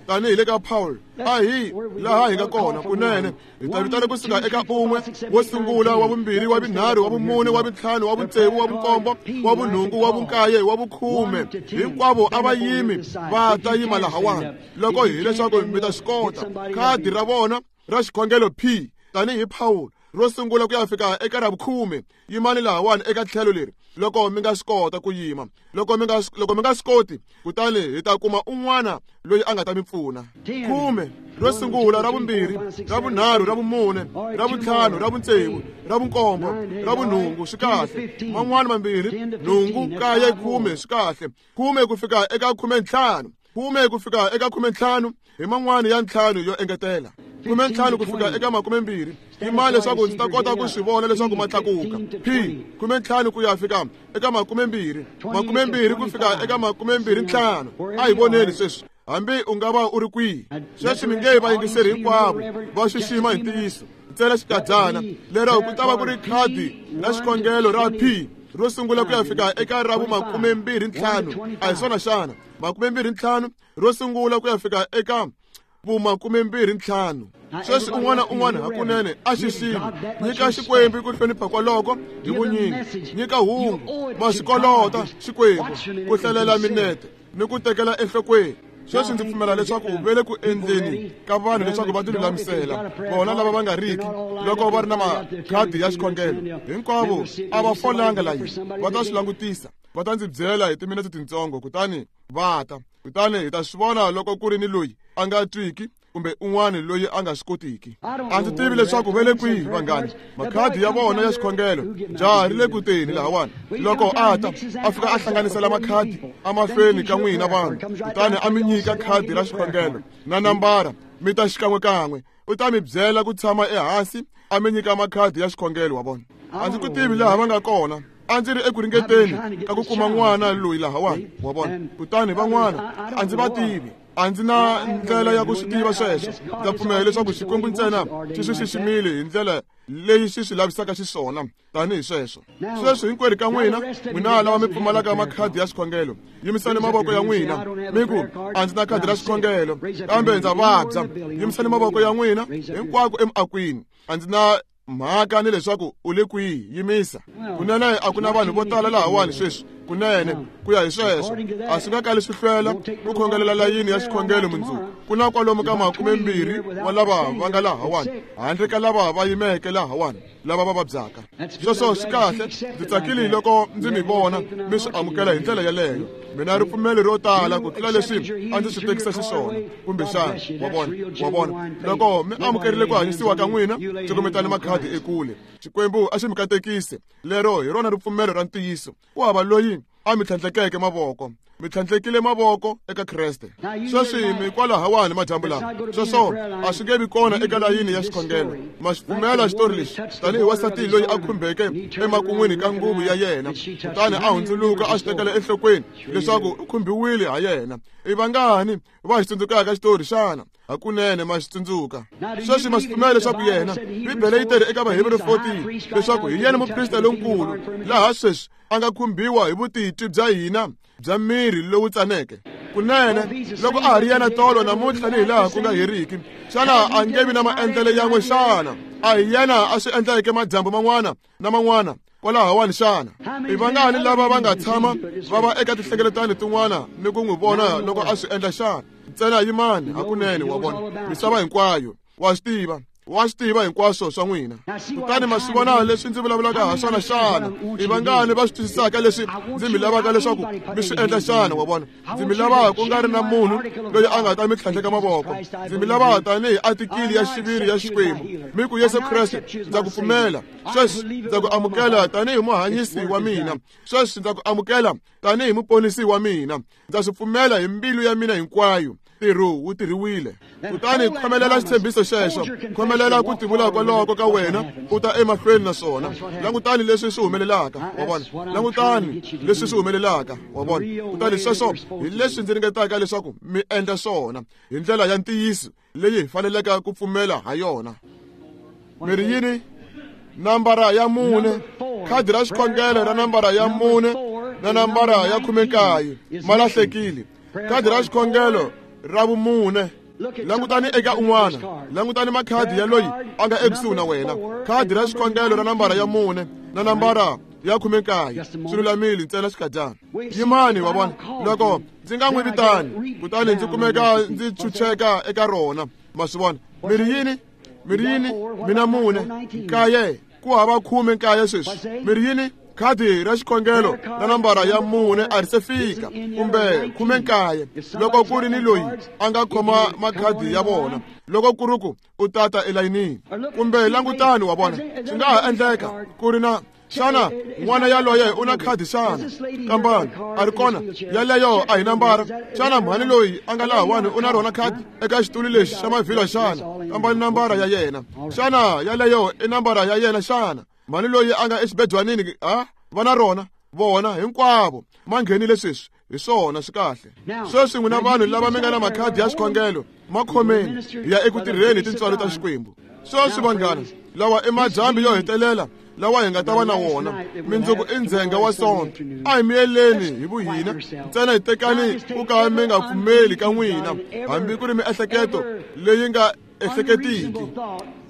tanihi le ka Paul. A hi laha hi nga kona kunene. Hi ta vitana kusuka eka un'we, wo sungula, wa vumbirhi, wa vunharhu, wa vumune, wa vuntlhanu, wa vutsevu, wa vunkombo, wa vunhungu, wa vunkaye, wa vukhume. Hinkwavo a va yimi va ta yima lahawani loko hileswaku mi ta swi kota. Khadi ra vona ra xikhongelo P tanihi Paul ro sungula ku ya fika eka ra vukhume. Yimani lahawani eka tlhelo leri loko mi nga swi kota ku yima. Loko mi nga loko mi nga swi koti, kutani hi ta kuma un'wana loyi a nga ta mi pfuna. Khume ro sungula, ra vumbirhi, ra vunharhu, ra vumune, ra vuntlhanu, ra vutsevu, ra vunkombo, ra vunhungu, swi kahle. Man'wana mambirhi, nhungu, nkaye, khume, swi kahle. Khume ku fika eka khume ntlhanu, khume ku fika eka khume ntlhanu hi man'wana ya ntlhanu yo engetela. Khume ntlhanu ku fika eka makume mbirhi. Yimani leswaku ndzi ta kota ku swi vona leswaku ma tlakuka. P khume ntlhanu ku ya fika eka makume mbirhi, makume mbirhi ku fika eka makume mbirhi ntlhanu. A hi voneni sweswi, hambi u nga va u ri kwihi. Sweswi mi nge vayingiseri hinkwavo va xixima hi ntiyiso ntsena xikadyana lero ku ta va ku ri khadi ra xikhongelo ra P ro sungula ku ya fika eka ra vumakume mbirhi ntlhanu. A hi swona xana? Makume mbirhi ntlhanu ro sungula ku ya fika eka vumakume mbirhi ntlhanu. Sweswi un'wana un'wana hakunene a xixima. Nyika Xikwembu ku hlonipha kwaloko hi vunyingi. Nyika hungu ma swi kolota Xikwembu ku hlalela minete ni ku tekela enhlokweni. Sweswi ndzi pfumela leswaku ve le ku endleni ka vanhu leswaku va tilulamisela vona lava va nga riki loko va ri na makhadi ya xikhongelo. Hinkwavo a va folanga layini, va ta swi langutisa, va ta ndzi byela hi timinete tintsongo, kutani va ta. Kutani hi ta swi vona loko ku ri ni loyi a nga twiki kumbe un'wana loyi a nga swi kotiki. A ndzi tivi leswaku ve le kwihi vanghani. Makhadi ya vona ya xikhongelo jaha ri le ku teni lahawani. Loko a ta a fika a hlanganisela makhadi emahlweni ka n'wina vanhu, kutani a mi nyika khadi ra xikhongelo na nambara, mi ta xikan'wekan'we. U ta mi byela ku tshama ehansi a mi nyika makhadi ya xikhongelo. Wa vona, a ndzi ku tivi laha va nga kona. A ndzi ri eku ringeteni ka ku kuma n'wana loyi lahawani. Wa vona, kutani van'wana a ndzi va tivi. A ndzi na ndlela ya ku swi tiva sweswo. Ndza pfumela leswaku Xikwembu ntsena xi swi xiximile hi ndlela leyi xi swi lavisaka xiswona tanihi sweswo. Sweswi hinkwerhu ka n'wina, n'wina lava mi pfumalaka makhadi ya xikhongelo, yimisani mavoko ya n'wina mi ku, a ndzi na khadi ra xikhongelo kambe ndza vabya. Yimisani mavoko ya n'wina hinkwako emiakwini. A ndzi na mhaka ni leswaku u le kwihi, yimisa. Kunene a ku na vanhu vo tala lahawani sweswi. Kunene ku ya hi sweswo a swi nga kali swi hlwela ku khongelela layini ya xikhongelo mundzuku. Ku na kwalomu ka makume mbirhi wa lava va nga lahawani, handle ka lava va yimeke lahawani lava va vabyaka. Sweswo swi kahle. Ndzi tsakile loko ndzi mi vona mi swi amukela hi ndlela yeleyo. Mina ripfumelo ro tala ku tlula leswi a ndzi swi tekisa xiswona kumbexana. Wa vona, wa vona, loko mi amukerile ku hanyisiwa ka n'wina, cukumetani makhadi ekule. Xikwembu a xi mi katekise. Lero hi rona ripfumelo ra ntiyiso. Ku hava loyi a mi tlhandlekeke mavoko. Mi tlhandlekile mavoko eka Kreste. Sweswi mi kwalahawani madyambu lawa. Sweswo a swi nge vi kona eka layini ya xikhongelo. Ma xi pfumela xitori lexi tanihi wansati loyi a khumbeke emakun'wini ka nguvu ya yena, kutani a hundzuluka a xi tekela enhlokweni leswaku u khumbiwile ha yena. I vangani va xi tsundzukaka xitori xana? Hakunene ma xi tsundzuka. Sweswi ma swi pfumela leswaku yena, Bibele yi teri eka Vahebrew fourteen leswaku hi yena muprista lonkulu laha sweswi a nga khumbiwa hi vutitwi bya hina bya miri lowu tsaneke. Kunene loko a ha ri yena tolo namuntlha ni hi laha ku nga heriki, xana a nge vi na maendlelo yan'we xana? A hi yena a swi endleke madyambu man'wana na man'wana kwalahawani xana? I vangani lava va nga tshama va va eka tinhlengeletano tin'wana ni ku n'wi vona loko a swi endla xana? Ntsena yimani hakunene. Wa vona, misava hinkwayo wa swi tiva, wa swi tiva hinkwaswo swa n'wina. Kutani ma swi vona leswi ndzi vulavulaka ha swona xana? I vangani va swi twisisaka leswi ndzi mi lavaka leswaku mi swi endla xana? Wa vona, ndzi mi lava ku nga ri na munhu loyi a nga ta mi tlhandleka mavoko. Ndzi mi lava tanihi atikili ya xiviri ya Xikwembu. Mi ku, Yesu Kreste, ndza ku pfumela sweswi, ndza ku amukela tanihi muhanyisi wa mina. Sweswi ndza ku amukela tanihi muponisi wa mina. Ndza swi pfumela hi mbilu ya mina hinkwayo. Ntirho wu tirhiwile. Kutani khomelela xitshembiso xexo, khomelela ku tivula kwaloko ka wena, u ta emahlweni na swona. Langutani leswi swi humelelaka, wa vona. Langutani leswi swi humelelaka, wa vona. Kutani sweswo hi leswi ndzi ringetaka leswaku mi endla swona hi ndlela ya ntiyiso leyi hi faneleke ku pfumela ha yona. Mi ri yini? Nambara ya mune, khadi ra xikhongelo ra nambara ya mune na nambara ya khume nkaye ma lahlekile. Khadi ra xikhongelo ra vumune. Langutani eka un'wana, langutani makhadi ya loyi a nga ekusuhi na wena. Khadi ra xikhongelo ra nambara ya mune na nambara ya khume nkaye swi lulamile ntsena xikadyana. Yimani, wa vona, loko ndzi nga n'wi vitani kutani ndzi kumeka ndzi chucheka eka rona. Ma swi vona? Mi ri yini? Mi ri yini? Mina mune nkaye, ku hava khume nkaye sweswi. Mi ri yini? Khadi ra xikhongelo ra nambara ya mune a ri se fika, kumbe khume nkaye. Loko ku ri ni loyi a nga khoma makhadi ya vona, loko ku ri ku u tata elayinini, kumbe langutani, wa vona, swi nga ha endleka ku ri na xana n'wana yaloye u na khadi xana? Kambani a ri kona yaleyo a hi nambara. Xana mhani loyi a nga lahawani u na rona khadi eka xitulu lexi xa mavhilwa xana? Kambani nambara ya yena. Xana yaleyo i nambara ya yena xana? Mhani loyi a nga exibedwanini ha va na rona? Vona hinkwavo ma nghenile sweswi. Hi swona swi kahle. Sweswi n'wina vanhu lava mi nga na makhadi ya xikhongelo, ma khomeni hi ya eku tirheni hi tintswalo ta Xikwembu. Sweswi vanghana, lawa i madyambu yo hetelela lawa hi nga ta va na wona. Mindzuku i ndzhenga wa Sonto. A hi miyeleni hi vuhina ntsena, hi tekani ku ka mi nga pfumeli ka n'wina, hambi ku ri miehleketo leyi nga ehleketiki,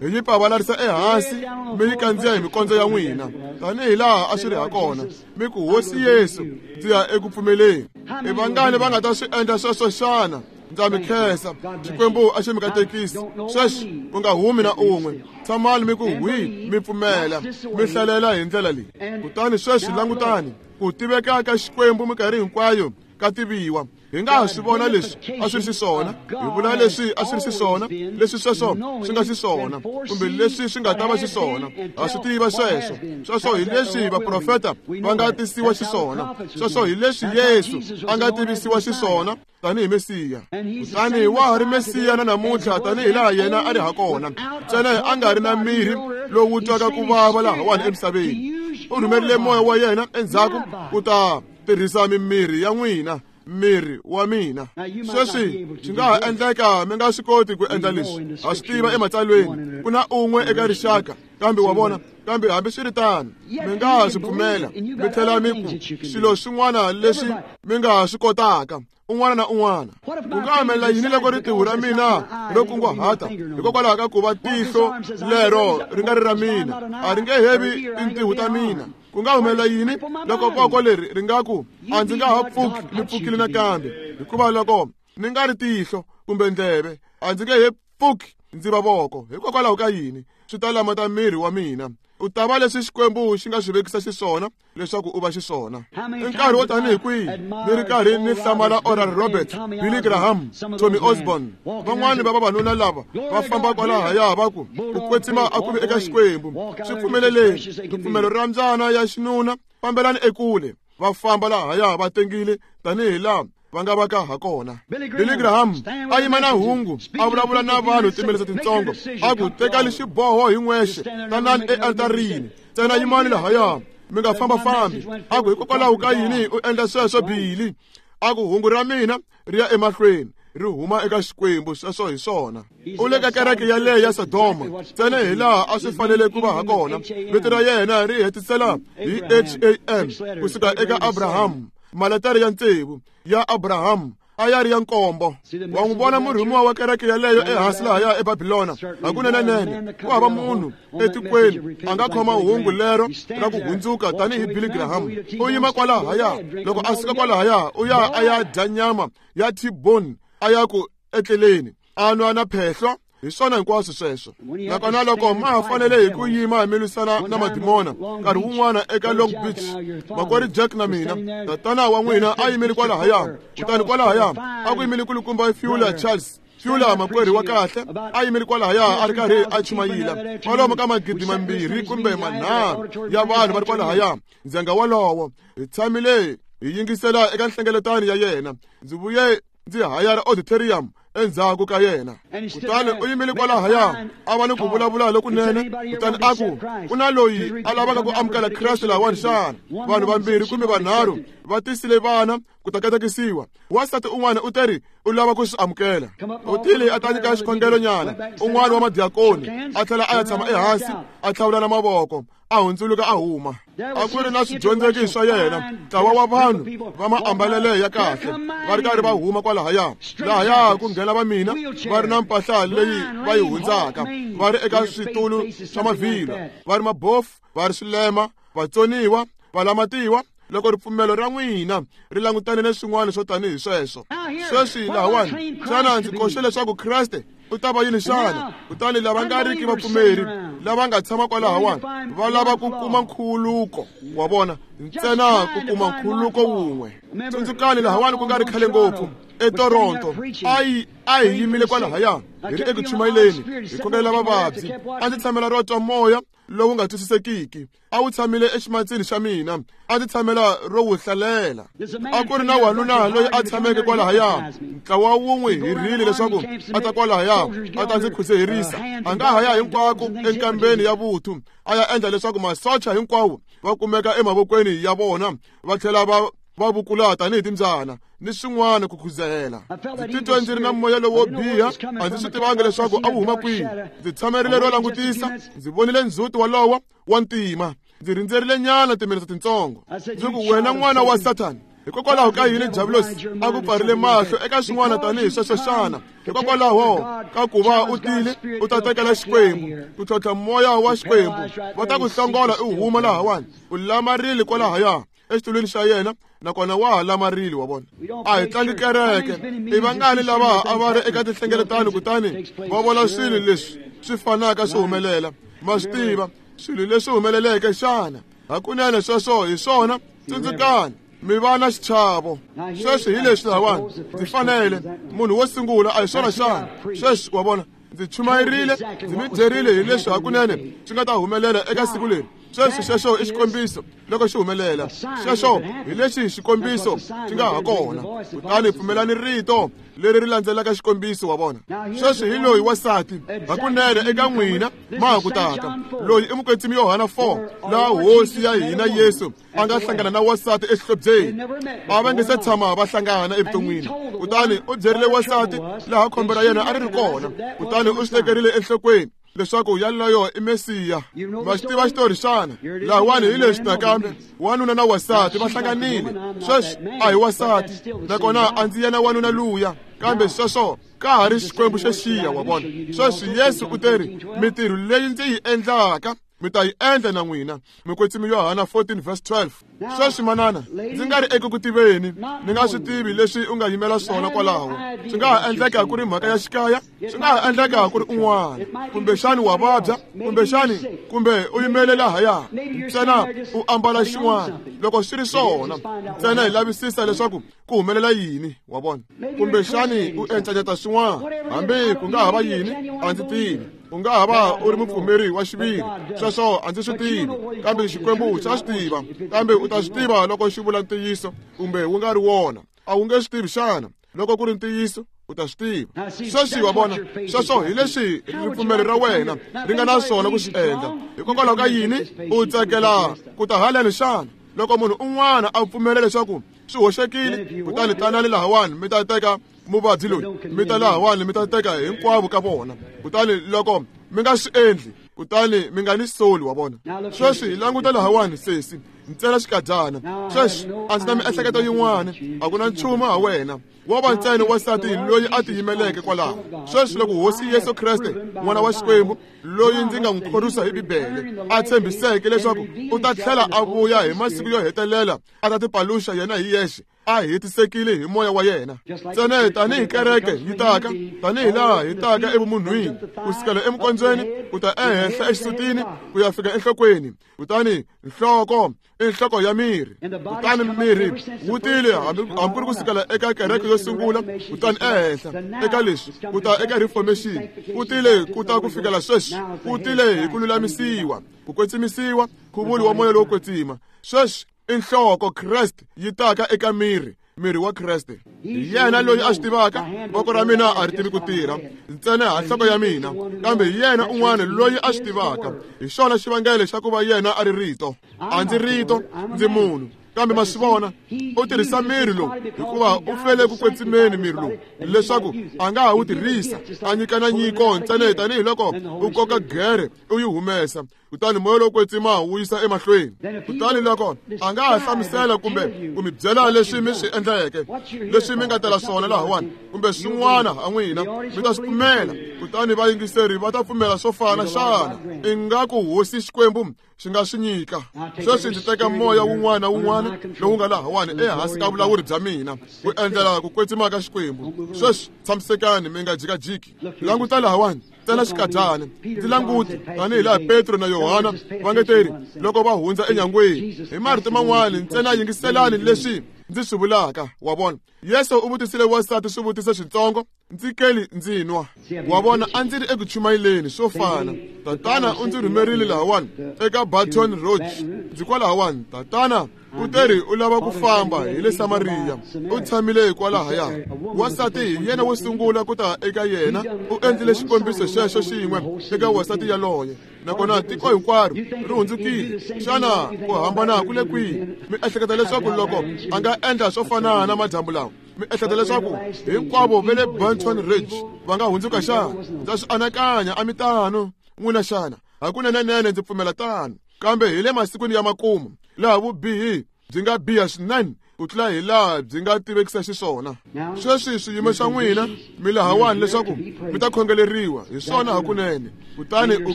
hi yi pavalarisa ehansi mi yi kandziya hi mikondzo ya n'wina, tanihi laha a swi ri ha kona. Mi ku, Hosi Yesu, ndzi ya eku pfumeleni. I vangani va nga ta swi endla sweswo xana? Ndza mi khensa. Xikwembu a xi mi katekisi. Sweswi ku nga humi na un'we. Tshamani mi ku hwi, mi pfumela, mi hlalela hi ndlela leyi. Kutani sweswi langutani ku tiveka ka Xikwembu minkarhi hinkwayo ka tiviwa. Hi nga ha swi vona leswi a swi ri xiswona, hi vula leswi a swi ri xiswona, leswi sweswo swi nga xiswona, kumbe leswi swi nga ta va xiswona. Ha swi tiva sweswo. Sweswo hi leswi vaprofeta va nga tisiwa xiswona. Sweswo hi leswi Yesu a nga tivisiwa xiswona tanihi Mesiya. Kutani wa ha ri Mesiya na namuntlha tanihi laha yena a ri ha kona, ntsena a nga ri na mirhi lowu twaka ku vava lahawani emisaveni. U rhumerile moya wa yena endzhaku ku ta tirhisa mimirhi ya n'wina, miri wa mina. Sweswi swi nga ha endleka mi nga swi koti ku endla leswi. Ha swi tiva ematsalweni ku na un'we eka rixaka, kambe wa vona, kambe hambiswiritano mi nga ha swi pfumela, mi tlhela mi ku swilo swin'wana leswi mi nga ha swi kotaka. Un'wana na un'wana. Ku nga humelela yini loko ritiho ra mina ro kunguhata hikokwalaho ka ku va tihlo lero ri nga ri ra mina, a ri nge hevi tintiho ta mina? Ku nga humelela yini loko voko leri ri nga ku a ndzi nga ha pfuki ni pfukile nakambe, hikuva loko ni nga ri tihlo kumbe ndleve a ndzi nge he pfuki ndzi va voko? Hikokwalaho ka yini? Swi ta lamata miri wa mina. U ta va leswi Xikwembu xi nga swi vekisa xiswona leswaku u va xiswona. I nkarhi wo tanihi kwihi ni ri karhi ni hlamala Oral Roberts, Billy Graham, Tommy Osborne, van'wani va vavanuna lava va famba kwalahaya va ku ku kwetsima a ku vi eka Xikwembu. Swi pfumeleleni ripfumelo ra mbyana ya xinuna, fambelani ekule. Va famba lahaya va tengile tanihi laha va nga va ka ha kona. Billy Graham a yima na hungu, a vulavula na vanhu timelisa tintsongo, a ku tekani xiboho hi n'wexe, tanani ealtarini, ntsena yimani lahaya, mi nga fambafambi. A ku hikokwalaho ka yini u endla sweswo Billy? A ku hungu ra mina ri ya emahlweni, ri huma eka Xikwembu. Sweswo hi swona. U le ka kereke yaleyo ya Sodoma ntsena hi laha a swi fanele ku va ha kona. Vito ra yena ri hetisela hi H A M kusuka eka Abraham. Maletare ya tsevu ya Abraham a ya ri ya nkombo. Wa n'wi vona murhumiwa wa kereke yaleyo ehansi lahaya eBabilona? Hakunenenene ku hava munhu etikweni a nga khoma hungu lero ra ku hundzuka tanihi Billy Graham. U yima kwalahaya, loko a suka kwalahaya u ya a ya dya nyama ya T-bone, a ya ku etleleni, a nwa na phehlo. Hi swona hinkwaswo sweswo. Nakona loko ma ha fanele hi ku yima hi mi lwisana na madimona, nkarhi wun'wana eka Long Beach, makwerhu Jack na mina, tatana wa n'wina a yimile kwalahaya. Kutani kwalahaya a ku yimile kulukumba Fuller Charles Fuller, makwerhu wa kahle, a yimile kwalahaya a ri karhi a chumayila kwalomu ka magidi mambirhi kumbe manharhu ya vanhu va ri kwalahaya ndzhenga wolowo. Hi tshamile hi yingisela eka nhlengeletano ya yena. Ndzi vuye Ndzi hayara auditorium endzhaku ka yena. Kutani u yimile kwalahaya a va ni ku vulavula lokunene. Kutani a ku ku na loyi a lavaka ku amukela Kreste lahawani xana? Vanhu vambirhi kumbe vanharhu va tisile vana ku ta katekisiwa. Wansati un'wana u teri u lava ku swi amukela. U tile a ta nyika xikhongelo nyana un'wana wa madiakoni a tlhela a ya tshama ehansi a tlhavulana mavoko a hundzuluka a huma. A ku ri na swidyondzeki swa yena, ntlawa wa vanhu va maambalele ya kahle va ri karhi va huma kwalahaya. Lahaya ku nghena va mina va ri na mpahla leyi va yi hundzaka, va ri eka switulu swa mavhilwa, va ri mabofu, va ri swilema, vatsoniwa, valamatiwa. Loko ripfumelo ra n'wina ri langutane na swin'wana swo tanihi sweswo. Sweswi lahawani, xana ndzi koxe leswaku Kreste u ta va yini xana? Kutani lava nga riki vapfumeri lava nga tshama kwalahawani va lava ku kuma nkhuluko wa vona, ntsena ku kuma nkhuluko wun'we. Tsundzukani lahawani ku nga ri khale ngopfu eToronto, a yi a hi yimile kwalahaya hi ri eku chumayeleni hi khongelela vavabyi. A ndzi tshamela ro twa moya lowu nga twisisekiki, a wu tshamile eximatsini xa mina, a ndzi tshamela ro wu hlalela. A ku ri na wanuna loyi a tshameke kwalahaya, ntlawa wun'we hirile leswaku a ta kwalahaya a ta ndzi khuseherisa. A nga ha ya hinkwako enkambeni ya vuthu a ya endla leswaku masocha hinkwawo va kumeka emavokweni ya vona, va tlhela va va vukula tanihi timbyana ni swin'wana ku khuzela. Ndzi titwa ndzi ri na moya lowo biha, a ndzi swi tivanga leswaku a wu huma kwihi. Ndzi tshamerile ro langutisa, ndzi vonile ndzhuti walowo wa ntima. Ndzi rindzerile nyana timinetse tintsongo. Ndzi ku, wena n'wana wa Sathani, hikokwalaho ka yini Diabulosi a ku pfarile mahlo eka swin'wana tanihi sweswo xana? Hikokwalaho ka ku va u tile u ta tekela Xikwembu, ku tlhontlha moya wa Xikwembu, va ta ku hlongola u huma lahawani. U lamarile kwalahaya exitulwini xa yena, nakona wa ha lamarile wa vona. A hi tlangi kereke. I vangani lava a va ri eka tinhlengeletano kutani va vona swilo leswi swi fanaka swi humelela? Ma swi tiva swilo leswi humeleleke xana? Hakunene sweswo hi swona. Tsundzukani, mi va na xichavo. Sweswi hi leswi lahawani ndzi fanele munhu wo sungula, a hi swona xana? Sweswi wa vona, ndzi chumayerile, ndzi mi byerile hi leswi hakunene swi nga ta humelela eka siku leri. Sweswi xexo i xikombiso loko xi humelela. Xexo hi lexi xikombiso xi nga ha kona. Kutani pfumelani rito leri ri landzelaka xikombiso wa vona. Sweswi hi loyi wansati hakunene eka n'wina ma ha ku tata. Loyi i mukwetsimi Yohana four, laha hosi ya hina Yesu a nga hlangana na wansati exihlobyeni. A va nge se tshama va hlangana evuton'wini. Kutani u byerile wansati laha khombo ra yena a ri ri kona. Kutani u swi tekerile enhlokweni leswaku yaloyo i Mesiya. Ma xi tiva xitori xana? Lahawani hi leswi nakambe wanuna na wansati va hlanganile. Sweswi a hi wansati, nakona a ndzi yena wanuna luya, kambe sweswo ka ha ri Xikwembu xexiya wa vona. Sweswi Yesu u teri, mintirho leyi ndzi yi endlaka mi ta yi endla na n'wina. Mukwetsimi Yohana fourteen verse twelve. Sweswi manana, ndzi nga ri eku ku tiveni, ni nga swi tivi leswi u nga yimela swona kwalaho. Swi nga ha endleka ku ri mhaka ya xikaya, swi nga ha endleka ku ri un'wana, kumbexani wa vabya, kumbexani kumbe u yimele lahaya ntsena u ambala xin'wana. Loko swi ri swona, ntsena hi lavisisa leswaku ku humelela yini wa vona. Kumbexani u encanyeta swin'wana, hambi ku nga ha va yini, a ndzi tivi. U nga ha va u ri mupfumeri wa xiviri, sweswo a ndzi swi tivi, kambe Xikwembu xa swi tiva. Kambe u ta swi tiva loko xi vula ntiyiso kumbe wu nga ri wona. A wu nge swi tivi xana? Loko ku ri ntiyiso u ta swi tiva. Sweswi wa vona, sweswo hi leswi ripfumelo ra wena ri nga na swona ku swi endla. Hikokwalaho ka yini u tsakela ku ta haleni xana? Loko munhu un'wana a pfumela leswaku swi hoxekile, kutani tanani lahawani mi ta teka muvabyi loyi, mi ta lahawani mi ta teka hinkwavo ka vona. Kutani loko mi nga swi endli, kutani mi nga ni soli wa vona. Sweswi hi languta lahawani sesi, ntsena xikadyana. Sweswi a ndzi na miehleketo yin'wana, a ku na nchumu ha wena. Wo va ntsena wansati loyi a tiyimeleke kwalaho. Sweswi loko Hosi Yesu Kreste, n'wana wa Xikwembu, loyi ndzi nga n'wi khorwisa hi Bibele, a tshembiseke leswaku u ta tlhela a vuya hi masiku yo hetelela a ta tipaluxa yena hi yexe, a hetisekile hi moya wa yena. Ntsena tanihi kereke yi taka, tanihi laha hi taka evumunhwini, ku sukela emukondzweni ku ta ehenhla exisutini ku ya fika enhlokweni. Kutani nhloko i nhloko ya miri. Kutani miri wu tile hambi ku ri ku sukela eka kereke yo sungula, kutani ehenhla eka leswi ku ta eka reformation, ku tile ku ta ku fikela sweswi, ku tile hi ku lulamisiwa, ku kwetsimisiwa, nkhuvulo wa moya lowo kwetsima. Sweswi i nhloko Kreste yi taka eka miri, miri wa Kreste. Hi yena loyi a swi tivaka, voko ra mina a ri tivi ku tirha ntsena ha nhloko ya mina, kambe hi yena un'wana loyi a swi tivaka. Hi xona xivangelo xa ku va yena a ri rito. A ndzi rito, ndzi munhu. Kambe ma swi vona, u tirhisa miri lowu hikuva u fele ku kwetsimeni miri lowu leswaku a nga ha wu tirhisa a nyikana nyiko ntsena tanihiloko u koka gere u yi humesa, kutani moya lowo kwetsima wu yisa emahlweni. Kutani loko a nga ha hlamusela kumbe ku mi byela leswi mi swi endleke, leswi mi nga tela swona lahawani kumbe swin'wana ha n'wina, mi ta swi pfumela. Kutani vayingiseri va ta pfumela swo fana. Xana ingaku hosi Xikwembu xi nga swi nyika? Sweswi ndzi teka moya wun'wana na wun'wana lowu nga lahawani ehansi ka vulawuri bya mina ku endlela ku kwetsima ka Xikwembu. Sweswi tshamisekani, mi nga jikajiki. Languta lahawani ntsena xikadyana, ndzi languti tanihi laha Petro na Yohana va nge teri loko va hundza enyangweni. Hi marito man'wani, ntsena yingiselani leswi ndzi swi vulaka. Wa vona, Yesu u vutisile wansati swivutiso switsongo, ndzi keli ndzi nwa. Wa vona, a ndzi ri eku chumayeleni swo fana. Tatana u ndzi rhumerile lahawani eka Baton Rouge. Ndzi kwalahawani. Tatana u teri u lava ku famba hi le Samariya. U tshamile kwalahaya. Wansati hi yena wo sungula ku ta eka yena. U endlile xikombiso xexo xin'we eka wansati yaloye, nakona tiko hinkwaro ri hundzukile. Xana ku hambana ku le kwihi? Mi ehleketa leswaku loko a nga endla swo fana na madyambu lawa, mi ehleketa leswaku hinkwavo va le Baton Rouge va nga hundzuka xana? Ndza swi anakanya a mi tano n'wina xana? Hakunenenene ndzi pfumela tano. Kambe hi le masikwini ya makumu laha vubihi byi nga biha swinene ku tlula hi laha byi nga tivekisa xiswona. Sweswi swiyimo swa n'wina mi lahawani leswaku mi ta khongeleriwa hi swona hakunene, kutani u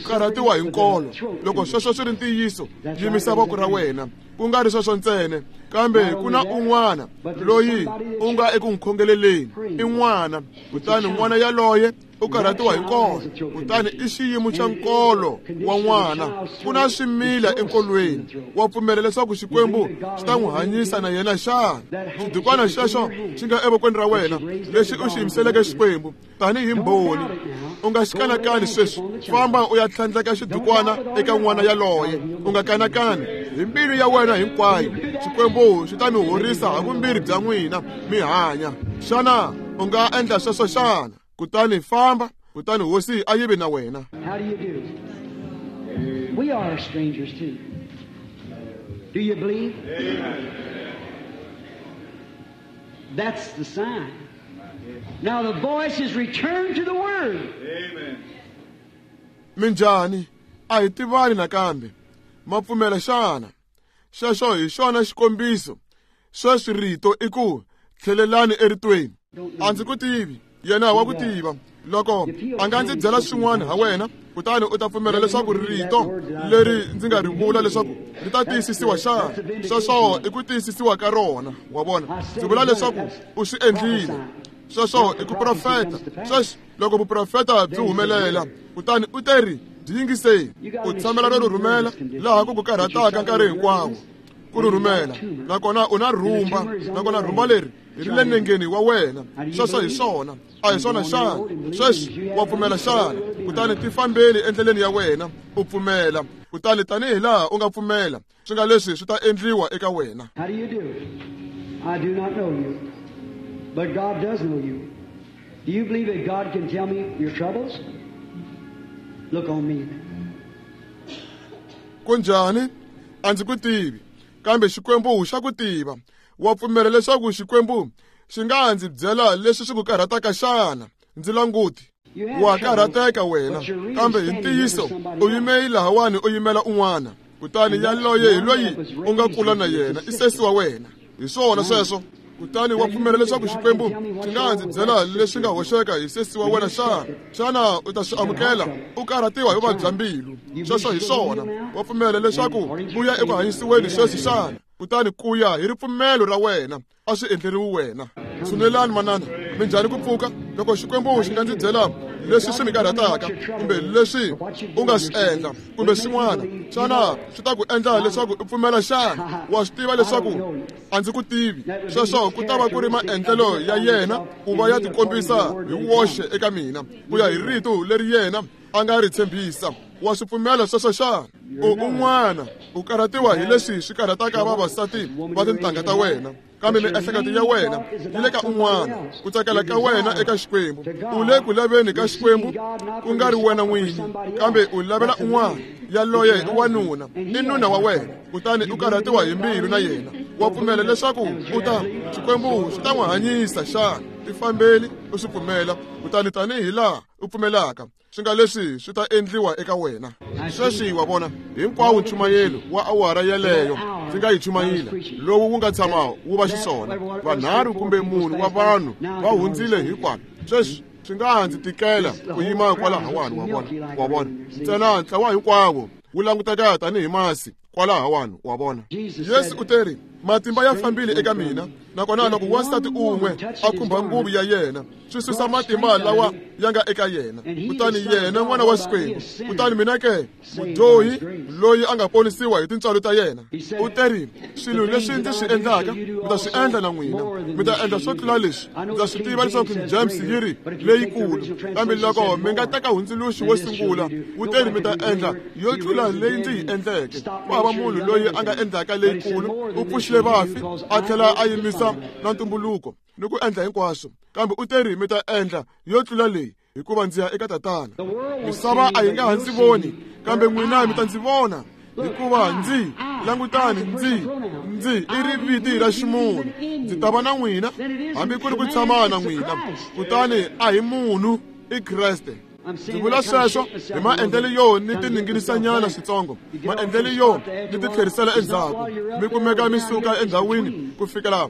karhatiwa hi nkolo. Loko sweswo swi ri ntiyiso, yimisa voko ra wena. Ku nga ri sweswo ntsena, kambe ku na un'wana loyi u nga eku n'wi khongeleleni, i n'wana. Kutani n'wana yaloye u karhatiwa hi nkolo, kutani i xiyimo xa nkolo wa n'wana. Ku na swimila enkolweni. Wa pfumela leswaku Xikwembu xi ta n'wi hanyisa na yena xana? Xidukwana xexo xi nga evokweni ra wena lexi u xi yimiseleke Xikwembu tanihi mbhoni, u nga xi kanakani sweswi. Famba u ya tlhandleka xidukwana eka n'wana yaloye. U nga kanakani hi mbilu ya wena hinkwayo. Xikwembu xi ta mi horisa ha vumbirhi bya n'wina mi hanya. Xana u nga endla sweswo xana? Kutani famba, kutani hosi a yi vi na wena. How do you do? We are strangers too. Do you believe? Amen. That's the sign. Now the voice is returned to the Word. Amen. Minjhani? A hi tivani nakambe. Ma pfumela xana? Xexo hi xona xikombiso. Sweswi rito i ku tlhelelani eritweni. A ndzi ku tivi, yena wa ku tiva. Loko a nga ndzi byela swin'wana ha wena, kutani u ta pfumela leswaku rito leri ndzi nga ri vula leswaku ri ta tiyisisiwa xana? Sweswo i ku tiyisisiwa ka rona. Wa vona, ndzi vula leswaku u swi endlile. Sweswo i ku profeta. Sweswi loko vuprofeta byi humelela, kutani u teri byi yingiseni. U tshamela ro rhumela laha ku ku karhataka nkarhi hinkwawo ku ri rhumela, nakona u na rhumba, nakona rhumba leri ri le nengeni wa wena. Sweswo hi swona, a hi swona xana? Sweswi wa pfumela xana? Kutani ti fambeli endleleni ya wena u pfumela. Kutani tanihi laha u nga pfumela, swi nga leswi swi ta endliwa eka wena. How do you do? I do not know you, but God does know you. Do you believe that God can tell me your troubles? Look on me. Kunjhani? A ndzi ku tivi, kambe Xikwembu xa ku tiva. Wa pfumela leswaku Xikwembu xi nga ndzi byela leswi swi ku karhataka xana? Ndzi languti. Wa karhateka wena, kambe hi ntiyiso u yime lahawani u yimela un'wana. Kutani yaloye hi loyi u nga kula na yena, i sesi wa wena. Hi swona sweswo. Kutani wa pfumela leswaku Xikwembu xi nga ndzi byela leswi nga hoxeka hi sesi wa wena xana? Xana u ta swi amukela? U karhatiwa hi vuvabyi bya mbilu. Sweswo hi swona. Wa pfumela leswaku u ya eku hanyisiweni sweswi xana? Kutani ku ya hi ripfumelo ra wena, a swi endleriwi wena. Tshunelani manana, minjhani ku pfuka? Loko Xikwembu xi nga ndzi byela leswi swi mi karhataka kumbe leswi u nga swi endla kumbe swin'wana, xana swi ta ku endla leswaku u pfumela xana? Wa swi tiva leswaku a ndzi ku tivi. Sweswo ku ta va ku ri maendlelo ya yena ku va ya tikombisa hi woxe eka mina ku ya hi rito leri yena a nga ri tshembisa. Wa swi pfumela sweswo xana? U un'wana u karhatiwa hi leswi swi karhataka vavasati va tintangha ta wena, Kambe miehleketo ya wena yi le ka un'wana, ku tsakela ka wena eka Xikwembu. U le ku laveni ka Xikwembu ku nga ri wena n'winyi, kambe u lavela un'wana. Yaloye i wanuna, i nuna wa wena, kutani u karhatiwa hi mbilu na yena. Wa pfumela leswaku u ta Xikwembu xi ta n'wi hanyisa xana? Tifambeli u swi pfumela, kutani tanihi laha u pfumelaka, swi nga leswi swi ta endliwa eka wena. Sweswi wa vona hinkwawo nchumayelo wa awara yeleyo ndzi nga yi chumayila, lowu wu nga tshama wu va xiswona. Vanharhu kumbe munhu wa vanhu va hundzile hinkwavo. Sweswi swi nga ha ndzi tikela ku yima kwalahawani, wa vona, wa vona. Ntsena ntlawa hinkwawo wu languteka tanihi masi kwalahawani, wa vona. Yesu u teri, matimba ya fambile eka mina, nakona loko wansati un'we a khumba nguvu ya yena, swi susa matimba lawa ya nga eka yena. Kutani yena n'wana wa Xikwembu, kutani mina ke mudyohi loyi a nga ponisiwa hi tintswalo ta yena. U teri, swilo leswi ndzi swi endlaka mi ta swi endla na n'wina, mi ta endla swo tlula leswi. Ndza swi tiva leswaku King James yi ri leyikulu, kambe loko mi nga teka hundzuluxi wo sungula, wu teri mi ta endla yo tlula leyi ndzi yi endleke. Ku hava munhu loyi a nga endlaka leyikulu. U pfuxile vafi, a tlhela a yimisa na ntumbuluko ni ku endla hinkwaswo, kambe u teri mi ta endla yo tlula leyi, hikuva ndzi ya eka Tatana. Misava a yi nga ha ndzi voni, kambe n'wina mi ta ndzi vona, hikuva ndzi langutani ndzi ndzi i riviti ra ximunhu. Ndzi ta va na n'wina hambi ku ri ku tshama na n'wina. Kutani a hi munhu, i Kreste. Ndzi vula sweswo hi maendlelo yo ni tininginisanyana switsongo, maendlelo yo ni ti tlherisela endzhaku. Mi kumeka mi suka endhawini ku fikela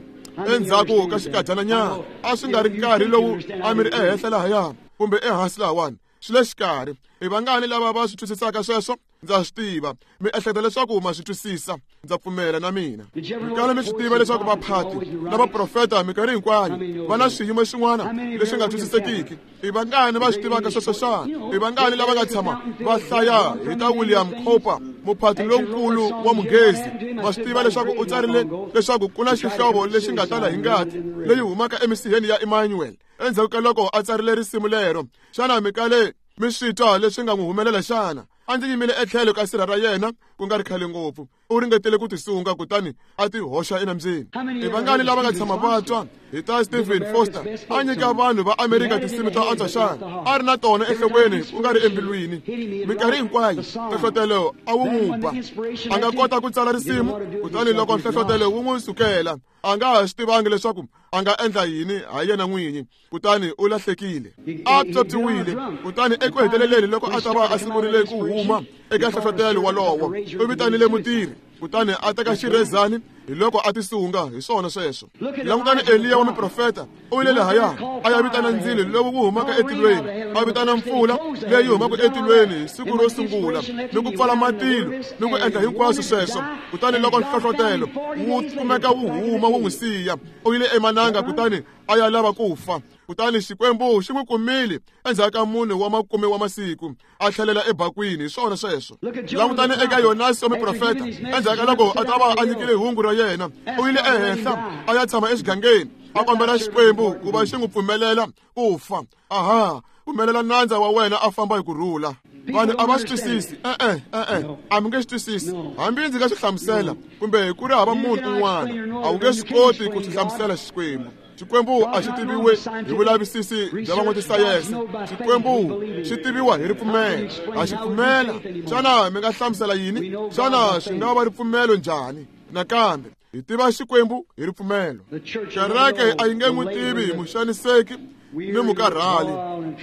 endzhaku ka xikadyananyana. A swi nga ri nkarhi lowu a mi ri ehenhla lahaya kumbe ehansi lahawani, swi le xikarhi. I vangani lava va swi twisisaka sweswo? Ndza swi tiva mi ehleketa leswaku ma swi twisisa, ndza pfumela na mina. Mi kala mi swi tiva leswaku vaphati na vaprofeta minkarhi hinkwayo va na swiyimo swin'wana leswi nga twisisekiki. I vangani va swi tivaka sweswo xana? I vangani lava nga tshama va hlaya hi ta William Cowper, muphati lonkulu wa Munghezi? Ma swi tiva leswaku u tsarile leswaku ku na xihlovo lexi nga tala hi ngati leyi humaka emisiheni ya Emmanuel endzhaku ka loko a tsarile risimu lero. Xana mi kale mi swi twa leswi nga n'wi humelela xana? A ndzi yimile etlhelo ka sirha ra yena ku nga ri khale ngopfu. U ringetile ku tisunga kutani a ti hoxa enambyeni. I vangani lava nga tshama va twa hi ta Stephen Foster a nyika vanhu va Amerika tinsimu ta antswa xana? A ri na tona enhlokweni ku nga ri embilwini. Minkarhi hinkwayo nhlohlotelo a wu n'wi ba, a nga kota ku tsala risimu, kutani loko nhlohlotelo wu n'wi sukela, a nga ha swi tivangi leswaku a nga endla yini ha yena n'winyi, kutani u lahlekile. A pyopyiwile, kutani eku heteleleni loko a ta va a sungurile ku huma eka nhlohlotelo wolowo, u vitanile mutirhi, kutani a teka xirhezani, hi loko a tisunga. Hi swona sweswo. Langutani Eliya wa muprofeta, u yile lahaya a ya vitana ndzilo lowu wu humaka etilweni, a vitana mpfula leyi humaka etilweni hi siku ro sungula, ni ku pfala matilo ni ku endla hinkwaswo sweswo. Kutani loko nhlohlotelo wu kumeka wu huma wu n'wi siya, u yile emananga kutani a ya lava ku fa. Kutani Xikwembu xi n'wi kumile endzhaku ka mune wa makume wa masiku, a tlhelela ebakwini. Hi swona sweswo. Langutani eka Yonasi wa muprofeta, endzhaku ka loko a ta va a nyikile hungu ra yena, u yile ehenhla a ya tshama exigangeni, a kombela Xikwembu ku va xi n'wi pfumelela ku fa. Aha, pfumelela nandza wa wena a famba hi ku rhula. Vanhu a va swi twisisi. E-e, e-e, a mi nge swi twisisi. Hambi ndzi nga swi hlamusela kumbe ku ri hava munhu un'wana, a wu nge swi koti ku swi hlamusela Xikwembu. Xikwembu a xi tiviwe hi vulavisisi bya van'watisayense. Xikwembu xi tiviwa hi ripfumelo. A xi pfumela. Xana mi nga hlamusela yini? Xana swi nga va ripfumelo njhani? Nakambe hi tiva Xikwembu hi ripfumelo. Kereke a yi nge n'wi tivi hi muxaniseki ni mukarhali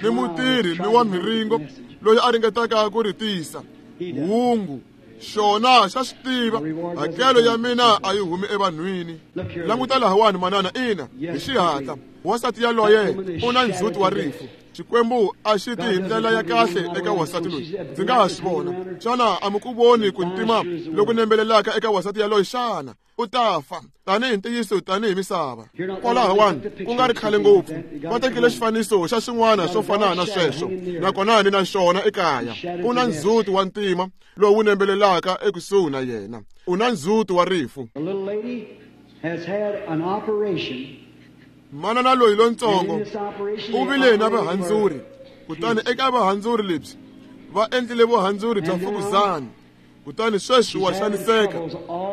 ni mutirhi ni wa miringo loyi a ringetaka ku ri tisa hungu. Xona xa swi tiva, hakelo ya mina a yi humi evanhwini. Languta lahawani manana, ina, hi xihatla wansati yaloye u na ndzhuti wa rifu. Xikwembu a xi ti hi ndlela ya kahle eka wansati loyi. Ndzi nga ha swi vona. Xana a mi ku voni ku ntima loku nembelelaka eka wansati yaloye xana? U ta fa tanihi ntiyiso, tanihi misava. Kwalahawani ku nga ri khale ngopfu va tekile xifaniso xa swin'wana swo fana na sweswo, nakona ni na xona ekaya. U na ndzhuti wa ntima lowu nembelelaka ekusuhi na yena. U na ndzhuti wa rifu. Manana loyi lontsongo u vile na vahandzuri, kutani eka vahandzuri lebyi va endlile vuhandzuri bya fukuzana. Kutani sweswi wa xaniseka.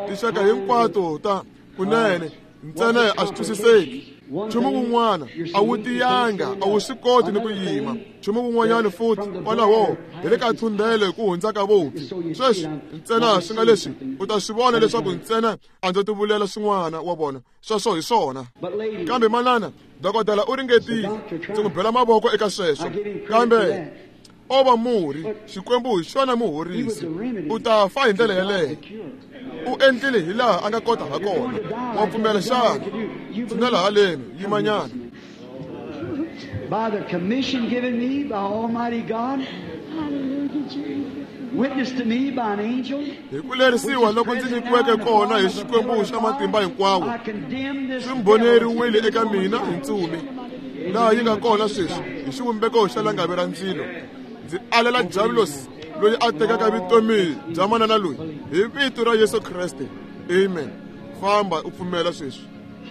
Tinxaka hinkwato ta kunene Ntsena a swi twisiseki. Nchumu wun'wana a wu tiyanga, a wu swi koti ni ku yima. Nchumu wun'wanyana futhi kwalaho hi le ka thundele ku hundza ka vopfi. Sweswi ntsena swi nga leswi u ta swi vona leswaku ntsena a ndzo tivulela swin'wana wa vona. Sweswo hi swona. Kambe manana, dokodela u ringetile. Ndzi n'wi bela mavoko eka sweswo. Kambe o va murhi, Xikwembu hi xona muhorisi. U ta fa hi ndlela yeleyo. U endlile hi laha a nga kota ha kona. Wa pfumela xana? Tshinela haleni, yimanyana. By the commission given me by Almighty God, witnessed to me by an angel, hi ku lerisiwa loko ndzi nyikiweke kona hi Xikwembu xa matimba hinkwawo, swi mboneriwile eka mina hi ntsumi laha yi nga kona sweswi hi xivumbeko xa langavi ra ndzilo. Ndzi alela Diabulosi loyi a tekaka vutomi bya manana loyi hi vito ra Yesu Kreste. Amen. Famba u pfumela sweswi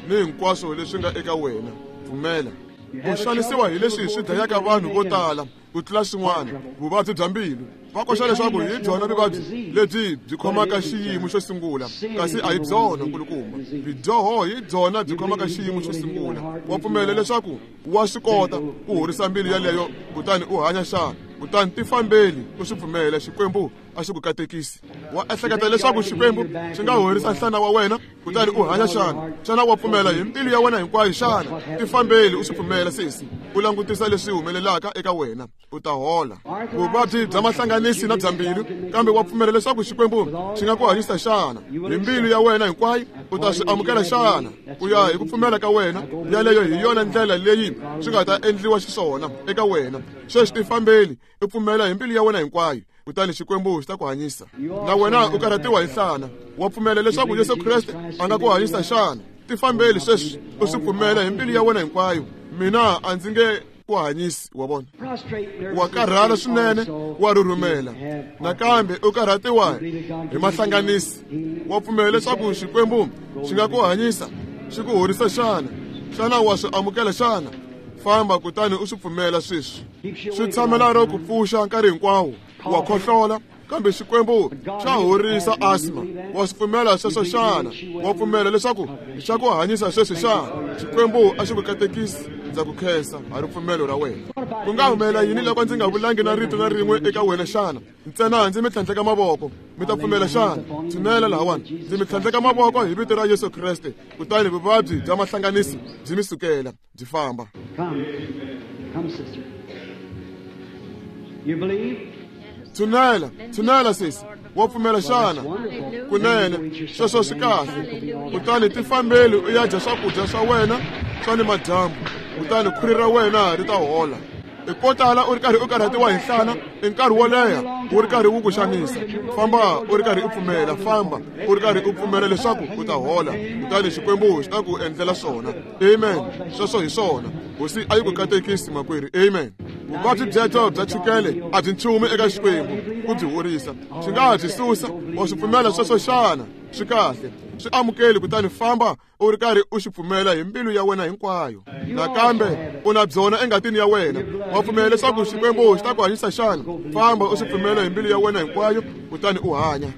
ni hinkwaswo leswi nga eka wena. Pfumela. U xanisiwa hi leswi swi dlayaka vanhu vo tala ku tlula swin'wana, vuvabyi bya mbilu. Va koxa leswaku hi byona vuvabyi lebyi byi khomaka xiyimo xo sungula, kasi a hi byona nkulukumba. Bidyoho hi byona byi khomaka xiyimo xo sungula. Wa pfumela leswaku wa swi kota ku horisa mbilu yaleyo kutani u hanya xana? Kutani tifambeli u swi pfumela, Xikwembu a xi ku katekisi. Wa ehleketa leswaku Xikwembu xi nga horisa nhlana wa wena kutani u hanya xana? Xana wa pfumela hi mbilu ya wena hinkwayo xana? Tifambeli u swi pfumela sesi, u langutisa leswi humelelaka eka wena, u ta hola. Vuvabyi bya mahlanganisi na bya mbilu, kambe wa pfumela leswaku Xikwembu xi nga ku hanyisa xana? Hi mbilu ya wena hinkwayo u ta swi amukela xana? Ku ya hi ku pfumela ka wena, yaleyo hi yona ndlela leyi swi nga ta endliwa xiswona eka wena. Sweswi tifambeli u pfumela hi mbilu ya wena hinkwayo, kutani Xikwembu xi ta ku hanyisa. Na wena u karhatiwa hi nhlana, wa pfumela leswaku Yesu Kreste a nga ku hanyisa xana? Tifambeli sweswi u swi pfumela hi mbilu ya wena hinkwayo. Mina a ndzi nge ku hanyisi, wa vona. Wa karhala swinene, wa rhurhumela. Nakambe u karhatiwa hi mahlanganisi. Wa pfumela leswaku Xikwembu xi nga ku hanyisa, xi ku horisa xana? Xana wa swi amukela xana? Famba kutani u swi pfumela sweswi. Swi tshamela ro ku pfuxa nkarhi hinkwawo. Wa khohlola, kambe Xikwembu xa horisa asma. Wa swi pfumela sweswo xana? Wa pfumela leswaku xa ku hanyisa sweswi xana? Xikwembu a xi ku katekisi. Ndza ku khensa ha ripfumelo ra wena. Ku nga humelela yini loko ndzi nga vulangi na rito na rin'we eka wena xana? Ntsena ndzi mi tlhandleka mavoko, mi ta pfumela xana? Tshinela lahawani, ndzi mi tlhandleka mavoko hi vito ra Yesu Kreste, kutani vuvabyi bya mahlanganisi byi mi sukela, byi famba. Come, come, sister. You believe? Tshinela, tshinela sesi. Wa pfumela xana? Kunene, sweswo swi kahle. Kutani tifambeli u ya dya swakudya swa wena swa ni madyambu, kutani khwiri ra wena ri ta hola. I ko tala u ri karhi u karhatiwa hi nhlana i nkarhi wo leha wu ri karhi wu ku xanisa. Famba u ri karhi u pfumela, famba u ri karhi u pfumela leswaku u ta hola, kutani Xikwembu xi ta ku endlela swona. Amen. Sweswo hi swona. Hosi a yi ku katekisi makwerhu. Amen. Vuvabyi byebyo bya chukele a byi nchumu eka Xikwembu ku byi horisa. Xi nga ha byi susa. Wa swi pfumela sweswo xana? Swi kahle. Swi amukeli kutani famba u ri karhi u xi pfumela hi mbilu ya wena hinkwayo. Nakambe u na byona engatini ya wena. Wa pfumela leswaku Xikwembu xi ta ku hanyisa xana? Famba u swi pfumela hi mbilu ya wena hinkwayo kutani u hanya.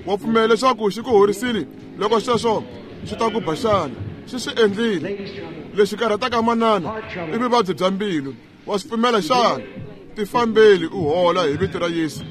Wa pfumela leswaku xi ku horisile loko sweswo xi ta ku ba xana? Xi swi endlile. Lexi karhataka manana i vuvabyi bya mbilu. Wa swi pfumela xana? Tifambeli u hola hi vito ra Yesu.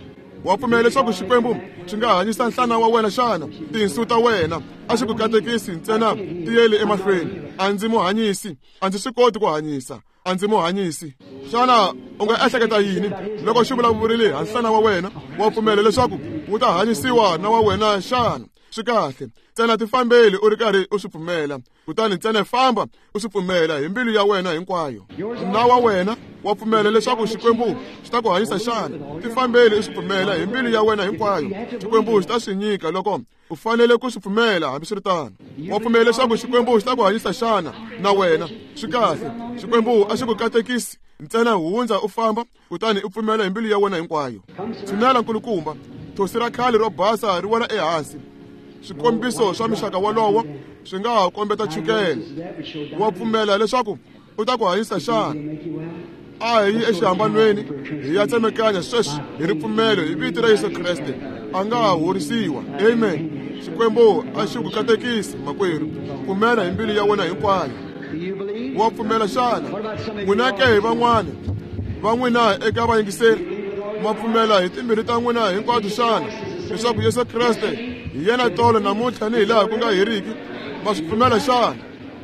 Wa pfumela leswaku Xikwembu xi nga hanyisa nhlana wa wena xana? Tinsu ta wena a xi ku katekisi ntsena, tiyeli emahlweni. A ndzi mu hanyisi, a ndzi swi koti ku hanyisa, a ndzi mu hanyisi. Xana u nga ehleketa yini loko xi vulavurile ha nhlana wa wena? Wa pfumela leswaku wu ta hanyisiwa na wa wena xana? Swi kahle. Ntsena tifambeli u ri karhi u swi pfumela, kutani ntsena famba u swi pfumela hi mbilu ya wena hinkwayo. Na wa wena wa pfumela leswaku Xikwembu xi ta ku hanyisa xana? Tifambeli u swi pfumela hi mbilu ya wena hinkwayo. Xikwembu xi ta swi nyika loko u fanele ku swi pfumela. Hambiswiritano, wa pfumela leswaku Xikwembu xi ta ku hanyisa xana? Na wena swi kahle. Xikwembu a xi ku katekisi ntsena, hundza u famba kutani u pfumela hi mbilu ya wena hinkwayo. Tshinela nkulukumba. Thosi ra khale ro basa ri wela ehansi. Swikombiso swa mixaka wolowo swi nga ha kombeta chukele. Wa pfumela leswaku u ta ku hanyisa xana? A hi yi exihambanweni hi ya tsemekanya sweswi hi ripfumelo hi vito ra Yesu Kreste. A nga ha horisiwa. Amen. Xikwembu a xi ku katekisi makwerhu. Pfumela hi mbilu ya wena hinkwayo. Wa pfumela xana? N'wina ke hi van'wana va n'wina eka vayingiseri ma pfumela hi timbilu ta n'wina hinkwato xana leswaku Yesu Kreste hi yena tolo namuntlha ni hi laha ku nga heriki? Ma swi pfumela xana?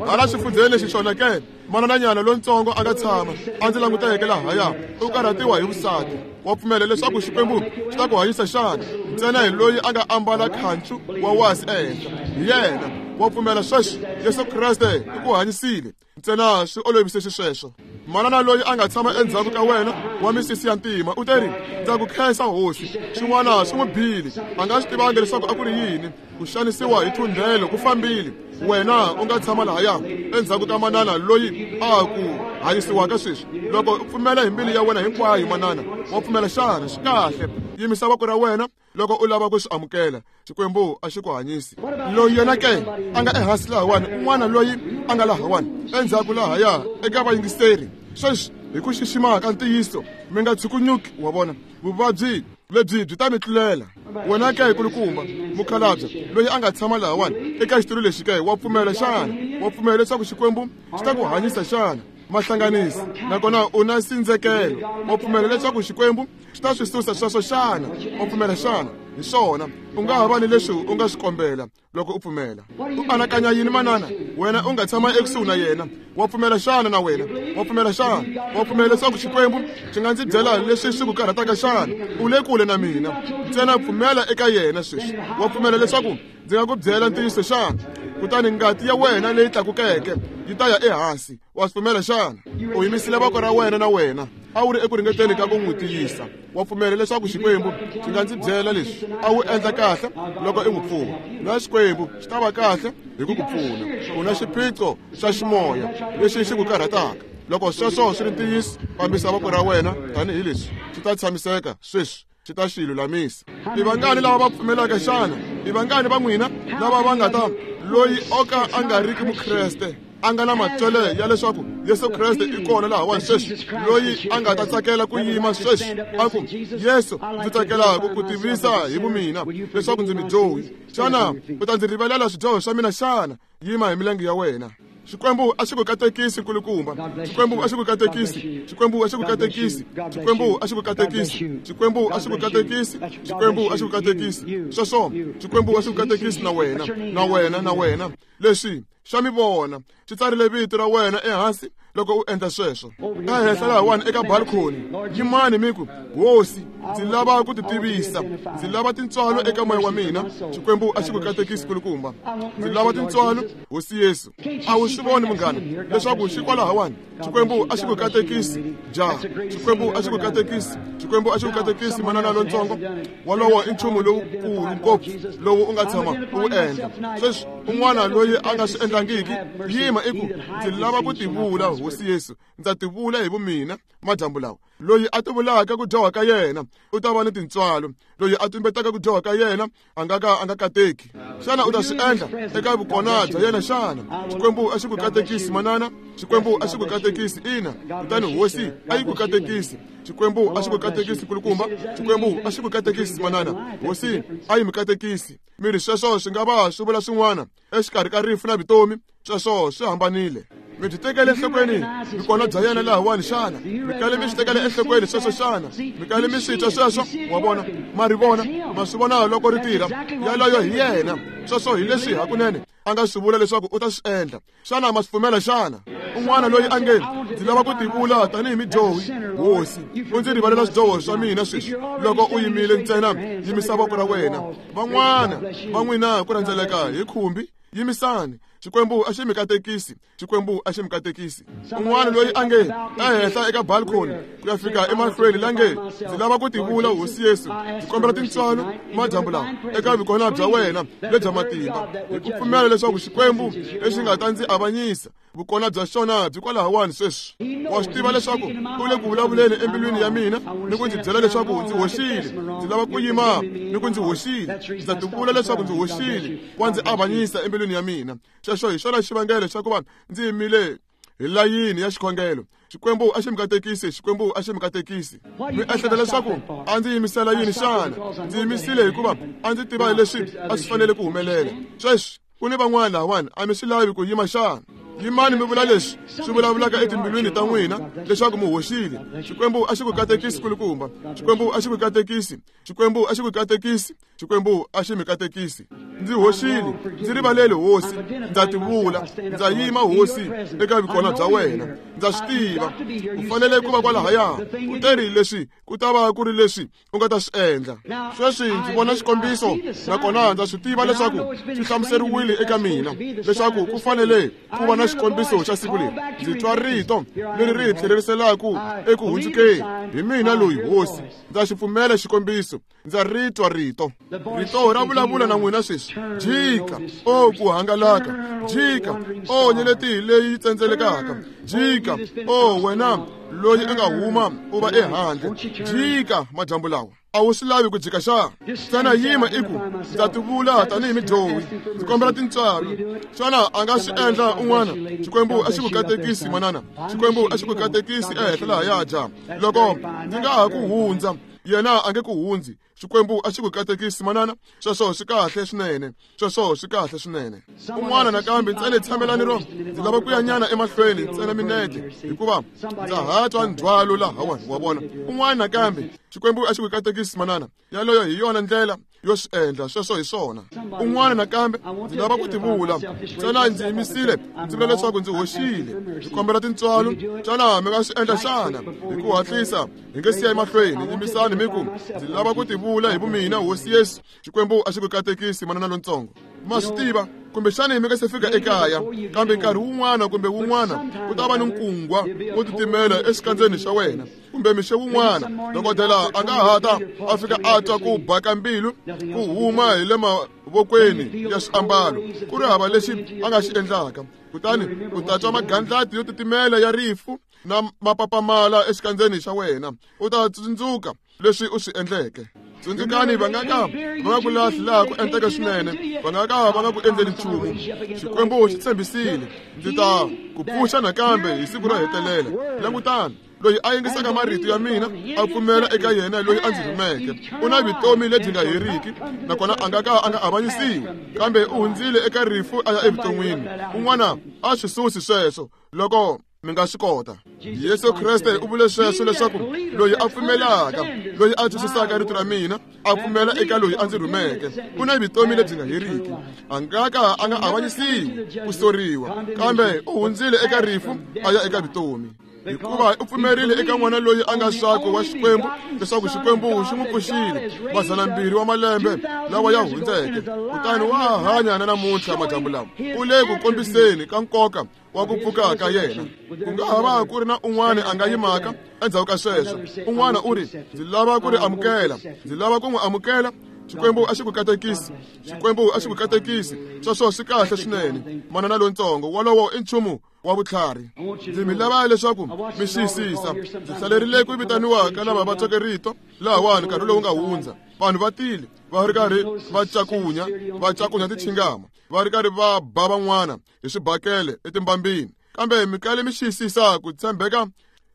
Hala xifundzheni lexi xona ke manananyana lontsongo a nga tshama a ndzi languteke lahaya u karhatiwa hi vusati. Wa pfumela leswaku Xikwembu xi ta ku hanyisa xana? Ntsena hi loyi a nga ambala khancu wa wasi ehenhla hi yena. Wa pfumela sweswi Yesu Kreste i ku hanyisile? Ntsena swi olovise xisweswo. Manana loyi a nga tshama endzhaku ka wena wa misisi ya ntima u teri ndza ku khensa hosi. Xin'wana swi n'wi bile, a nga swi tivangi leswaku a ku ri yini. Ku xanisiwa hi thundhelo ku fambile. Wena u nga tshama lahaya endzhaku ka manana loyi a ku hanyisiwaka sweswi. Loko u pfumela hi mbilu ya wena hinkwayo manana, wa pfumela xana? Swi kahle. Yimisa voko ra wena loko u lava ku swi amukela. Xikwembu a xi ku hanyisi. Loyi yena ke a nga ehansi lahawani, un'wana loyi a nga lahawani endzhaku lahaya eka vayingiseri sweswi hi ku xixima ka ntiyiso mi nga tshukunyuki. Wa vona vuvabyi lebyi byi ta mi tlulela. Wena ke kulukumba mukhalabye loyi a nga tshama lahawani eka xitulu lexi ke, wa pfumela xana? Wa pfumela leswaku Xikwembu xi ta ku hanyisa xana? Mahlanganisi nakona u na sindzekelo. Wa pfumela leswaku Xikwembu xi ta swi susa sweswo xana? Wa pfumela xana? Hi swona. U nga ha va ni leswi u nga swi kombela loko u pfumela. U anakanya yini manana? Wena u nga tshama ekusuhi na yena. Wa pfumela xana na wena? Wa pfumela xana? Wa pfumela leswaku Xikwembu xi nga ndzi byela leswi swi ku karhataka xana? U le kule na mina. Ntsena pfumela eka yena sweswi. Wa pfumela leswaku ndzi nga ku byela ntiyiso xana? Kutani ngati ya wena leyi tlakukeke yi ta ya ehansi. Wa swi pfumela xana? U yimisile voko ra wena na wena a wu ri eku ringeteni ka ku n'wi tiyisa. Wa pfumela leswaku Xikwembu xi nga ndzi byela leswi a wu endla kahle loko i n'wi pfuna, na Xikwembu xi ta va kahle hi ku ku pfuna. U na xiphiqo xa ximoya lexi xi ku karhataka. Loko sweswo swi ri ntiyiso, fambisa voko ra wena tanihileswi xi ta tshamiseka sweswi, xi ta xi lulamisa. I vangani lava va pfumelaka xana? I vangani va n'wina lava va nga ta loyi o ka a nga riki mukreste a nga na matswele ya leswaku Yesu Kreste i kona lahawani sweswi, loyi a nga ta tsakela ku yima sweswi a ku Yesu ndzi tsakela ku ku tivisa hi vumina leswaku ndzi midyohi, xana u ta ndzi rivalela swidyoho swa mina xana? Yima hi milenge ya wena. Xikwembu a xi ku katekisi nkulukumba. Xikwembu a xi ku katekisi. Xikwembu a xi ku katekisi. Xikwembu a xi ku katekisi. Xikwembu a xi ku katekisi. Xikwembu a xi ku katekisi. Sweswo Xikwembu a xi ku katekisi na wena, na wena, na wena. Leswi xa mi vona xi tsarile vito ra wena ehansi loko u endla sweswo. Ehenhla lahawani eka balcony yimani mi ku hosi ndzi lava ku ti tivisa, ndzi lava tintswalo eka moya wa mina. Xikwembu a xi ku katekisi kulukumba. Ndzi lava tintswalo hosi Yesu. A wu swi voni munghana leswaku xi kwalahawani? Xikwembu a xi ku katekisi ja. Xikwembu a xi ku katekisi. Xikwembu a xi ku katekisi manana lontsongo. Wolowo i nchumu lowukulu ngopfu lowu u nga tshama u wu endla. Sweswi un'wana loyi a nga swi endlangiki yima i ku ndzi lava ku tivula hosi Yesu, ndza tivula hi vumina madyambu lawa. Loyi a tivulaka ku dyoha ka yena u ta va ni tintswalo, loyi a tumbetaka ku dyoha ka yena a nga ka a nga kateki. Xana u ta swi endla eka vukona bya yena xana? Xikwembu a xi ku katekisi manana. Xikwembu a xi ku katekisi ina. Kutani hosi a yi ku katekisi. Xikwembu a xi ku katekisi kulukumba. Xikwembu a xi ku katekisi manana. Hosi a yi mi katekisi. Miri sweswo swi nga va swi vula swin'wana exikarhi ka rifu na vutomi, sweswo swi hambanile. Mi byi tekele enhlokweni vikona bya yena lahawani xana? Mi kale mi swi tekele enhlokweni sweswo xana? Mi kale mi swi twa sweswo? Wa vona, ma ri vona, ma swi vona loko ri tirha. Yaloyo hi yena. Sweswo hi leswi hakunene a nga swi vula leswaku u ta swi endla. Xana ma swi pfumela xana? Un'wana loyi a nge ndzi lava ku tivula tanihi midyohi, hosi u ndzi rivalela swidyoho swa mina sweswi. Loko u yimile ntsena yimisa voko ra wena. Van'wana va n'wina ku rhendzeleka hi khumbi, yimisani. Xikwembu a xi mi katekisi. Xikwembu a xi mi katekisi. Un'wana loyi a nge ehenhla eka balcony ku ya fika emahlweni la nge ndzi lava ku tivula hosi Yesu, ndzi kombela tintswalo madyambu lawa eka vikona bya wena lebya matimba, hi ku pfumela leswaku Xikwembu lexi nga ta ndzi avanyisa vukona bya xona byi kwalahawani sweswi. Wa swi tiva leswaku u le ku vulavuleni embilwini ya mina ni ku ndzi byela leswaku ndzi hoxile. Ndzi lava ku yima ni ku ndzi hoxile. Ndza tivula leswaku ndzi hoxile. Wa ndzi avanyisa embilwini ya mina. Xexo hi xona xivangelo xa ku va ndzi yimile hi layini ya xikhongelo. Xikwembu a xi mi katekisi, Xikwembu a xi mi katekisi. Mi ehleketa leswaku a ndzi yimisela yini xana? Ndzi yimisile hikuva a ndzi tiva leswi a swi fanele ku humelela. Sweswi ku ni van'wana lahawani a mi swi lavi ku yima xana? Yimani mi vula leswi swi vulavulaka etimbilwini ta n'wina leswaku mi hoxile. Xikwembu a xi ku katekisi kulukumba. Xikwembu a xi ku katekisi. Xikwembu a xi ku katekisi. Xikwembu a xi mi katekisi. Ndzi hoxile, ndzi rivalele hosi, ndza tivula, ndza yima hosi eka vukona bya wena. Ndza swi tiva u fanele ku va kwalahaya. U teri leswi ku ta va ku ri leswi u nga ta swi endla. Sweswi ndzi vona xikombiso nakona ndza swi tiva leswaku swi hlamuseriwile eka mina leswaku ku fanele ku va na xikombiso xa siku leri. Ndzi twa rito leri ri tlheleriselaka eku hundzukeni. Hi mina loyi hosi, ndza xi pfumela xikombiso, ndza ri twa rito. Rito ra vulavula na n'wina sweswi. Jika, o ku hangalaka. Jika, o nyeleti leyi tsendzelekaka. Jika, o wena loyi a nga huma u va ehandle. Jika madyambu lawa. A wu swi lavi ku jika xana? Ntsena yima i ku ndza tivula tanihi midyohi, ndzi kombela tintswalo. Xana a nga swi endla un'wana? Xikwembu a xi ku katekisi manana. Xikwembu a xi ku katekisi ehenhla lahaya ja. Loko ndzi nga ha ku hundza, yena a nge ku hundzi. Xikwembu a xi ku katekisi manana. Sweswo swi kahle swinene. Sweswo swi kahle swinene. Un'wana nakambe ntsena tshamelani ro. Ndzi lava ku ya nyana emahlweni ntsena minete hikuva ndza ha twa ndzhwalo lahawani wa vona. Un'wana nakambe Xikwembu a xi ku katekisi manana. Yaloyo hi yona ndlela yo swi endla, sweswo hi swona. Un'wana nakambe ndzi lava ku tivula ntsena ndzi yimisile, ndzi vula leswaku ndzi hoxile, ndzi kombela tintswalo. Xana mi nga swi endla xana? Hi ku hatlisa hi nge siya emahlweni. Yimisani mi ku ndzi lava ku tivula hi vumina hosi Yesu. Xikwembu a xi ku katekisi manana lontsongo. Ma swi tiva kumbexana mi nga se fika ekaya, kambe nkarhi wun'wana kumbe wun'wana ku ta va ni nkungwa wo titimela exikandzeni xa wena, kumbe mixo wun'wana dokodela a nga ha ta a fika a twa ku ba ka mbilu ku huma hi le mavokweni ya swiambalo, ku ri hava lexi a nga xi endlaka. Kutani u ta twa magandlati yo titimela ya rifu na mapapamala exikandzeni xa wena. U ta tsundzuka leswi u swi endleke. Tsundzukani va nga ka va nga ku lahli laha ku enteke swinene, va nga ka va nga ku endleli nchumu. Xikwembu xi tshembisile, ndzi ta ku pfuxa nakambe hi siku ro hetelela. Langutani, loyi a yingisaka marito ya mina a pfumela eka yena loyi a ndzi rhumeke, u na vutomi lebyi nga heriki, nakona a nga ka a nga avanyisiwi, kambe u hundzile eka rifu a ya evuton'wini. Un'wana a swi susi sweswo loko mi nga swi kota. Yesu Kreste u vule sweswo leswaku loyi a pfumelaka, loyi a twisisaka rito ra mina, a pfumela eka loyi a ndzi rhumeke, u na vutomi lebyi nga heriki. A nga ka a nga avanyisiwi ku soriwa, kambe u hundzile eka rifu a ya eka vutomi. Hikuva u pfumerile eka n'wana loyi a nga swakwe wa Xikwembu, leswaku Xikwembu xi n'wi pfuxile mazana mbirhi wa malembe lawa ya hundzeke, kutani wa ha hanya na namuntlha madyambu lawa. U le ku kombiseni ka nkoka wa ku pfuka ka yena. Ku nga ha va ku ri na un'wana a nga yimaka endzhaku ka sweswo. Un'wana u ri, ndzi lava ku ri amukela, ndzi lava ku n'wi amukela. Xikwembu a xi ku katekisi. Xikwembu a xi ku katekisi. Sweswo swi kahle swinene. Manana lontsongo, wolowo i nchumu wa vutlhari. Ndzi mi lava leswaku mi xiyisisa. Ndzi hlalerile ku vitaniwa ka lava va tweke rito lahawani nkarhi lowu nga hundza. Vanhu va tile va ri karhi va cakunya, va cakunya tichingama, va ri karhi va ba van'wana hi swibakele etimbambini. Kambe mi kale mi xiyisisa ku tshembeka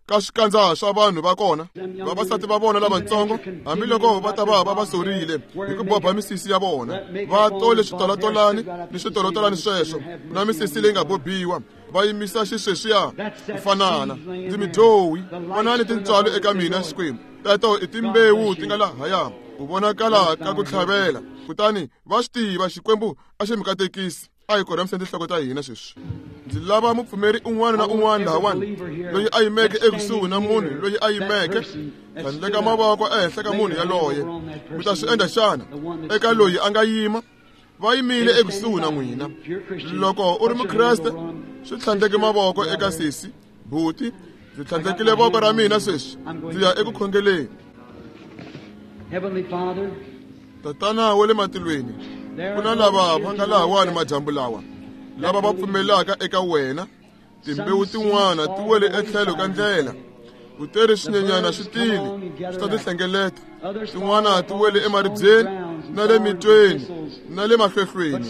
ka swikandza swa vanhu va kona. Vavasati va vona lavatsongo, hambiloko va ta va va va sorile hi ku boba misisi ya vona, va tole switolatolani ni switolotolani sweswo na misisi leyi nga bobiwa, va yimisa xisweswiya ku fanana. Ndzi midyohi, vonani tintswalo eka mina Xikwembu. Teto i timbewu ti nga lahaya ku vonakala ka ku tlhavela. Kutani va swi tiva Xikwembu a xi mi katekisi. A hi korhamiseni tinhloko ta hina sweswi. Ndzi lava mupfumeri un'wana na un'wana lahawani loyi a yimeke ekusuhi na munhu loyi a yimeke, tlhandleka mavoko ehenhla ka munhu yaloye. Mi ta swi endla xana eka loyi a nga yima? Va yimile ekusuhi na n'wina. Loko u ri mukreste, swi tlhandleke mavoko eka sesi, buti. Ndzi tlhandlekile voko ra mina sweswi, ndzi ya eku khongeleni. Tatana wa le matilweni, ku na lava va nga lahawani madyambu lawa, lava va pfumelaka eka wena. Timbewu tin'wana ti wele etlhelo ka ndlela, u teri swinyenyana swi tile swi ta ti hlengeleta. Tin'wana ti wele emaribyeni na le mitweni na le mahlehlweni,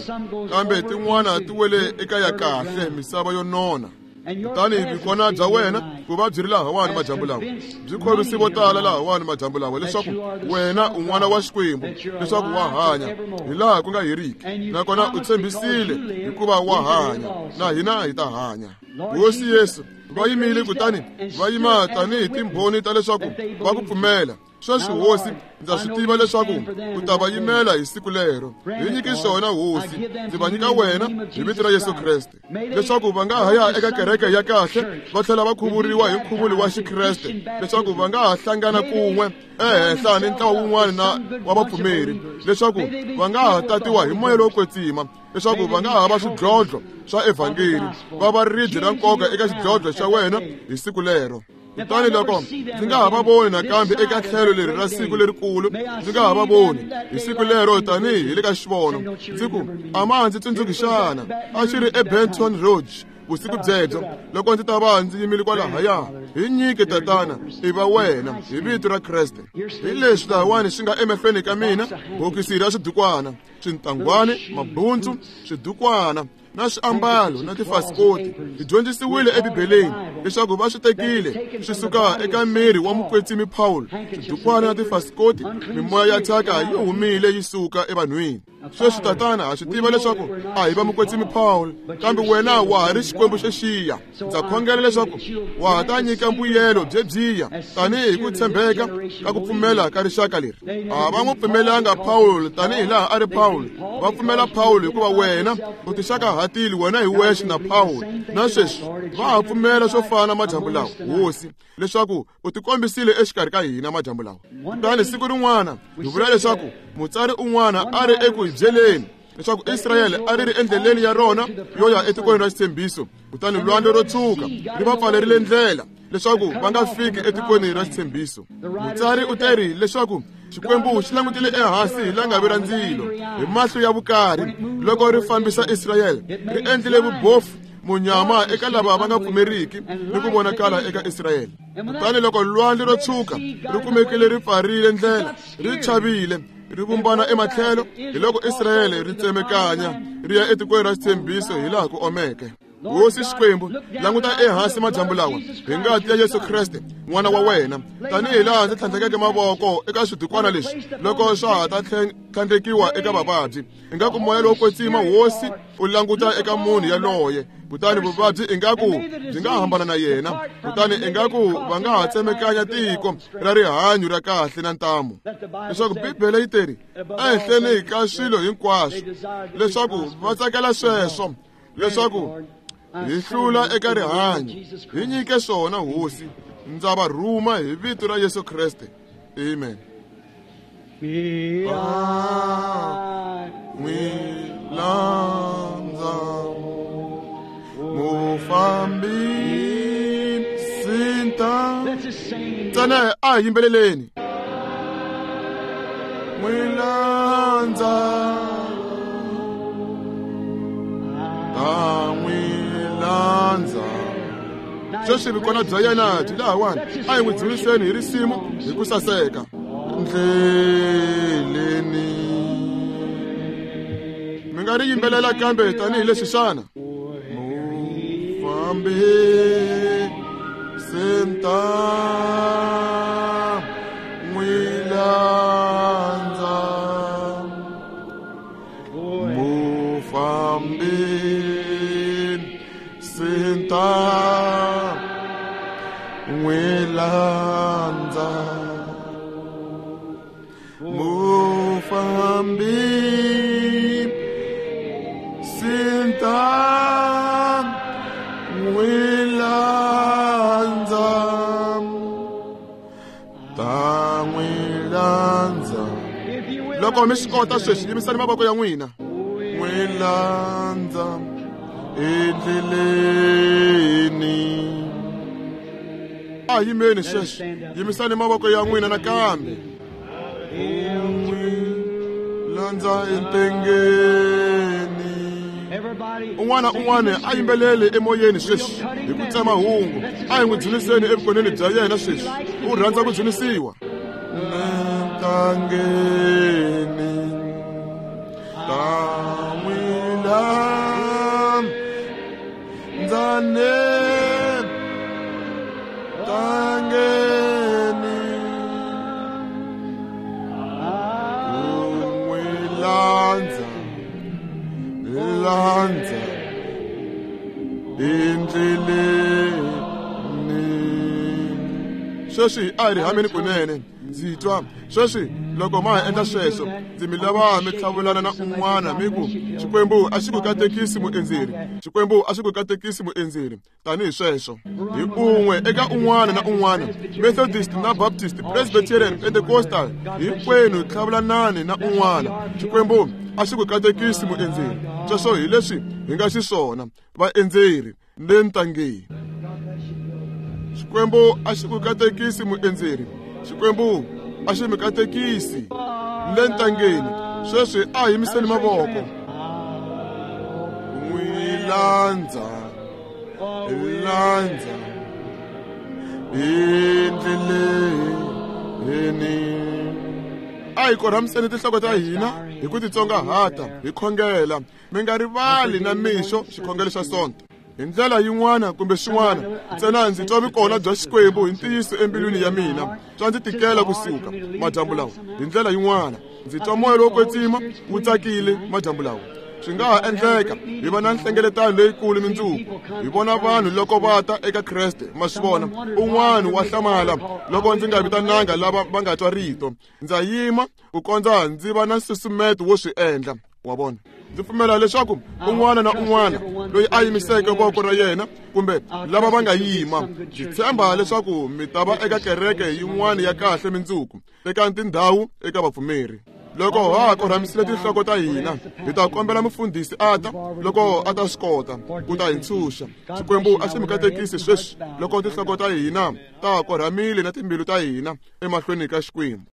kambe tin'wana ti wele eka ya kahle misava yo nona. Kutani vukona bya wena ku va byi ri lahawani madyambu lawa byi khorwisi vo tala lahawani madyambu lawa leswaku wena u n'wana wa Xikwembu, leswaku wa hanya hi laha ku nga heriki, nakona u tshembisile hikuva wa hanya na hina hi ta hanya. Hosi Yesu, va yimile kutani va yima tanihi timbhoni ta leswaku va ku pfumela. Sweswi Hosi, ndza swi tiva leswaku u ta va yimela hi siku lero. Hi nyiki swona Hosi, ndzi va nyika wena hi vito ra Yesu Kreste, leswaku va nga ha ya eka kereke ya kahle va tlhela va khuvuriwa hi nkhuvulo wa Xikreste, leswaku va nga ha hlangana kun'we ehenhla ni ntlawa wun'wana na wa vapfumeri, leswaku va nga ha tatiwa hi moya lowo kwetsima, leswaku va nga ha va swidlodlo swa evhangeli, va va ribye ra nkoka eka xidlodlo xa wena hi siku lero. Kutani loko ndzi nga ha va voni nakambe eka tlhelo leri ra siku lerikulu, ndzi nga ha va voni hi siku lero tanihi hi le ka xivono, ndzi ku a ma ndzi tsundzuki xana a xi ri eBenton Rouge vusiku byebyo loko ndzi ta va ndzi yimile kwalahaya. Hi nyike Tatana, i va wena hi vito ra Kreste. Hi leswi lahawani swi nga emahlweni ka mina, bokisi ra swidukwana, swintangwani, mabundzu, swidukwana na swiambalo na tifasikoti. Hi dyondzisiwile eBibeleni leswaku va swi tekile swi suka eka miri wa mukwetsimi Paul. Swidukwana na tifasikoti, mimoya ya thyaka yi humile yi suka evanhwini. Sweswi Tatana, ha swi tiva leswaku a hi va mukwetsimi Paul, kambe wena wa ha ri Xikwembu xexiya. Ndza khongela leswaku wa ha ta nyika mbuyelo byebyiya tanihi ku tshembeka ka ku pfumela ka rixaka leri. A va n'wi pfumelanga Paul tanihi laha a ri Paul, va pfumela Paul hikuva wena u tixakahatile wena hi wexe na Paul. Na sweswi va ha pfumela swo fana madyambu lawa, Hosi, leswaku u tikombisile exikarhi ka hina madyambu lawa. Kutani siku rin'wana hi vula leswaku mutsari un'wana a ri eku hi byeleni leswaku Israyele a ri ri endleleni ya rona yo ya etikweni ra xitshembiso, kutani lwandle ro tshuka ri va pfalerile ndlela leswaku va nga fiki etikweni ra xitshembiso. Mutsari u teri leswaku Xikwembu xi langutile ehansi hi langavi ra ndzilo hi mahlo ya vukarhi loko ri fambisa Israyele, ri endlile vubofu munyama eka lava va nga pfumeriki ni ku vonakala eka Israyele. Kutani loko lwandle ro tshuka ri kumekile ri pfarile ndlela, ri chavile ri vumbana ematlhelo, hi loko Israyele ri tsemekanya ri ya etikweni ra xitshembiso hi laha ku omeke. Hosi Xikwembu, languta ehansi madyambu lawa hi ngati ya Yesu Kreste n'wana wa wena, tanihi laha ndzi tlhandlekeke mavoko eka swidukwana leswi loko swa ha ta tlhandlekiwa eka vavabyi, ingaku moya lowo kwetsima Hosi u languta eka munhu yaloye, kutani vuvabyi ingaku byi nga hambana na yena, kutani ingaku va nga ha tsemekanya tiko ra rihanyo ra kahle na ntamu. Leswaku Bibele yi teri ehenhleni ka swilo hinkwaswo leswaku va tsakela sweswo, leswaku hi hlula eka rihanyo. Hi nyike swona Hosi, ndza va rhuma hi vito ra Yesu Kreste. Amen. N'wi landza mufambisi nta ntsena a hi yimbeleleni. N'wi landza ta n'wi landza. Sweswi vukona bya yena byi lahawani, a hi n'wi dzuniseni hi risimu hi ku saseka. Ndleleni mi nga ri yimbelela kambe tanihileswi xana mufambisi nta n'wi landza mufambisi nta n'wi landza mufambisi nta n'wi landza ta n'wi landza. Loko mi swi kota sweswi, yimisani mavoko ya n'wina. N'wi landza endleleni. A yimeni sweswi, yimisani mavoko ya n'wina nakambe. N'wi landza entengeni. Un'wana un'wana a yimbelele emoyeni sweswi hi ku tsema hungu. A hi n'wi dzuniseni evukoneni bya yena sweswi, u rhandza ku dzunisiwa. Ntangeni ta n'wi landza ne Sweswi a hi ri hameni kunene. Ndzi twa sweswi loko ma ha endla sweswo, ndzi mi lava mi tlhavulana na un'wana mi ku, Xikwembu a xi ku katekisi muendzeri, Xikwembu a xi ku katekisi muendzeri, tanihi sweswo. Hi un'we eka un'wana na un'wana, Methodist na Baptist, Presbyterian, Pentecostal, hinkwenu tlhavulanani na un'wana. Xikwembu a xi ku katekisi muendzeri. Sweswo hi leswi hi nga xiswona vaendzeri le ntangeni. Xikwembu a xi ku katekisi muendzeri. Xikwembu a xi mi katekisi le ntangeni. Sweswi a hi yimiseni mavoko. N'wi landza, landza endleleni. A hi korhamiseni tinhloko ta hina hi ku titsongahata, hi khongela. Mi nga rivali na mixo xikhongelo xa Sonto. Hi ndlela yin'wana kumbe xin'wana, ntsena ndzi twa vukona bya Xikwembu hi ntiyiso embilwini ya mina. Swa ndzi tikela kusuka madyambu lawa. Hi ndlela yin'wana, ndzi twa moya lowo kwetsima wu tsakile madyambu lawa. Swi nga ha endleka hi va na nhlengeletano leyikulu mindzuku, hi vona vanhu loko va ta eka Kreste. Ma swi vona, un'wana wa hlamala loko ndzi nga vitananga lava va nga twa rito. Ndza yima ku kondza ndzi va na nsusumeto wo swi endla. Wa vona, ndzi pfumela leswaku un'wana na un'wana loyi a yimiseke voko ra yena kumbe lava va nga yima, ndzi tshemba leswaku mi ta va eka kereke yin'wana ya kahle mindzuku, eka tindhawu eka vapfumeri. Loko ha korhamisile tinhloko ta hina, hi ta kombela mufundhisi a ta loko a ta swi kota ku ta hi ntshunxa. Xikwembu a xi mi katekisi sweswi loko tinhloko ta hina ta korhamile na timbilu ta hina emahlweni ka Xikwembu.